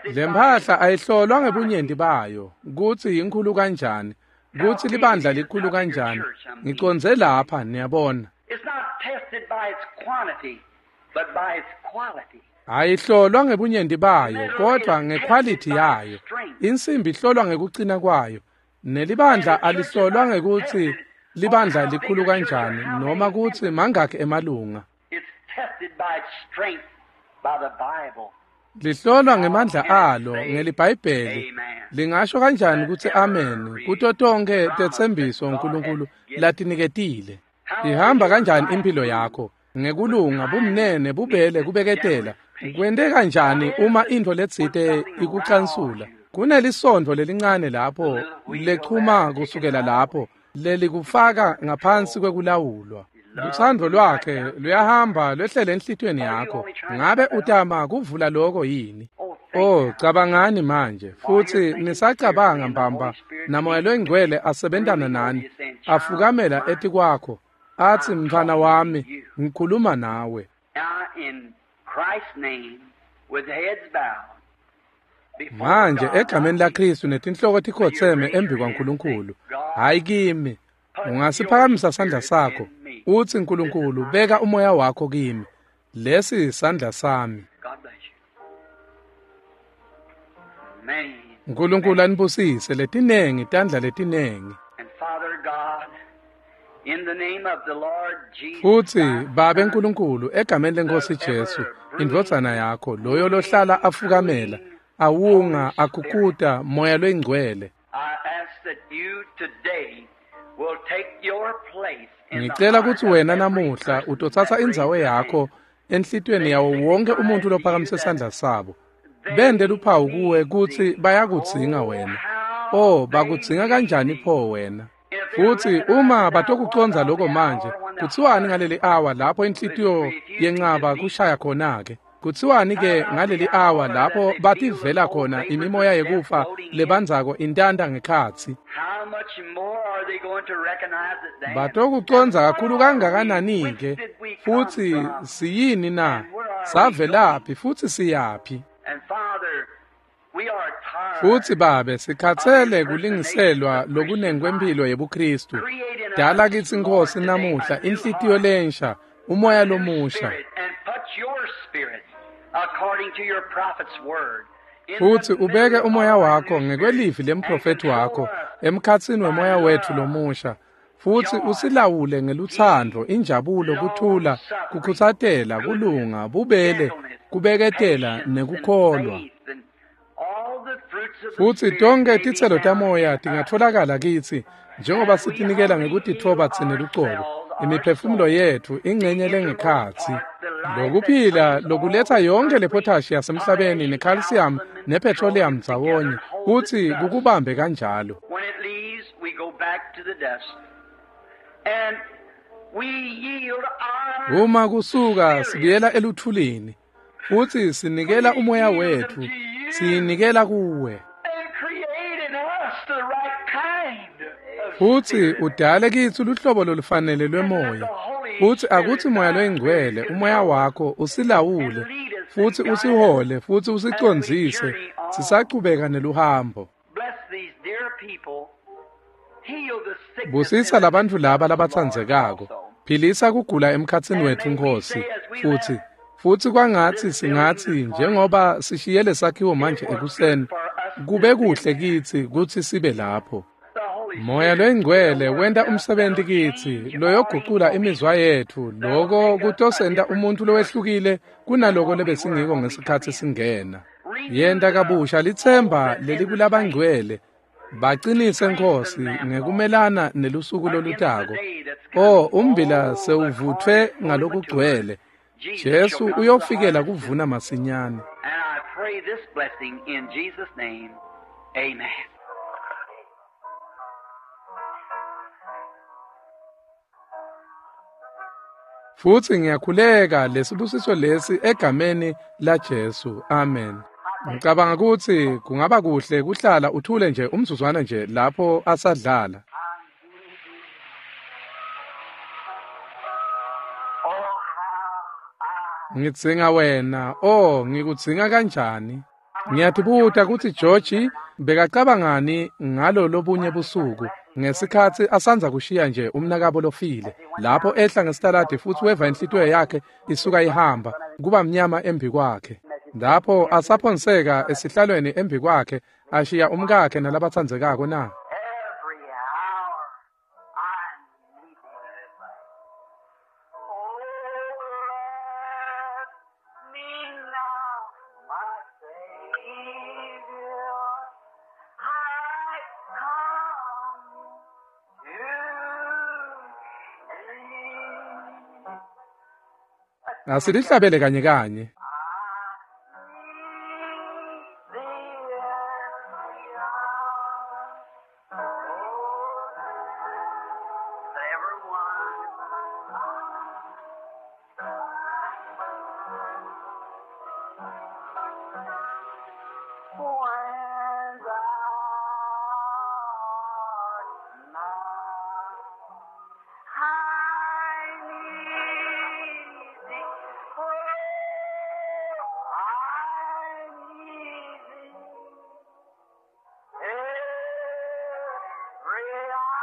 [SPEAKER 1] Lemphahla ayihlolwa ngebunyenti bayo kutsi inkhulu kanjani, kutsi libandla likhulu kanjani. Ngicondze lapha niyabona. Ayihlolwa ngebunyenti bayo kodwa ngequality yayo. Insimbi ihlolwa ngekucina kwayo. Nelibandla alihlolwa ngekutsi libandla likhulu kanjani noma kutsi mangakhi emalunga. Lihlolwa ngemandla alo ngeliBhayibheli. Lingasho kanjani kutsi amen kuto tonkhe tetsembiso uNkulunkulu latiniketile? Ihamba kanjani impilo yakho? Ngekulunga, bumnene, bubele, kubeketela. Kwente kanjani uma intfo letsite ikucansula? Kunelisondvo lelincane lapho lechuma kusukela lapho lelikufaka ngaphansi kwekulawulwa. Lutsandvo lwakhe luyahamba lwehlele enhlitiyweni yakho. Ngabe utama kuvula lokho yini? Oh, cabangani manje futsi nisacabanga mbamba namoya loyingcwele asebentana nani afukamela etikwakho atsi mntfwana wami ngikhuluma nawe. Manje egameni laKristu netinhloko tikhotseme embi kwaNkulunkulu, hayi kimi. Ungasiphakamisa sandla sakho utsi Nkulunkulu beka umoya wakho kimi. Lesi sandla sami. Nkulunkulu anibusise letinengi tandla letinengi. Futsi Babe Nkulunkulu egameni leNkosi Jesu indvodzana yakho loyo lohlala afukamela awunga akukuta moya loyingcwele. Ngicela kutsi wena namuhla utotsatsa indzawo yakho enhlitiyweni yawo wonke umuntu lophakamise sandla sabo. Bende luphawu kuwe kutsi bayakudzinga wena. Oh, bakudzinga kanjani pho wena? Futsi uma batokucondza lokho manje, kutsiwani ngaleli hour lapho inhlitiyo yencaba kushaya khona-ke? Kutsiwani ke ngaleli hour lapho bativela khona imimoya yekufa lebandzako intanta ngekhatsi? Batokucondza kakhulu kangakanani-ke? Futsi siyini na? Savelaphi futsi siyaphi? Futsi Babe, sikhatsele kulingiselwa lokunengi kwemphilo yebuKristu. Dala kitsi Nkosi namuhla inhlitiyo lensha, umoya lomusha. Futsi ubeke umoya wakho ngekwelivi lemprofethi wakho emkhatsini wemoya wetfu lomusha. Futsi usilawule ngelutsandvo, injabulo, kuthula, kukhutsatela, kulunga, bubele, kubeketela nekukholwa. Futsi tonkhe titselo tamoya tingatfolakala kitsi Njengoba sitinikela ngekutitfoba tsine lucobo, imiphefumulo yetfu ingcenye lengekhatsi. Lokuphila lokuletsa yonke lepotashi yasemhlabeni necalcium nepetroleum ndzawonye kutsi kukubambe kanjalo.
[SPEAKER 2] When it leaves, we go back to the dust. And we yield our
[SPEAKER 1] Uma kusuka sibuyela eluthulini futsi sinikela umoya wetfu, siyinikela kuwe.
[SPEAKER 2] and create in us the right kind of
[SPEAKER 1] Futsi
[SPEAKER 2] spirit.
[SPEAKER 1] udale kitsi luhlobo lolufanele lwemoya. Futsi akutsi moya loyingcwele, umoya wakho usilawule, futsi usihole, futsi usicondzise, sisachubeka neluhambo.
[SPEAKER 2] Bless these dear people. Heal the sickness
[SPEAKER 1] Busisa
[SPEAKER 2] in the
[SPEAKER 1] labantfu
[SPEAKER 2] midst
[SPEAKER 1] laba
[SPEAKER 2] of us, Lord,
[SPEAKER 1] labatsandzekako.
[SPEAKER 2] also.
[SPEAKER 1] Philisa kugula emkhatsini wetfu Nkhosi. Futsi kwangatsi singatsi njengoba sishiye lesakhiwo manje ekuseni, kube kuhle kitsi kutsi sibe lapho.
[SPEAKER 2] The Holy
[SPEAKER 1] Moya
[SPEAKER 2] Spirit
[SPEAKER 1] loyingcwele
[SPEAKER 2] will
[SPEAKER 1] wenta
[SPEAKER 2] work
[SPEAKER 1] umsebenti
[SPEAKER 2] us that'll
[SPEAKER 1] kitsi
[SPEAKER 2] change
[SPEAKER 1] loyogucula
[SPEAKER 2] our
[SPEAKER 1] imizwa yetfu, loko kutosenta umuntfu lowehlukile kunaloko lebesingiko ngesikhatsi singena. Yenta kabusha litsemba lelikulabangcwele, bacinise Nkhosi ngekumelana nelusuku lolutako. O umbila sewuvutfwe ngalokugcwele. Jesu uyofikela kuvuna masinyane.
[SPEAKER 2] And I pray this blessing in Jesus' name. Amen.
[SPEAKER 1] Futsi ngiyakhuleka lesibusiso lesi egameni laJesu. Amen. Ngicabanga kutsi kungaba kuhle kuhlala uthule nje umzuzwana nje lapho asadlala.
[SPEAKER 2] Oh, how I
[SPEAKER 1] Ngidzinga wena. Oh, ngikudzinga kanjani? Ngiyatibuta kutsi George bekacabangani ngalo lobunye busuku ngesikhatsi asandza kushiya nje umnakabo lofile lapho ehla ngesitaladi futsi weva inhlitiyo yakhe isuka ihamba kuba mnyama embi kwakhe. Lapho asaphonseka esihlalweni embi kwakhe ashiya umkakhe nalabatsandzekako na.
[SPEAKER 2] every hour I need thee. Oh, bless me now, my Savior. I come to thee.
[SPEAKER 1] Asilihlabele kanye kanye.
[SPEAKER 2] I need thee every hour. Oh, every one. When thou art nigh, I need thee. Oh, I need thee. Every hour.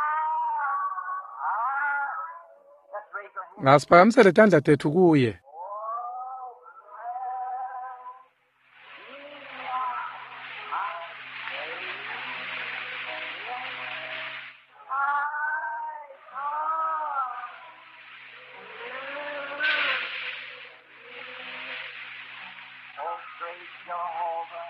[SPEAKER 2] Let's raise our hands.
[SPEAKER 1] Asiphakamisele tandla tetfu kuye.
[SPEAKER 2] Oh, bless me now, my Savior. I come to thee. Oh, great Jehovah,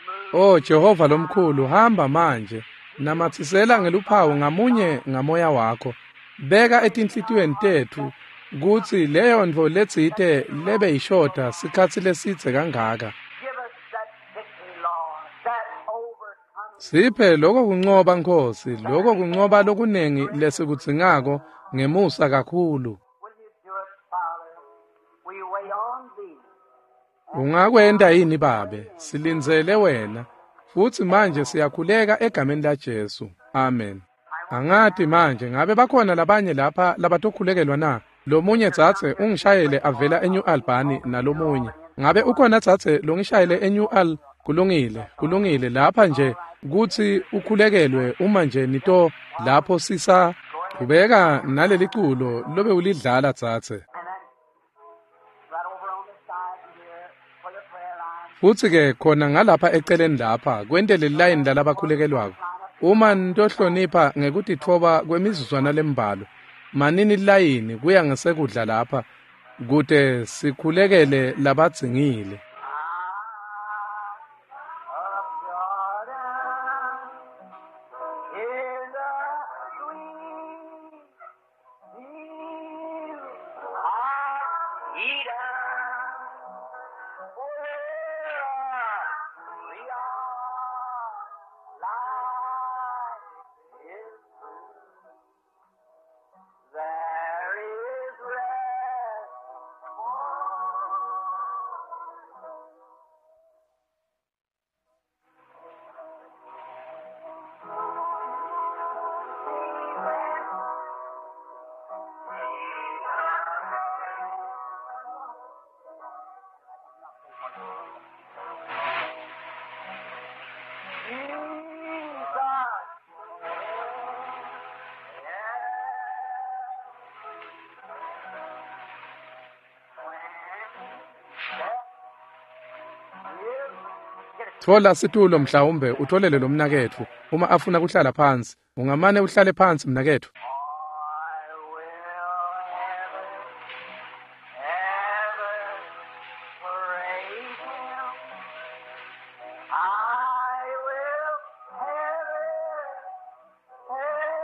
[SPEAKER 2] move
[SPEAKER 1] O Jehova lomkhulu, hamba manje. Namatsisela ngeluphawu ngamunye ngamoya wakho. Beka etinhlitiyweni tetfu kutsi leyo ntfo letsite lebe ishoda sikhatsi lesidze kangaka.
[SPEAKER 2] Give us that victory, Lord, that overcoming.
[SPEAKER 1] Siphe lokho kuncoba Nkhosi, lokho kuncoba lokunengi lesikudzingako ngemusa kakhulu.
[SPEAKER 2] Will you do it, Father? We wait on thee.
[SPEAKER 1] Ungakwenta yini Babe? Silindzele wena. Futsi manje siyakhuleka egameni laJesu. Amen. Angati manje ngabe bakhona labanye lapha labatokhulekelwa na? Lomunye dzadze ungishayele avela eNew Albany nalomunye. Ngabe ukhona dzadze longishayele eNew Al? Kulungile, kulungile lapha nje kutsi ukhulekelwe uma nje nito lapho sisa kubeka naleli culo lobe ulidlala dzadze.
[SPEAKER 2] And then right over on the side here for the prayer line.
[SPEAKER 1] Futsi ke khona ngalapha eceleni lapha kwentele lilayini lalabakhulekelwako. Uma nitohlonipha ngekutitfoba kwemizuzwana lembalwa, manini lilayini kuya ngesekudla lapha kute sikhulekele labadzingile.
[SPEAKER 2] Of Jordan, in the He down. Where we are, lies his tomb. There is rest for
[SPEAKER 1] Thola situlo mhlawumbe utholele lo mnaketfu uma afuna kuhlala phansi. Ungamane uhlale phansi mnaketfu.
[SPEAKER 2] I will ever, ever praise Him. I will ever, ever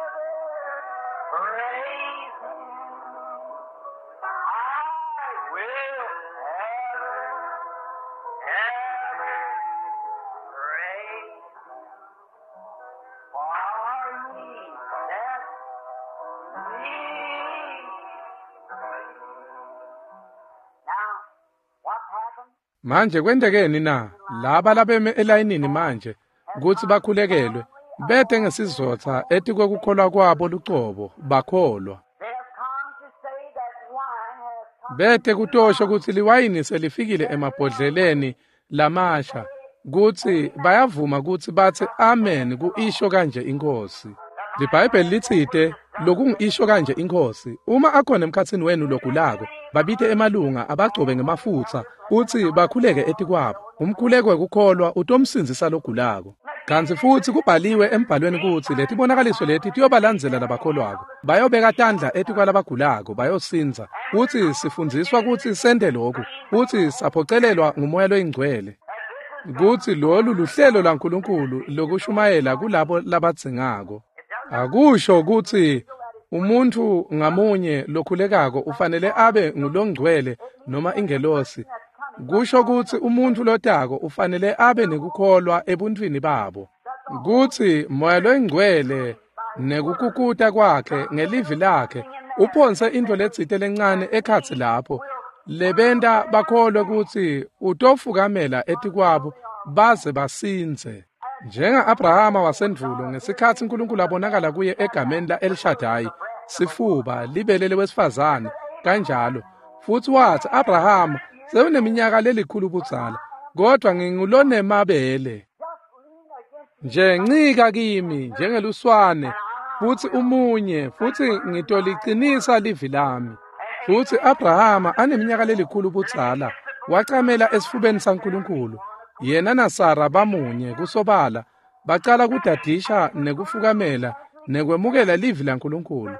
[SPEAKER 2] praise Him. I will ever, ever praise Him. For He set me free. Now, what happened?
[SPEAKER 1] Manje kwentekeni na laba labeme elayinini manje kutsi bakhulekelwe bete ngesizotha etikwekukholwa kwabo lucobo bakholwa.
[SPEAKER 2] They have come to say that wine has come.
[SPEAKER 1] Bete kutosho kutsi liwayini selifikile emabhodleleni lamasha kutsi bayavuma kutsi batsi amen kuisho kanje iNkhosi. LiBhayibheli litsite lokungisho kanje iNkhosi uma akhona emkhatsini wenu logulako babite emalunga abagcobe ngemafutsa utsi bakhuleke etikwabo. Umkhuleko wekukholwa utomsindzisa logulako. Kantsi futsi kubhaliwe embhalweni kutsi letibonakaliso leti tiyobalandzela labakholwako. Bayobeka tandla etikwalabagulako bayosindza. Utsi sifundziswa kutsi sente lokhu. Utsi saphocelelwa nguMoya loyiNgcwele. Kutsi lolu luhlelo lwaNkulunkulu lokushumayela kulabo labadzingako. Akusho kutsi umuntfu ngamunye lokhulekako ufanele abe ngulongcwele noma ingelosi. Kusho kutsi umuntfu lotako ufanele abe nekukholwa ebuntwini babo. Kutsi Moya loyiNgcwele nekukukuta kwakhe ngelivi lakhe uphonse intfo letsite lencane ekhatsi lapho lebenta bakholwe kutsi utofukamela etikwabo baze basindze. Njenga-Abrahama wasendvulo ngesikhatsi uNkulunkulu abonakala kuye egameni la-El Shaddai, sifuba libele lewesifazane kanjalo. Futsi watsi Abrahama sewuneminyaka lelikhulu budzala, kodvwa ngingulonemabele. Nje ncika kimi njengeluswane futsi umunye futsi ngitolicinisa livi lami. Futsi Abrahama aneminyaka lelikhulu budzala wacamela esifubeni saNkulunkulu. Yena naSara bamunye kusobala bacala kudadisha nekufukamela nekwemukela livi laNkulunkulu.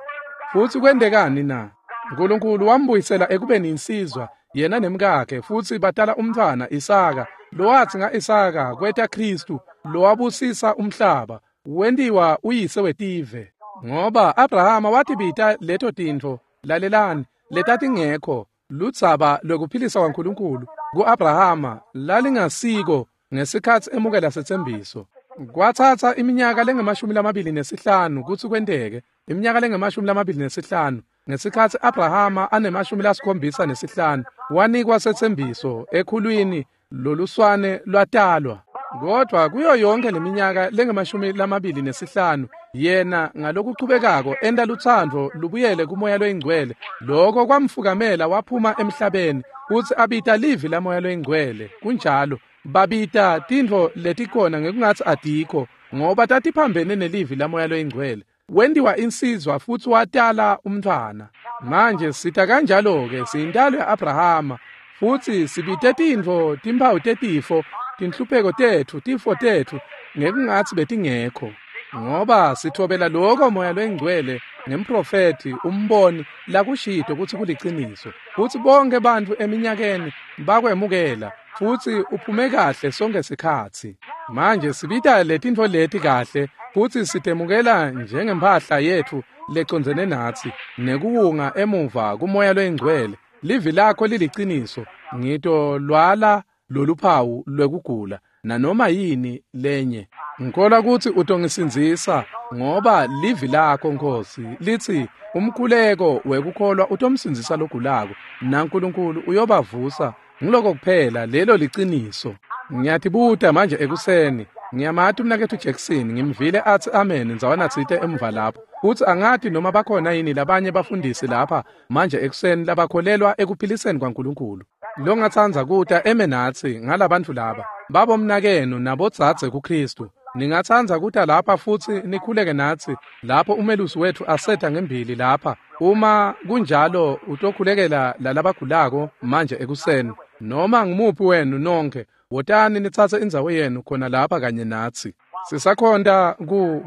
[SPEAKER 1] Futsi kwentekani na? uNkulunkulu wambuyisela ekubeni insizwa yena nemkakhe futsi batala umntfwana Isaka. Lowatsi nga-Isaka kweta Khristu lowabusisa umhlaba wentiwa uyise wetive. Ngoba Abrahama watibita leto tintfo, lalelani, letatingekho ludzaba lwekuphilisa kwaNkulunkulu ku-Abrahama lalingasiko ngesikhatsi emukela setsembiso. Kwatsatsa iminyaka lengu-25 kutsi kwenteke, iminyaka lengu-25 ngesikhatsi Abrahama ane-75 wanikwa setsembiso ekhulwini loluswane lwatalwa. Kodvwa kuyo yonke leminyaka lengu-25 yena ngalokuchubekako enta lutsandvo lubuyele kuMoya loyiNgcwele. Loko kwamfukamela waphuma emhlabeni kutsi abita livi laMoya loyiNgcwele. Kunjalo babita tintfo letikhona ngekungatsi atikho ngoba tatiphambene nelivi laMoya loyiNgcwele. Wentiwa insizwa futsi watala umntfwana. Manje sita kanjalo-ke siyintalo ya-Abrahama futsi sibite tintfo timphawu tetifo tinhlupheko tetfu tifo tetfu ngekungatsi betingekho. Ngoba sithobela loko Moya loyiNgcwele ngemprofethi umboni lakushito kutsi kuliciniso. Futsi bonke bantfu eminyakeni bakwemukela futsi uphume kahle sonke sikhatsi. Manje sibita letintfo leti kahle futsi sitemukela njengemphahla yetfu lecondzene natsi nekuwunga emuva kuMoya loyiNgcwele. Livi lakho liliciniso. Ngitolwala loluphawu lwekugula nanoma yini lenye. Ngikholwa kutsi utongisindzisa ngoba livi lakho Nkosi lithi umkhuleko wekukholwa utomsindzisa logulako naNkulunkulu uyobavusa. Ngiloko kuphela, lelo liciniso. Ngiyatibuta manje ekuseni, ngiyamati umnaketfu Jackson, ngimvile atsi amen ndzawana tsite emva lapho. Futsi angati noma bakhona yini labanye bafundisi lapha manje ekuseni labakholelwa ekuphiliseni kwaNkulunkulu. Longatsandza kuta eme natsi ngalabantfu laba, babomnakenu nabodzadze kuKhristu. Ningatsandza kuta lapha futsi nikhuleke natsi lapho umelusi wetfu asetha ngembili lapha. Uma kunjalo utokhulekela lalabagulako manje ekuseni. Noma ngumuphi wenu nonkhe, wotani nitsatse indzawo yenu khona lapha kanye natsi. Sisakhonta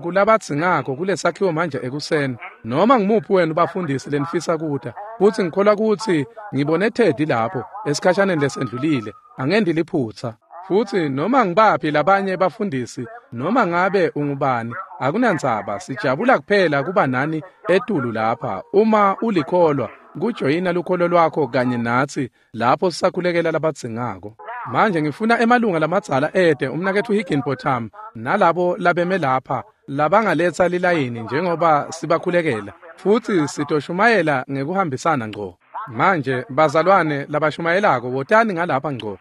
[SPEAKER 1] kulabadzingako kulesakhiwo manje ekuseni. Noma ngumuphi wenu bafundisi lenifisa kuta. Futsi ngikholwa kutsi ngibone Teddy lapho esikhashaneni lesendlulile. Angendi liphutsa. Futsi noma ngibaphi labanye bafundisi, noma ngabe ungubani, akunandzaba, sijabula kuphela kuba nani etulu lapha. Uma ulikholwa, kujoyina lukholo lwakho kanye natsi lapho sisakhulekela labadzingako. Manje ngifuna emalunga lamadzala ete umnaketfu Higginbotham nalabo labeme lapha labangaletsa lilayini njengoba sibakhulekela, futsi sitoshumayela ngekuhambisana ngco. Manje bazalwane labashumayelako wotani ngalapha ngco.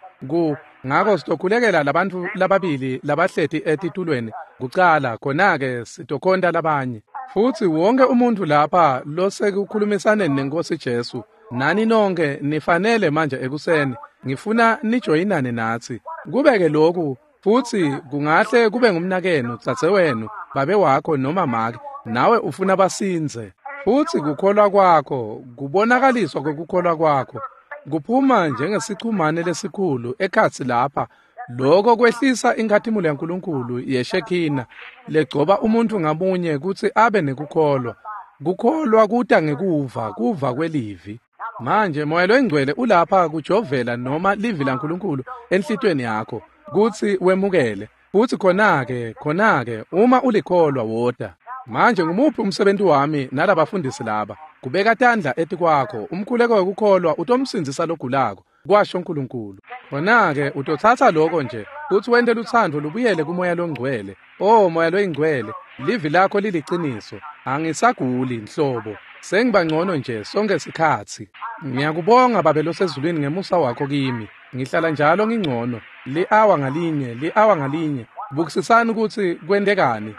[SPEAKER 1] Ngako sitokhulekela labantfu lababili labahleti etitulweni kucala, khona-ke sitokhonta labanye. Futsi wonke umuntfu lapha losekukhulumisaneni neNkosi Jesu, nani nonke nifanele manje ekuseni, ngifuna nijoyinane natsi. Kubeke lokhu, futsi kungahle kube ngumnakenu, dzadzewenu, babe wakho noma make, nawe ufuna basindze. Futsi kukholwa kwakho, kubonakaliswa kwekukholwa kwakho, kuphuma njengesichumane lesikhulu ekhatsi lapha. Lokho kwehlisa inkhatimulo yaNkulunkulu yeshekhina legcoba umuntfu ngamunye kutsi abe nekukholwa. Kukholwa kuta ngekuva, kuva kwelivi. Manje Moya loyiNgcwele ulapha kujovela noma livi laNkulunkulu enhlitiyweni yakho kutsi wemukele. Futsi khona-ke uma ulikholwa wota. Manje ngumuphi umsebenzi wami nalabafundisi laba? Kubeka tandla etikwakho, umkhuleko wekukholwa utomsindzisa logulako, kwasho Nkulunkulu. Khona-ke utotsatsa lokho nje futsi wente lutsandvo lubuyele kuMoya loNgcwele. Oh Moya loyiNgcwele, livi lakho liliciniso. Angisaguli nhlobo, sengiba ngcono nje sonke sikhatsi. Ngiyakubonga Babe losezulwini ngemusa wakho kimi. Ngihlala njalo ngingcono, li-awa ngalinye, li-awa ngalinye. Bukisisani kutsi kwentekani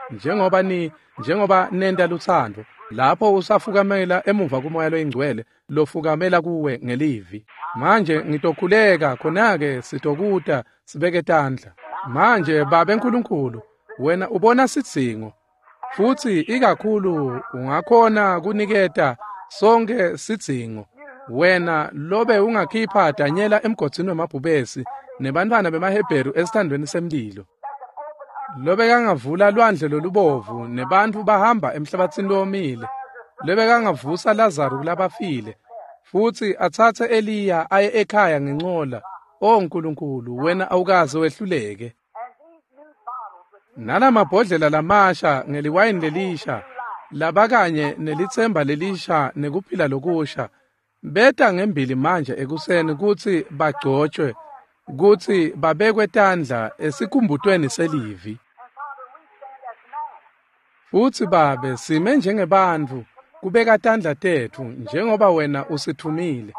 [SPEAKER 1] njengoba nenta lutsandvo. Lapho usafukamela emuva kuMoya loyiNgcwele lofukamela kuwe ngelivi. Manje ngitokhuleka, khona-ke sitokuta sibeke tandla. Manje Babe Nkulunkulu, wena ubona sidzingo, futsi ikakhulu ungakhona kuniketa sonke sidzingo. Wena lobe ungakhipha Danyela emgodzini wemabhubesi nebantfwana bemaHebheru esithandweni semlilo, lobekangavula lwandle lolubovu nebantfu bahamba emhlabatsini lowomile, lobekangavusa Lazaru kulabafile futsi atsatse Eliya aye ekhaya ngencola. O Nkulunkulu, wena awukaze wehluleke. Nalamabhodlela lamasha ngeliwayini lelisha, labakanye nelitsemba lelisha nekuphila lokusha, beta ngembili manje ekuseni kutsi bagcotshwe, kutsi babekwe tandla esikhumbutweni selivi. Futsi Babe, sime njengebantfu kubeka tandla tetfu njengoba wena usithumile.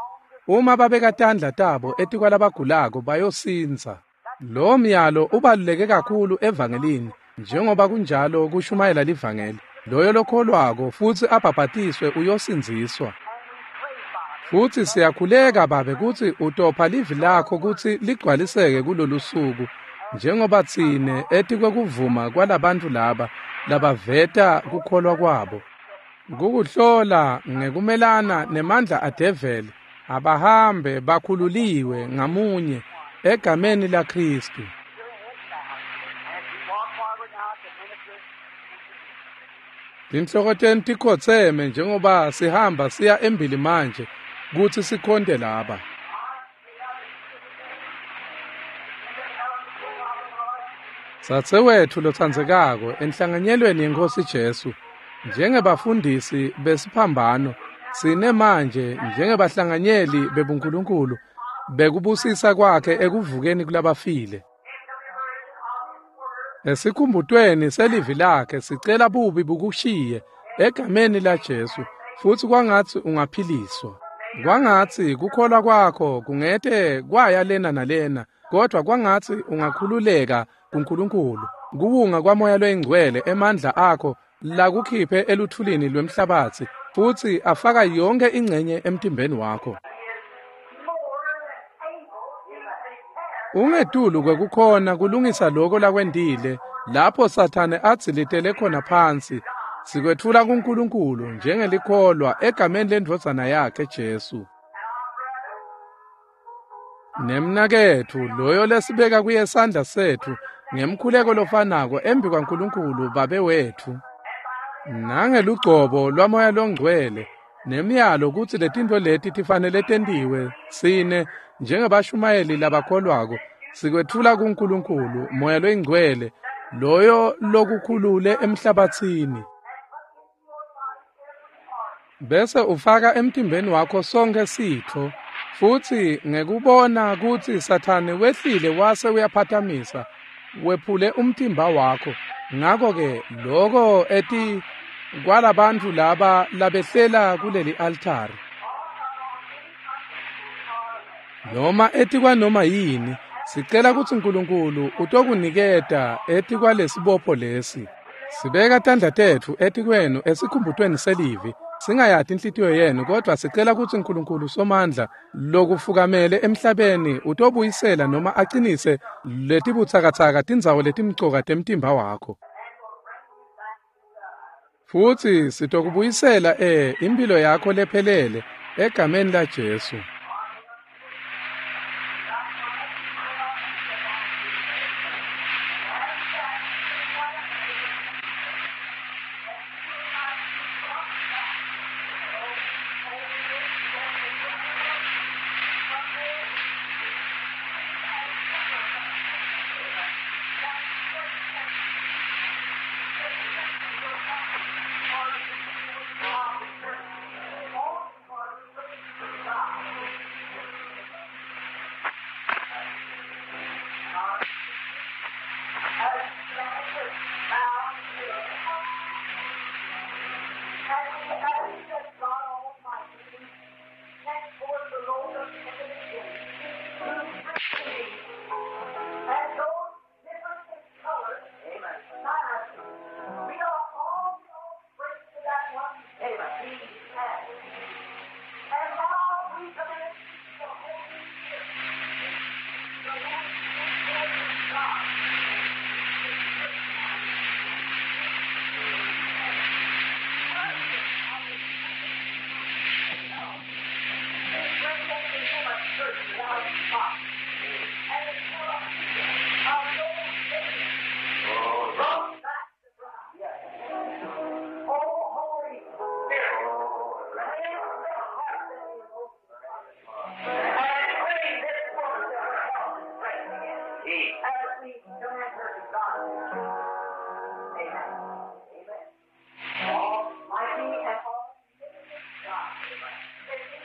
[SPEAKER 1] Uma babeka tandla tabo etikwalabagulako bayosindza. Lo myalo ubaluleke kakhulu evangelini njengoba kunjalo kushumayela livangeli. Loyo lokholwako futsi abhabhatiswe uyosindziswa. Futsi siyakhuleka Babe kutsi utopha livi lakho kutsi ligcwaliseke kulolu suku, njengoba tsine etikwekuvuma kwalabantfu laba labaveta kukholwa kwabo. Kukuhlola ngekumelana nemandla adeveli, abahambe bakhululiwe ngamunye egameni laKhristu. Tinhloko tenu tikhotseme njengoba sihamba siya embili manje kutsi sikhonte laba. Dzadzewetfu lotsandzekako enhlanganyelweni yeNkhosi Jesu, njengebafundisi besiphambano, Sine manje njengebahlanganyeli bebuNkulunkulu bekubusisa kwakhe ekuvukeni kulabafile. Esikhumbutweni selivi lakhe sicela bubi bukushiye egameni laJesu, futsi kwangatsi ungaphiliswa. Kwangatsi kukholwa kwakho kungete kwaya lena nalena, kodwa kwangatsi ungakhululeka kuNkulunkulu. Kuwunga kwaMoya loyiNgcwele emandla akho lakukhiphe eluthulini lwemhlabatsi, futsi afaka yonke ingcenye emtimbeni wakho. Ungetulu kwekukhona kulungisa lokho lakwendile lapho Sathane adzilitele khona phansi. Sikwetfula kuNkulunkulu njengelikholwa egameni lendvodzana yakhe Jesu. Nemnaketfu loyo lesibeka kuye sandla setfu ngemkhuleko lofanako embi kwaNkulunkulu Babe wetfu, nangelugcobo lwaMoya loNgcwele nemiyalo kutsi letintfo leti tifanele tentiwe, sine njengebashumayeli labakholwako sikwetfula kuNkulunkulu Moya loyiNgcwele loyo lokukhulule emhlabatsini, bese ufaka emtimbeni wakho sonke sitfo. Futsi ngekubona kutsi Sathane wehlile wase uyaphatamisa, wephule umtimba wakho. Ngakho-ke loko eti kwalabantfu laba labehlela kuleli altari noma etikwanoma yini, sicela kutsi Nkulunkulu utokuniketa etikwalesibopho lesi. Sibeka tandla tetfu etikwenu esikhumbutweni selivi, singayati inhlitiyo yenu, kodwa sicela kutsi Nkulunkulu Somandla lokufukamele emhlabeni utobuyisela noma acinise letibutsakatsaka tindzawo letimcoka temtimba wakho. Futsi sitokubuyisela impilo yakho lephelele egameni laJesu.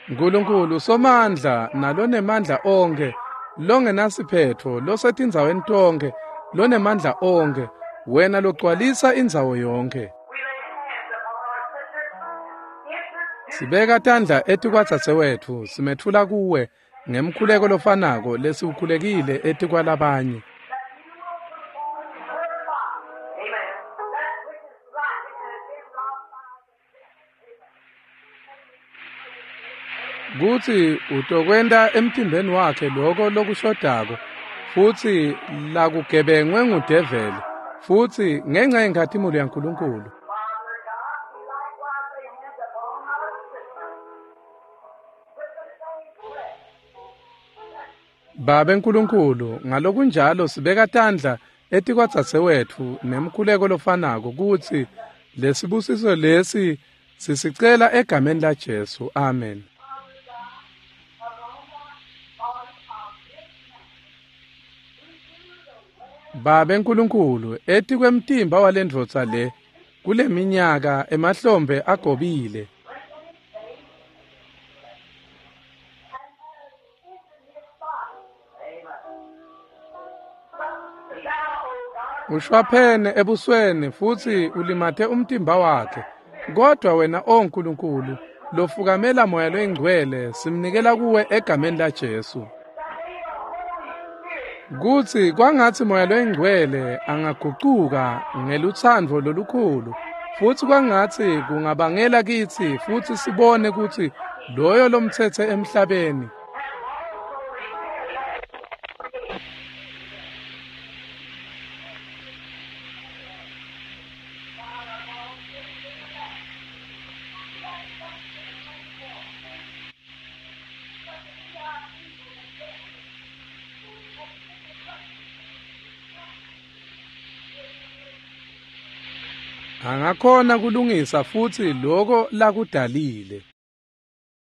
[SPEAKER 1] Nkulunkulu Somandla nalonemandla onkhe, longenasiphetfo, losetindzaweni tonkhe, lonemandla onkhe, wena logcwalisa indzawo yonkhe. Sibeka tandla etikwadzadzewetfu, simetfula kuwe ngemkhuleko lofanako lesiwukhulekile etikwalabanye. Kutsi utokwenta emtimbeni wakhe lokho lokushodako, futsi lakugebengwe ngudeveli, futsi ngenca yenkhatimulo yaNkulunkulu. Babe Nkulunkulu, ngalokunjalo sibeka tandla etikwadzadzewetfu nemkhuleko lofanako kutsi lesibusiso lesi sisicela egameni laJesu. Amen. Babe Nkulunkulu, etikwemtimba walendvodza le kuleminyaka emahlombe agobile. Ushwaphene ebusweni futsi ulimate umtimba wakhe. Kodwa wena, O Nkulunkulu, lofukamela Moya loyiNgcwele, simnikela kuwe egameni laJesu. Kutsi kwangatsi Moya loyiNgcwele angagucuka ngelutsandvo lolukhulu, futsi kwangatsi kungabangela kitsi futsi sibone kutsi loyo lomtsetse emhlabeni angakhona kulungisa futsi loko lakudalile.